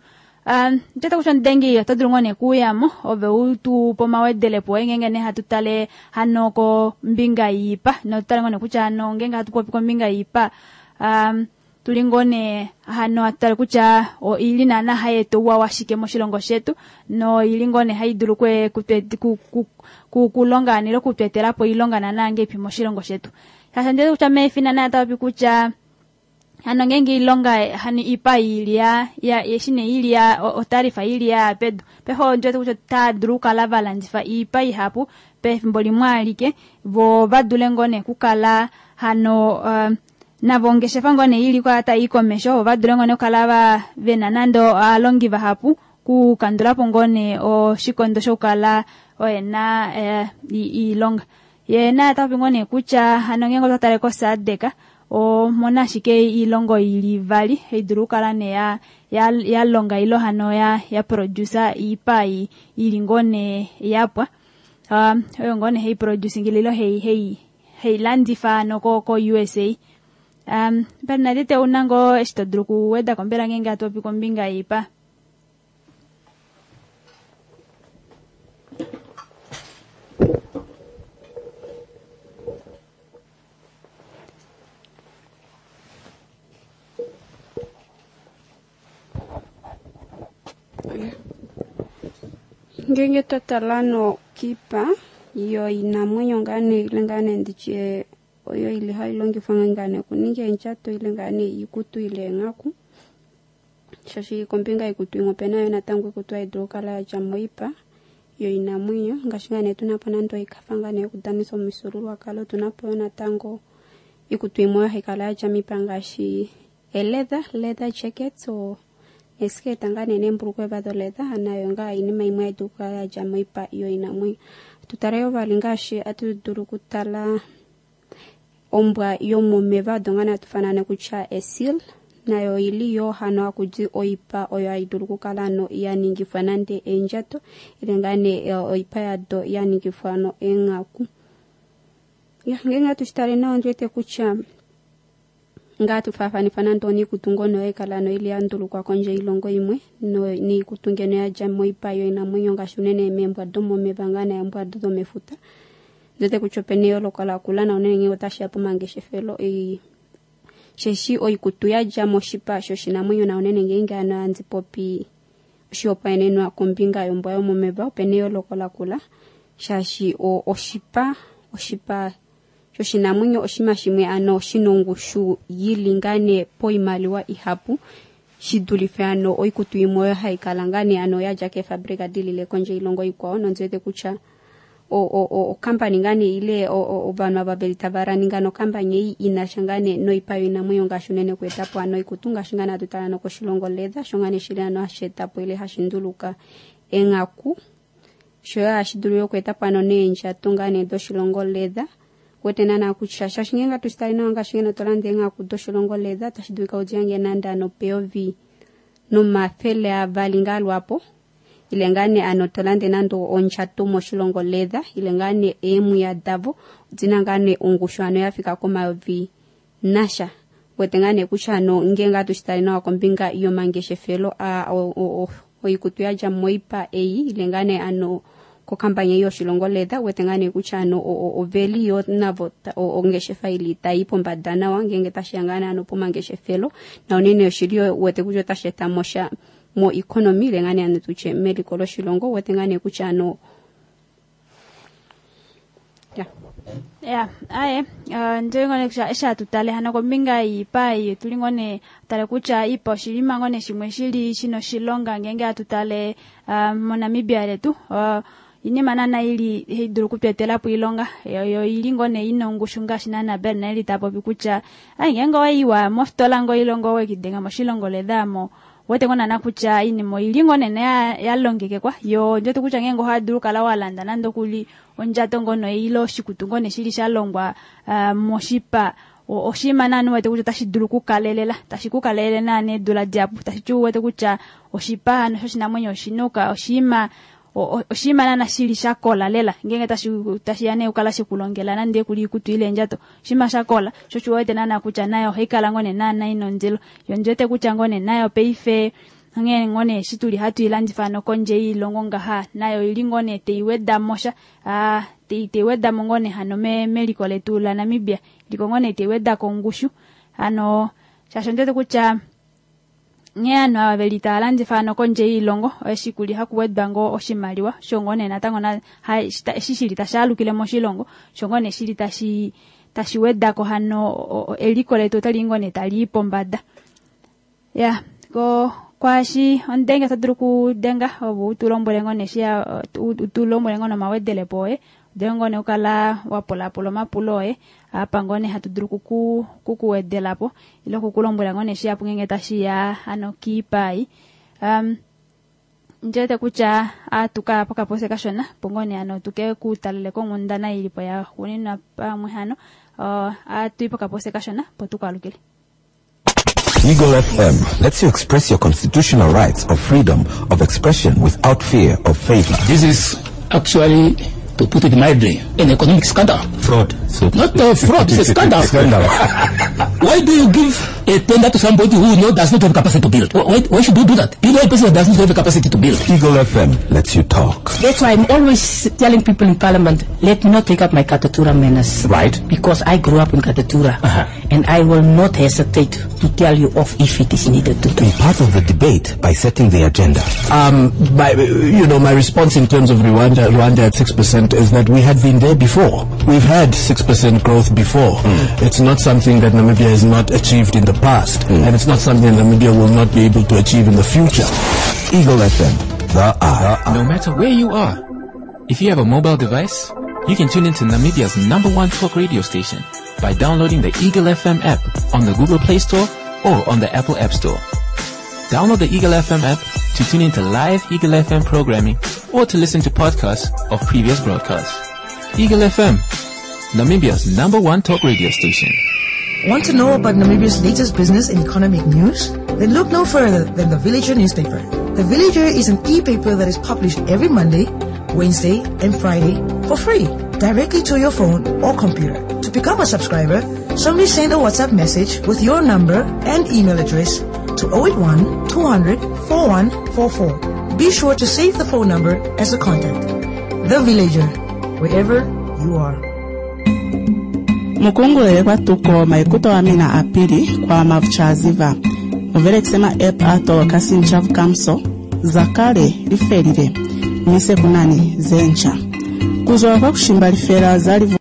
Speaker 1: Um, tete kutya omudengi oto dulu ngoo nee kuuyamo ove utu pomawedelepo ngenge nee hatu tale hano kombinga yiipa notutale ngoo nee kutya hano ngenge hatu popi kombinga yiipa um, tuli ngoo nee hano hatu tale kutya oili naana hayi eta ouwa washike moshilongo shetu noili ngoo nee hayi dulu kwe kulonga nilo kutwetelapo oilonga naana ngeipi moshilongo shetu. Shaashi ndete kutya meefina naye tapopi kutya hano ngenge ilonga hani ipa ili ya ya yeshine ili ya otarifa ili ya pedu peho ndete kutya ta dulu kukala valandifa ipa ihapu pefimbo limwe alike vo vadule ngoo nee kukala hano uh, navo ongeshefa ngoo nee ili kwa tai komesho vadule ngoo nee kukala va vena nando aalongi vahapu kukandulapo ngoo nee oshikondo shokukala oyena eh, iilonga. Ye naye tapopi ngoo nee kutya hano ngenge otwa tale koSADC omona ashike iilongo ili vali haidulu okukala nee ya, ya, ya longa ilo hano ya, ya producer iipa ili ngoo nee yapwa um, oyo ngoo nee hei producing ilo hei, hei, hei landifa no ko, ko U S A. Um, Bernadette ouna ngoo eshi to dulu kuweda ko mbela ngenge hatu popi kombinga yiipa?
Speaker 2: Ngenge twatala no kipa yo inamwenyo ngane ile ngane nditye oyo ili hailongifwa ngane kuninga endjato ile ngane ikutu ile enghaku shashi kombinga ikutu imwe opena yo natango ikutu haidulu okukala yadja moipa yo inamwenyo ngaashi ngane tunapo nande oikafa ngane yokudanisa omifyuululwakalo tunapo yo natango ikutu imwe oyo haikala yadja miipa ngaashi eleather leather jackets o esketa ngane neembulukwe doleather nayo ngaa inima imwe haidulu okukala yadja moipa yo inamwenyo. Tutale yo vali ngaashi atu dulu okutala ombwa yomomeva odo ngane hatu fanane kutya esil nayo ili yo hano hakudi oipa oyo haidulu okukala ano yaningifwa nande eendjato ile ngane oipa yado yaningifwa ano eenghaku. Ngenge hatushitale nawa ondiwete kutya ngaa tufaafanifa nande oniikutu ngono haikala ano ili yandulukwa kondje yoilongo imwe niikutu ngeno yadja moipa yoinamwenyo ngaashi unene meembwa domomeva ngaa neembwa domefuta. Ndiwete kutya opena eyooloko lakula na unene ngenge otashiya pomangeshefelo sheshi oikutu yadja moshipa shoshinamwenyo na unene ngenge ano handi popi oshihopaenenwa kombinga yombwa yomomeva opena eyooloko lakula shaashi oshipa oshipa shoshinamwenyo oshinima shimwe ano shina ongushu yili ngane poimaliwa ihapu shidulife ano oikutu imwe oyo haikala ngane ano yadja keefabrika dilile kondje yoilongo ikwao nondiwete kutya okampani ngane ile ovanhu ava veli tava raninga nokampani ei inasha ngane noipa yoinamwenyo ngaashi unene okuetapo ano oikutu ngaashi ngane hatu tala nokoshilongo leather sho ngane shili ano hashi etapo ile hashi nduluka enghaku sho hashi dulu yo okuetapo ano neendjato ngane doshilongo leather. Wete naana kutya shaashi ngenge hatu shitale nawa ngaashi ngeno tolanda eenghaku doshilongo leather tashi dulika udiyange nande ano peyovi nomafele avali ngaa lwapo ile ngane ano tolande nande ondjato moshilongo leather ile ngane eemwiya davo odina ngane ongushu ano yafika komayovi nasha. Wete ngane kutya ano ngenge hatu shitale nawa kombinga yomangeshefelo oikutu yadja moipa ei ile ngane ano kokampani yoshilongo leather wete ngane kutya ano oveli yo navo ongeshefa ili tai pombada nawa ngenge tashiya ngane ano pomangeshefelo na unene oshili wete kutya otashi eta mosha mo economy ile ngane ano tutye meliko loshilongo wete ngane kutya ano ya
Speaker 1: ya aye ndio ngone kutya eshi hatu tale hano kombinga yiipa ei tuli ngone tale kutya iipa oshilima ngone shimwe shili shina oshilonga ngenge hatu tale uh, moNamibia letu uh, inima naana ili haidulu okutwetelapo iilonga yo ili ngoo nee ina ongushu ngaashi naana Bernadette tapopi kutya ai ngenge owaiwa mofitola ngoo ilongo owekidenga moshilongo leather mo wete ngoo naana kutya iinima oili ngoo nene yalongekekwa yo ndiwete kutya ngenge ohadulu okukala walanda nande okuli ondjato ngono ile oshikutu ngoo nee shili shalongwa uh, moshipa oshinima naana wete kutya otashi dulu okukalelela tashi kukalelele naana eedula dihapu tashi ti wete kutya oshipa hano shoshinamwenyo oshinuka oshinima oshinima naana shili shakola lela ngenge tashi tashiya nee okukala shekulongela nande kuli ikutu ile endjato oshinima shakola sho oshiwete naana kutya nayo ohaikala ngoo nee naana ina ondilo yo ndiwete kutya ngoo nee nayo paife Onghee ngoo nee eshi tuli hatu ilandifa hano kondje yoilongo ngaha nayo ili ngoo nee teiweda mo sha, ah, tei- teiweda mo ngoo nee hano me- meliko letu la Namibia, iliko ngoo nee teiweda kongushu hano shaashi ondiwete kutya nghee ovanhu ava veli tava landifa hano kondje yoilongo eshi kuli hakuwedwa ngoo oshimaliwa sho ngoo nee natango na- ha- eshi shili tashi alukile moshilongo sho ngoo nee shili tashi tashi wedako hano o- o- eliko letu otali ngoo nee tali i pombada. Ya ko kwaashi ondenge oto dulu okudenga opo u tu lombwele ngoo nee shi ya- u tu lombwele ngoo nomawedelepo oye, udule ngoo nee okukala wa pulapula omapulo oye apa ngoo nee hatu dulu kuku kukuwedelapo ile okukulombwela ngoo nee shihapu ngeenge tashiya hano kiipai. Um, ndiwete kutya atuka pokapose kashona opo ngoo nee hano tuke kutalele konghundana ilipo ya xuuninwa pamwe hano uh, atui pokapose kashona opo tukwalukile.
Speaker 3: Eagle F M lets you express your constitutional rights of freedom of expression without fear of favor.
Speaker 4: This is actually, to put it mildly, an economic scandal.
Speaker 3: Fraud. So
Speaker 4: Not a fraud, it's a scandal.
Speaker 3: Scandal.
Speaker 4: Why do you give a tender to somebody who knows does not have capacity to build? Why, why should you do that? You know a person that does not have the capacity to build.
Speaker 3: Eagle F M lets you talk.
Speaker 5: That's why I'm always telling people in Parliament, let me not take up my Katutura manners.
Speaker 3: Right.
Speaker 5: Because I grew up in Katutura.
Speaker 3: Uh-huh.
Speaker 5: And I will not hesitate to tell you off if it is needed to.
Speaker 3: Be part of the debate by setting the agenda.
Speaker 6: Um, my, you know, my response in terms of Rwanda, Rwanda at six percent is that we had been there before. We've had six percent growth before.
Speaker 3: Mm.
Speaker 6: It's not something that Namibia has not achieved in the past,
Speaker 3: mm.
Speaker 6: and it's not something Namibia will not be able to achieve in the future.
Speaker 3: Eagle F M, the eye.
Speaker 7: No matter where you are, if you have a mobile device, you can tune into Namibia's number one talk radio station by downloading the Eagle F M app on the Google Play Store or on the Apple App Store. Download the Eagle F M app to tune into live Eagle F M programming or to listen to podcasts of previous broadcasts. Eagle F M, Namibia's number one talk radio station.
Speaker 8: Want to know about Namibia's latest business and economic news? Then look no further than the Villager newspaper. The Villager is an e-paper that is published every Monday, Wednesday, and Friday for free, directly to your phone or computer. To become a subscriber, simply send a WhatsApp message with your number and email address to oh eight one, two hundred, four one four four. Be sure to save the phone number as a contact. The Villager, wherever you are.
Speaker 9: Mukungulele kwa tuko maikuto wa mina apili kwa mavuchaziva. Muvele kusema app ato kasinchavu kamso zakale lifelile mise kunani zencha. Kuzwa kwa kushimba lifela zalivu.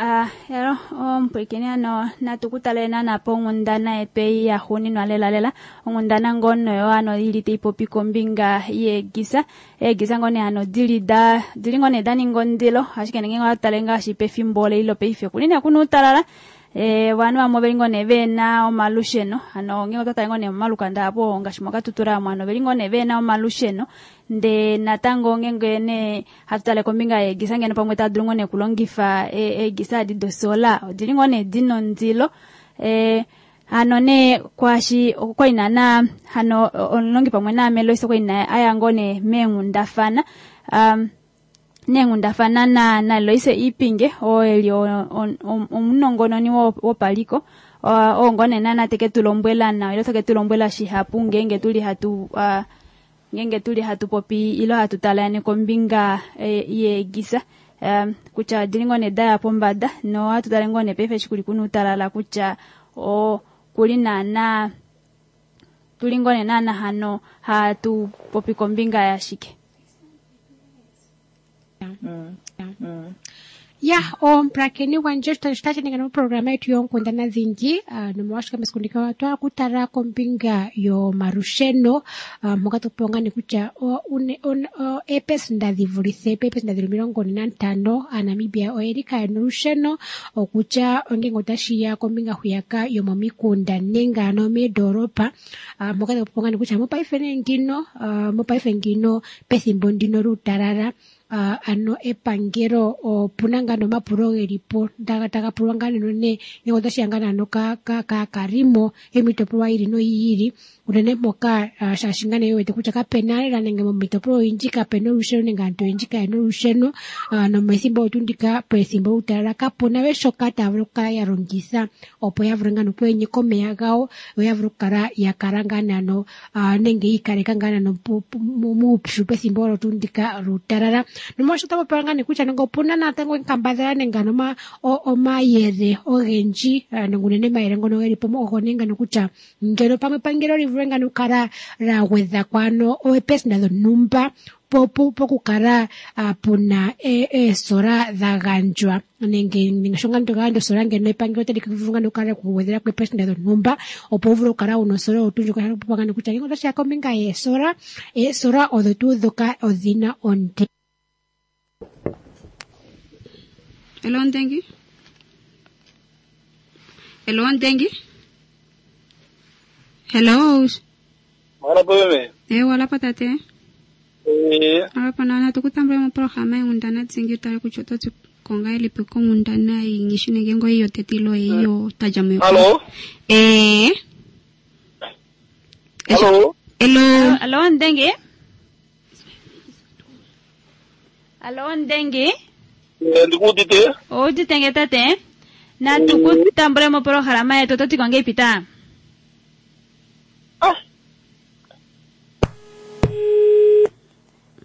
Speaker 1: Ah, yalo ompwikini ano natukutale nanapo onghundana yetu ei yaxuuninwa lelalela onghundana ngono yo ano ili taipopi kombinga yeegisa eegisa ngoo nee ano dili da dili ngoo nee daninga ondilo ashike nenge otale ngaashi pefimbo leilo paife kuli nee kuna uutalala eh vanhu vamwe veli ngoo nee vena omalusheno ano ngenge ototale ngoo nee momalukanda apo ngaashi moKatutura mo ano veli ngoo nee vena omalusheno nde natango ngenge nee hatu tale kombinga yeegisa ngeno pamwe tadulu ngoo nee kulongifa eegisa adi dosola odili ngoo nee dina ondilo eh ano nee kwashi okwaina na hano omulongi pamwe naame Loise okwaina aya ngoo nee meenghundafana um neenghundafana na na Loise Iipinge oo eli omunongononi wopaliko oo ngoo nee nana teke tu lombwela nawa ile teke tu lombwela shihapu ngeenge tuli hatu uh, ngeenge tuli hatu popi ilo hatu talane kombinga yeegisa um, kutya odili ngoo nee daya pombada no hatu tale ngoo nee paife eshi kuli kuna uutalala kutya o kuli naana tuli ngoo nee naana hano hatu popi kombinga yashike.
Speaker 15: Mm. Mm. Ya, ompulakeni gwandje otashi ninga noprograma yetu yoonkundana dhingi nomolwashoka mesiku ndika otwa kutala kombinga yomalusheno mpoka topewa ngaa kutya eepesenda dhi vulithe peepesenda dhili omilongo ne nantano Aanamibia oyeli kayena olusheno okutya ongenge otashi ya kombinga hwiyaka yomomikunda nenge ano meendolopa mpoka topewa ngaa kutya mopaife nee ngino mopaife ngino pethimbo ndino luutalala uh, ano epangelo opuna ngaa nomapulo geli po taga pulwa ngaa neno ne nenge otashi ya ngaa naano kaakalimo yomiitopolwa yi ili noyi ili unene mpoka uh, shaashi ngaa nee wete kutya kapena lela nenge momiitopolwa oyindji kapena olusheno nenge aantu oyendji kayena olusheno uh, nomethimbo tuu ndika pethimbo lyuutalala kapuna we shoka taya vulu okukala ya longitha opo ya vule ngaa nokwenyeka omeya gawo yo ya vule okukala ya kala ngaa naano uh, nenge yiikaleka ngaa naano muupyu pethimbo olo tuu ndika luutalala. Nomolwaasho otapu pewa ngaa nee kutya nenge opuna natango enkambadhala nenge ano omayele ogendji nenge unene omayele ngono geli po ogo nee ngano kutya ngeno pamwe epangelo li vule ngano okukala la gwedha ko ano oopesenda dhontumba pokukala puna eesola dha gandjwa nenge nenge sho ngaa toka gandja osola ngeno epangelo otali vulu ngaa okukala kugwedhela ko eepesenda dhontumba opo wu vule okukala wuna osola oyo tuu ndjoka. Shapopiwa ngaa kutya ngele otashi ya kombinga yeesola, eesola odho tuu ndhoka odhina ondilo.
Speaker 2: Hello Ndengi. Hello Ndengi. Hello.
Speaker 13: Wala po meme.
Speaker 2: Eh wala pa tate.
Speaker 13: Eh.
Speaker 2: Ala pa nana tukutambula mo programa yongundana tsingi tale kutya ototi konga elipi kongundana ingishi nenge ngo iyo tetilo iyo tajamu.
Speaker 13: Hello.
Speaker 2: Eh.
Speaker 13: Hello.
Speaker 2: Hello.
Speaker 1: Hello Ndengi. Hello Ndengi.
Speaker 13: Ndikuudite.
Speaker 1: Oudite nge tate. Na tukutambule mo programa yetu ototi konga ipita.
Speaker 13: Ah.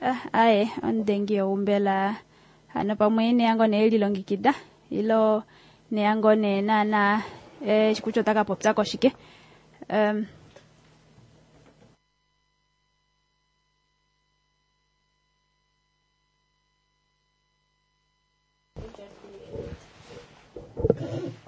Speaker 1: Ah, aye ondengi oumbela hano pamwe neyango ne lilongekida ilo neyango ne nana eh kutya otaka popya koshike. Um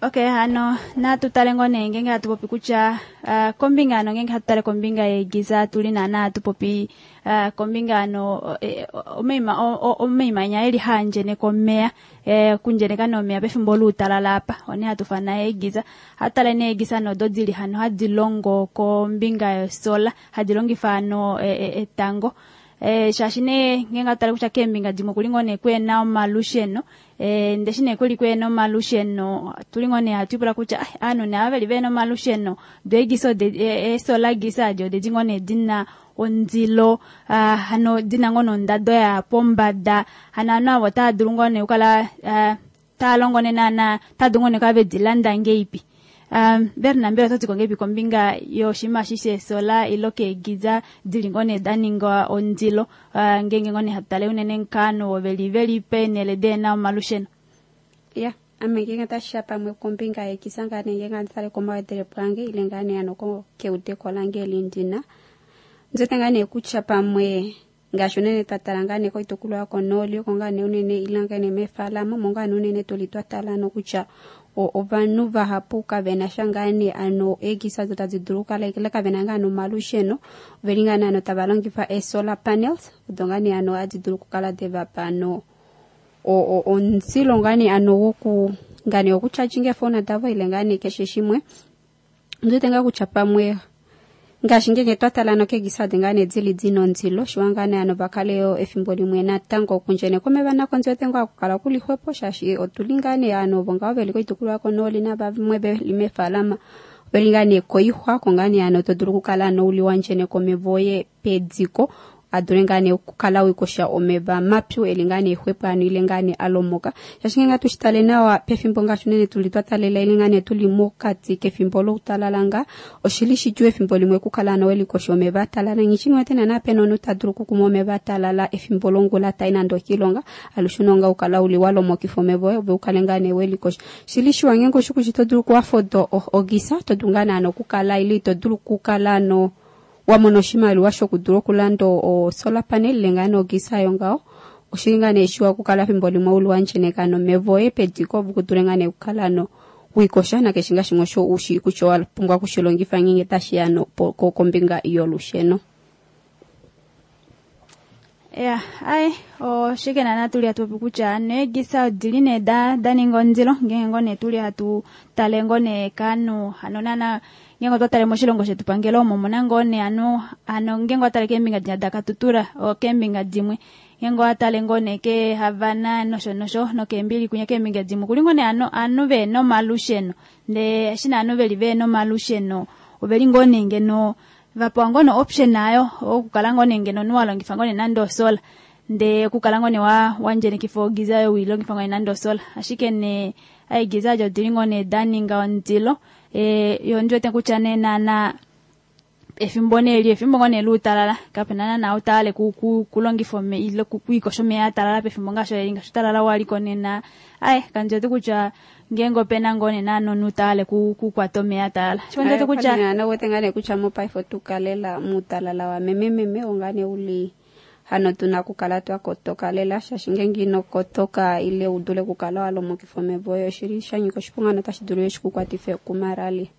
Speaker 1: Okay, hano natu tale ngo nee ngenge hatu popi kutya uh, kombinga ano ngenge hatu tale kombinga yegiza tuli nana hatu popi uh, kombinga ano eh, omeima omeimanya eli handjene komeya eh, kundjeneka nomeya pefimbo luutalala apa one hatu fana egiza hatu tale nee egiza nodo dili hano hadi longo kombinga yosola hadi longifa ano eh, etango. Eh, shaashi nee ngenge hatu tale kutya keembinga dimwe kuli ngoo nee kwena omalusheno eh, ndeshi nee kuli kwena omalusheno tuli ngoo nee hatu ipula kutya ah, aanhu nee ava veli vena omalusheno do egisa eesola gisa adi odedi ngoo nee dina ondilo ah, hano dina ngoo nondado ya pombada hano aanhu avo otava dulu ngoo nee okukala ah, tava longo nee naana tava dulu ngoo nee okukala vedi landa ngeipi. Um, Berna mbela ototi kongepi kombinga yoshima shi shesola ilo keegiza dili ngoo nee da ninga ondilo uh, ngenge ngoo nee hatu tale unene nkaanhu oveli veli peenhele deena omalusheno.
Speaker 2: Ya, ame ngenge tashiya pamwe kombinga yegiza ngaa nee ngenge anditale komawedelepo ange ile ngaa nee ano keudeko lange eli ndina. Ndiwete ngaa nee kutya pamwe ngaashi unene twatala ngaa nee koitukulwa yokonooli oko ngaa nee unene ile ngaa nee meefalama omo ngaa nee unene tuli twatala ano kutya ovanhu vahapu kavena sha ngaa nee ano eegisa odo tadi dulu okukala ile kavena ngaa nee omalusheno oveli ngaa nee ano tava longifa ee-solar panels odo ngaa nee ano hadi dulu okukala devapa ano omuzilo ngaa nee ano woku ngaa nee wokutyatjinga eefona davo ile ngaa nee keshe shimwe. Ndiwete ngaa kutya pamwe ngaashi ngenge twatala ano keegisa adi ngaa nee dili dina ondilo shiwa ngaa nee ano vakale yo efimbo limwe natango okundjeneka omeva nako ndiwete ngoo akukala kuli xwepo shaashi otuli ngaa nee ano ovo ngaho veli koitukulwa yokonooli navamwe veli meefalama oveli ngaa nee koixwa oko ngaa nee ano to dulu okukala ano uli wandjeneka omeva oye pediko adule ngaa nee okukala wiikosha omeva mapyu eli ngaa nee xwepo ano ile ngaa nee alomoka. Shaashi ngenge atu shitale nawa pefimbo ngaashi unene tuli twatalela ile ngaa nee tuli mokati kefimbo loutalala nga oshili shidjuu efimbo limwe okukala ano welikosha omeva atalala. Nghishi niwete naana pena omunhu ta dulu okukuma omeva atalala efimbo longula tai nande okiilonga alushe unonga ukala uli walomokifa omeva oye ove ukale ngaa nee welikosha. Shili shiwa ngenge oshikushi to dulu okuafoda ogisa to dulu ngaa nee ano okukala ile ito dulu okukala ano wamona oshimaliwa shokudula okulanda o-solar panel ile ngaa nee ogisa yo ngaho oshili ngaa nee shiwa okukala fimbo limwe uli wandjeneka nomeva oye pediko opo kudule ngaa nee okukala ano wiikosha nakeshe ngaa shimwe osho ushi kutya owa pumbwa okushilongifa ngenge tashiya no kombinga yolusheno.
Speaker 1: Ya, aye oshike naana tuli hatu popi kutya ano eegisa odili nee da da ninga ondilo ngenge ngoo nee tuli hatu tale ngoo nee kaanhu hano naana ngenge otwa tale moshilongo shetu pangelo omo muna ngoo nee ano ano ngenge otwa tale keembinga dinya da Katutura o keembinga dimwe Ngenge watale ngoo nee keeHavana nosho nosho nokeembili kunya keembinga dimwe kuli ngoo nee ovanhu vehena omalusheno, ndee eshi nee ovanhu veli vehena omalusheno oveli ngoo nee ngeno vapewa ngoo nee option ayo okukala ngoo nee ngeno omunhu walongifa ngoo nee nande osola, ndee okukala ngoo nee wandjenikifa ogiza oyo wiilongifa ngoo nee nande osola, ashike nee eegiza ado odili ngoo nee daninga ondilo. Yo ondiwete kutya nee naana efimbo nee eli efimbo ngoo nee luutalala, kapena naana utale kulongifa ile kwiikosha omeya atalala pefimbo ngaashi eli, ngaashi utalala waliko nena aye kandiwete kutya ngeenge opena ngoo nee naana omunhu utale kukwata omeya atalala. Ashike ondiwete kutya
Speaker 2: nowete ngaa nee kutya mopaife otukalela muutalala wa memememe onga nee uli hano tuna kukala twakotoka lela, shaashi ngeenge ino kotoka ile udule kukala walomokifa omeva oyo oshili shanyika oshiponga notashi dulu shikukwatife kumarali.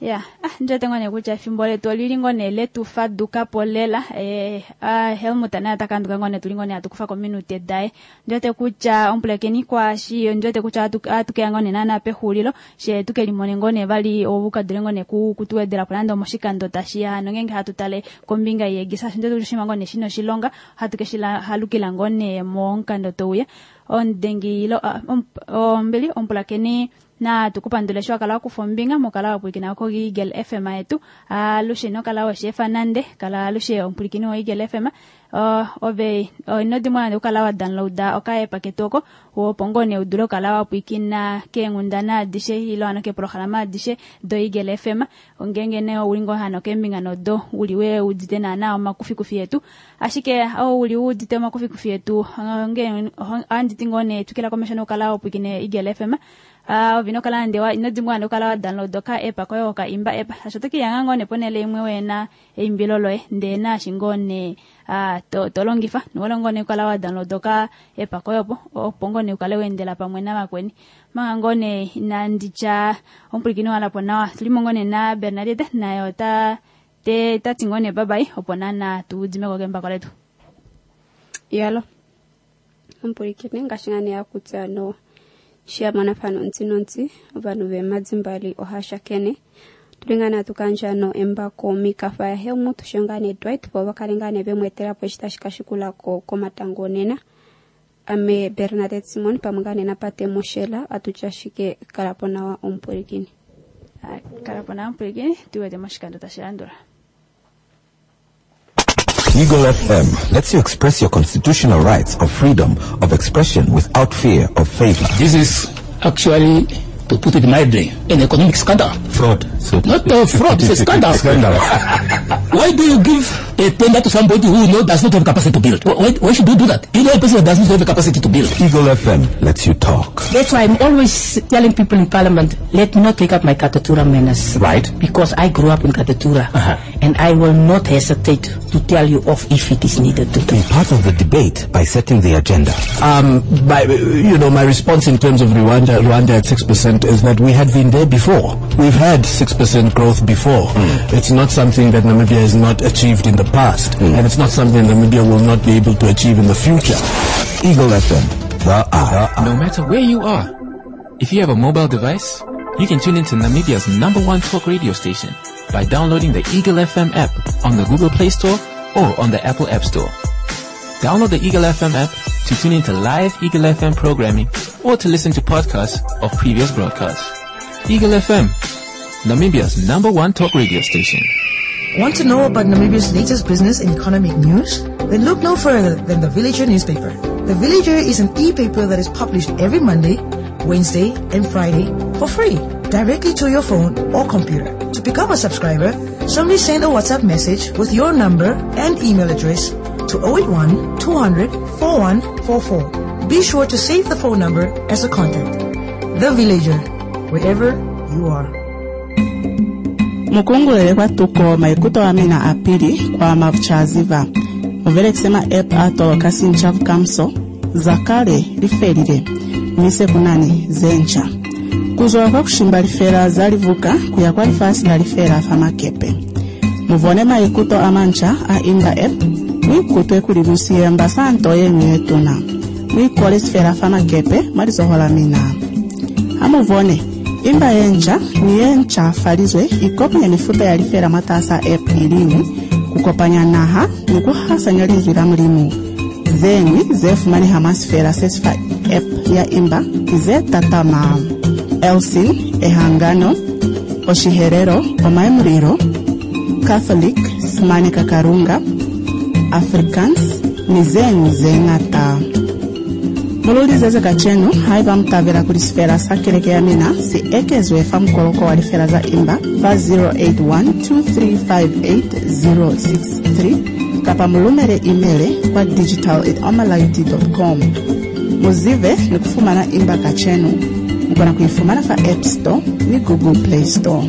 Speaker 1: Ya, ah, ndiwete ngoo nee kutya efimbo letu olili ngoo nee letu fadukapo lela. Eh, ah, Helmut naye otakanduka ngoo nee tuli ngoo nee hatu kufa kominute daye. Ndiwete kutya omupulakeni kwaashi, ndiwete kutya ohatu keya ngoo nee naana pexulilo, she tukelimone ngoo nee vali oukadule ngoo nee kutuwedelapo nande omoshikando tashiya hano ngeenge hatu tale kombinga yeegisa, shaashi ndiwete kutya oshinima ngoo nee shina oshilonga, ohatu keshi halukila ngoo nee momukando touya. Omudengi ilo, ombili omupulakeni na tukupandule sho wakala wakufa ombinga mokala wapwilikina ko Eagle F M yetu. Alushe nokala weshefa nande kala alushe omupwilikini wo Eagle F M. Ove ino dimwa nande okala wa downloada oka app ketu oko, opo ngoo nee udule okala wapwilikina keenghundana adishe ilo hano keeprograma adishe do Eagle F M. Ongenge nee ouli ngoo hano keembinga nodo uli we udite naana omakufikufi yetu, ashike ouli udite omakufikufi yetu onge ohandi ti ngoo nee twikila komesho nokala wapwilikine Eagle F M. Ah, ovino kala nde wa ino dimwa nde kala wa download ka app koyo ka imba app, asho toki yanga ngoo ne ponele imwe wena eimbilo loye nde na shi ngoo ne, ah, to, to longifa nolo ngoo ne kala wa download ka app koyo po opo ngoo ne ukale wendela pamwe navakweni. Manga ngoo ne inanditya omupwilikini walapo nawa, tulimo ngoo ne na Bernadette naye ota te tati ngoo ne bye bye opo nana tudimeko kembako letu.
Speaker 2: Yalo omupwilikini ngaashi ngane yakutya no shiyamona fano ntsi nontsi ovanhu vemadzimbali ohashakene tulingana tukandja no embako mikafa ya Helmut shongane Dwight po vakalengane vemwetela po eshi tashi kashikulako komatango nena. Ame Bernadette Simon pamwe ngane napate Moshela atutya shike kalapo nawa omupwilikini.
Speaker 1: Kalapo nawa omupwilikini, tuwete moshikando tashi landula.
Speaker 3: Eagle F M lets you express your constitutional rights of freedom of expression without fear of favor.
Speaker 4: This is actually, to put it mildly, an economic scandal.
Speaker 3: Fraud. So
Speaker 4: Not a fraud, it's a scandal.
Speaker 3: Scandal.
Speaker 4: Why do you give a tender to somebody who know does not have capacity to build? Why, why should you do that? You know a person that does not have the capacity to build.
Speaker 3: Eagle F M lets you talk.
Speaker 5: That's why I'm always telling people in Parliament, let me not take up my Katutura manners.
Speaker 3: Right.
Speaker 5: Because I grew up in Katutura.
Speaker 3: Uh-huh.
Speaker 5: And I will not hesitate to tell you off if it is needed to.
Speaker 3: Be part of the debate by setting the agenda.
Speaker 6: Um, my, you know, my response in terms of Rwanda, Rwanda at six percent is that we had been there before. We've had six percent growth before.
Speaker 3: Mm.
Speaker 6: It's not something that Namibia has not achieved in the past,
Speaker 3: mm.
Speaker 6: and it's not something Namibia will not be able to achieve in the future.
Speaker 3: Eagle F M, the hour.
Speaker 7: No matter where you are, if you have a mobile device, you can tune into Namibia's number one talk radio station by downloading the Eagle F M app on the Google Play Store or on the Apple App Store. Download the Eagle F M app to tune into live Eagle F M programming or to listen to podcasts of previous broadcasts. Eagle F M, Namibia's number one talk radio station.
Speaker 8: Want to know about Namibia's latest business and economic news? Then look no further than the Villager newspaper. The Villager is an e-paper that is published every Monday, Wednesday, and Friday for free, directly to your phone or computer. To become a subscriber, simply send a WhatsApp message with your number and email address to oh eight one, two hundred, four one four four. Be sure to save the phone number as a contact. The Villager, wherever you are.
Speaker 9: Mukungulele kwa tuko maikuto wa mina apili kwa mavuchaziva. Muvele kusema app ato kasi nchavu kamso, zakale lifelile, mise kunani zencha. Kuzwa kwa kushimba lifela zalivuka kuya kwa lifasi la lifela famakepe. Muvone maikuto amancha a imba app, mwikutwe kulilusiye mbasanto yenyu yetuna. Mwikole sifela famakepe mwalizohola mina. Amuvone, imba yencha ni yencha falizwe ikopanya mifuta ya lifela mwatasa app ilimu kukopanya naha ni kuhasanya linzwi la mulimu. Zeñwi ze fumaneha mwa sifela se si fa app ya Imba ki ze tatama: Elcin, Ehangano, Oshiherero, Omaemulilo, Catholic, Simaneka Kalunga, Afrikaans ni zeñwi ze ñata. Mululizeze kacenu haiba mutabela kuli sifela sa keleke ya mina si ekezwe fa mukoloko wa lifela za Imba fa zero eight one two three five eight zero six three kapa mulumele imele kwa digital at omalight dot com. Muzibe ni kufumana Imba kacenu. Mukona kuifumana fa App Store ni Google Play Store.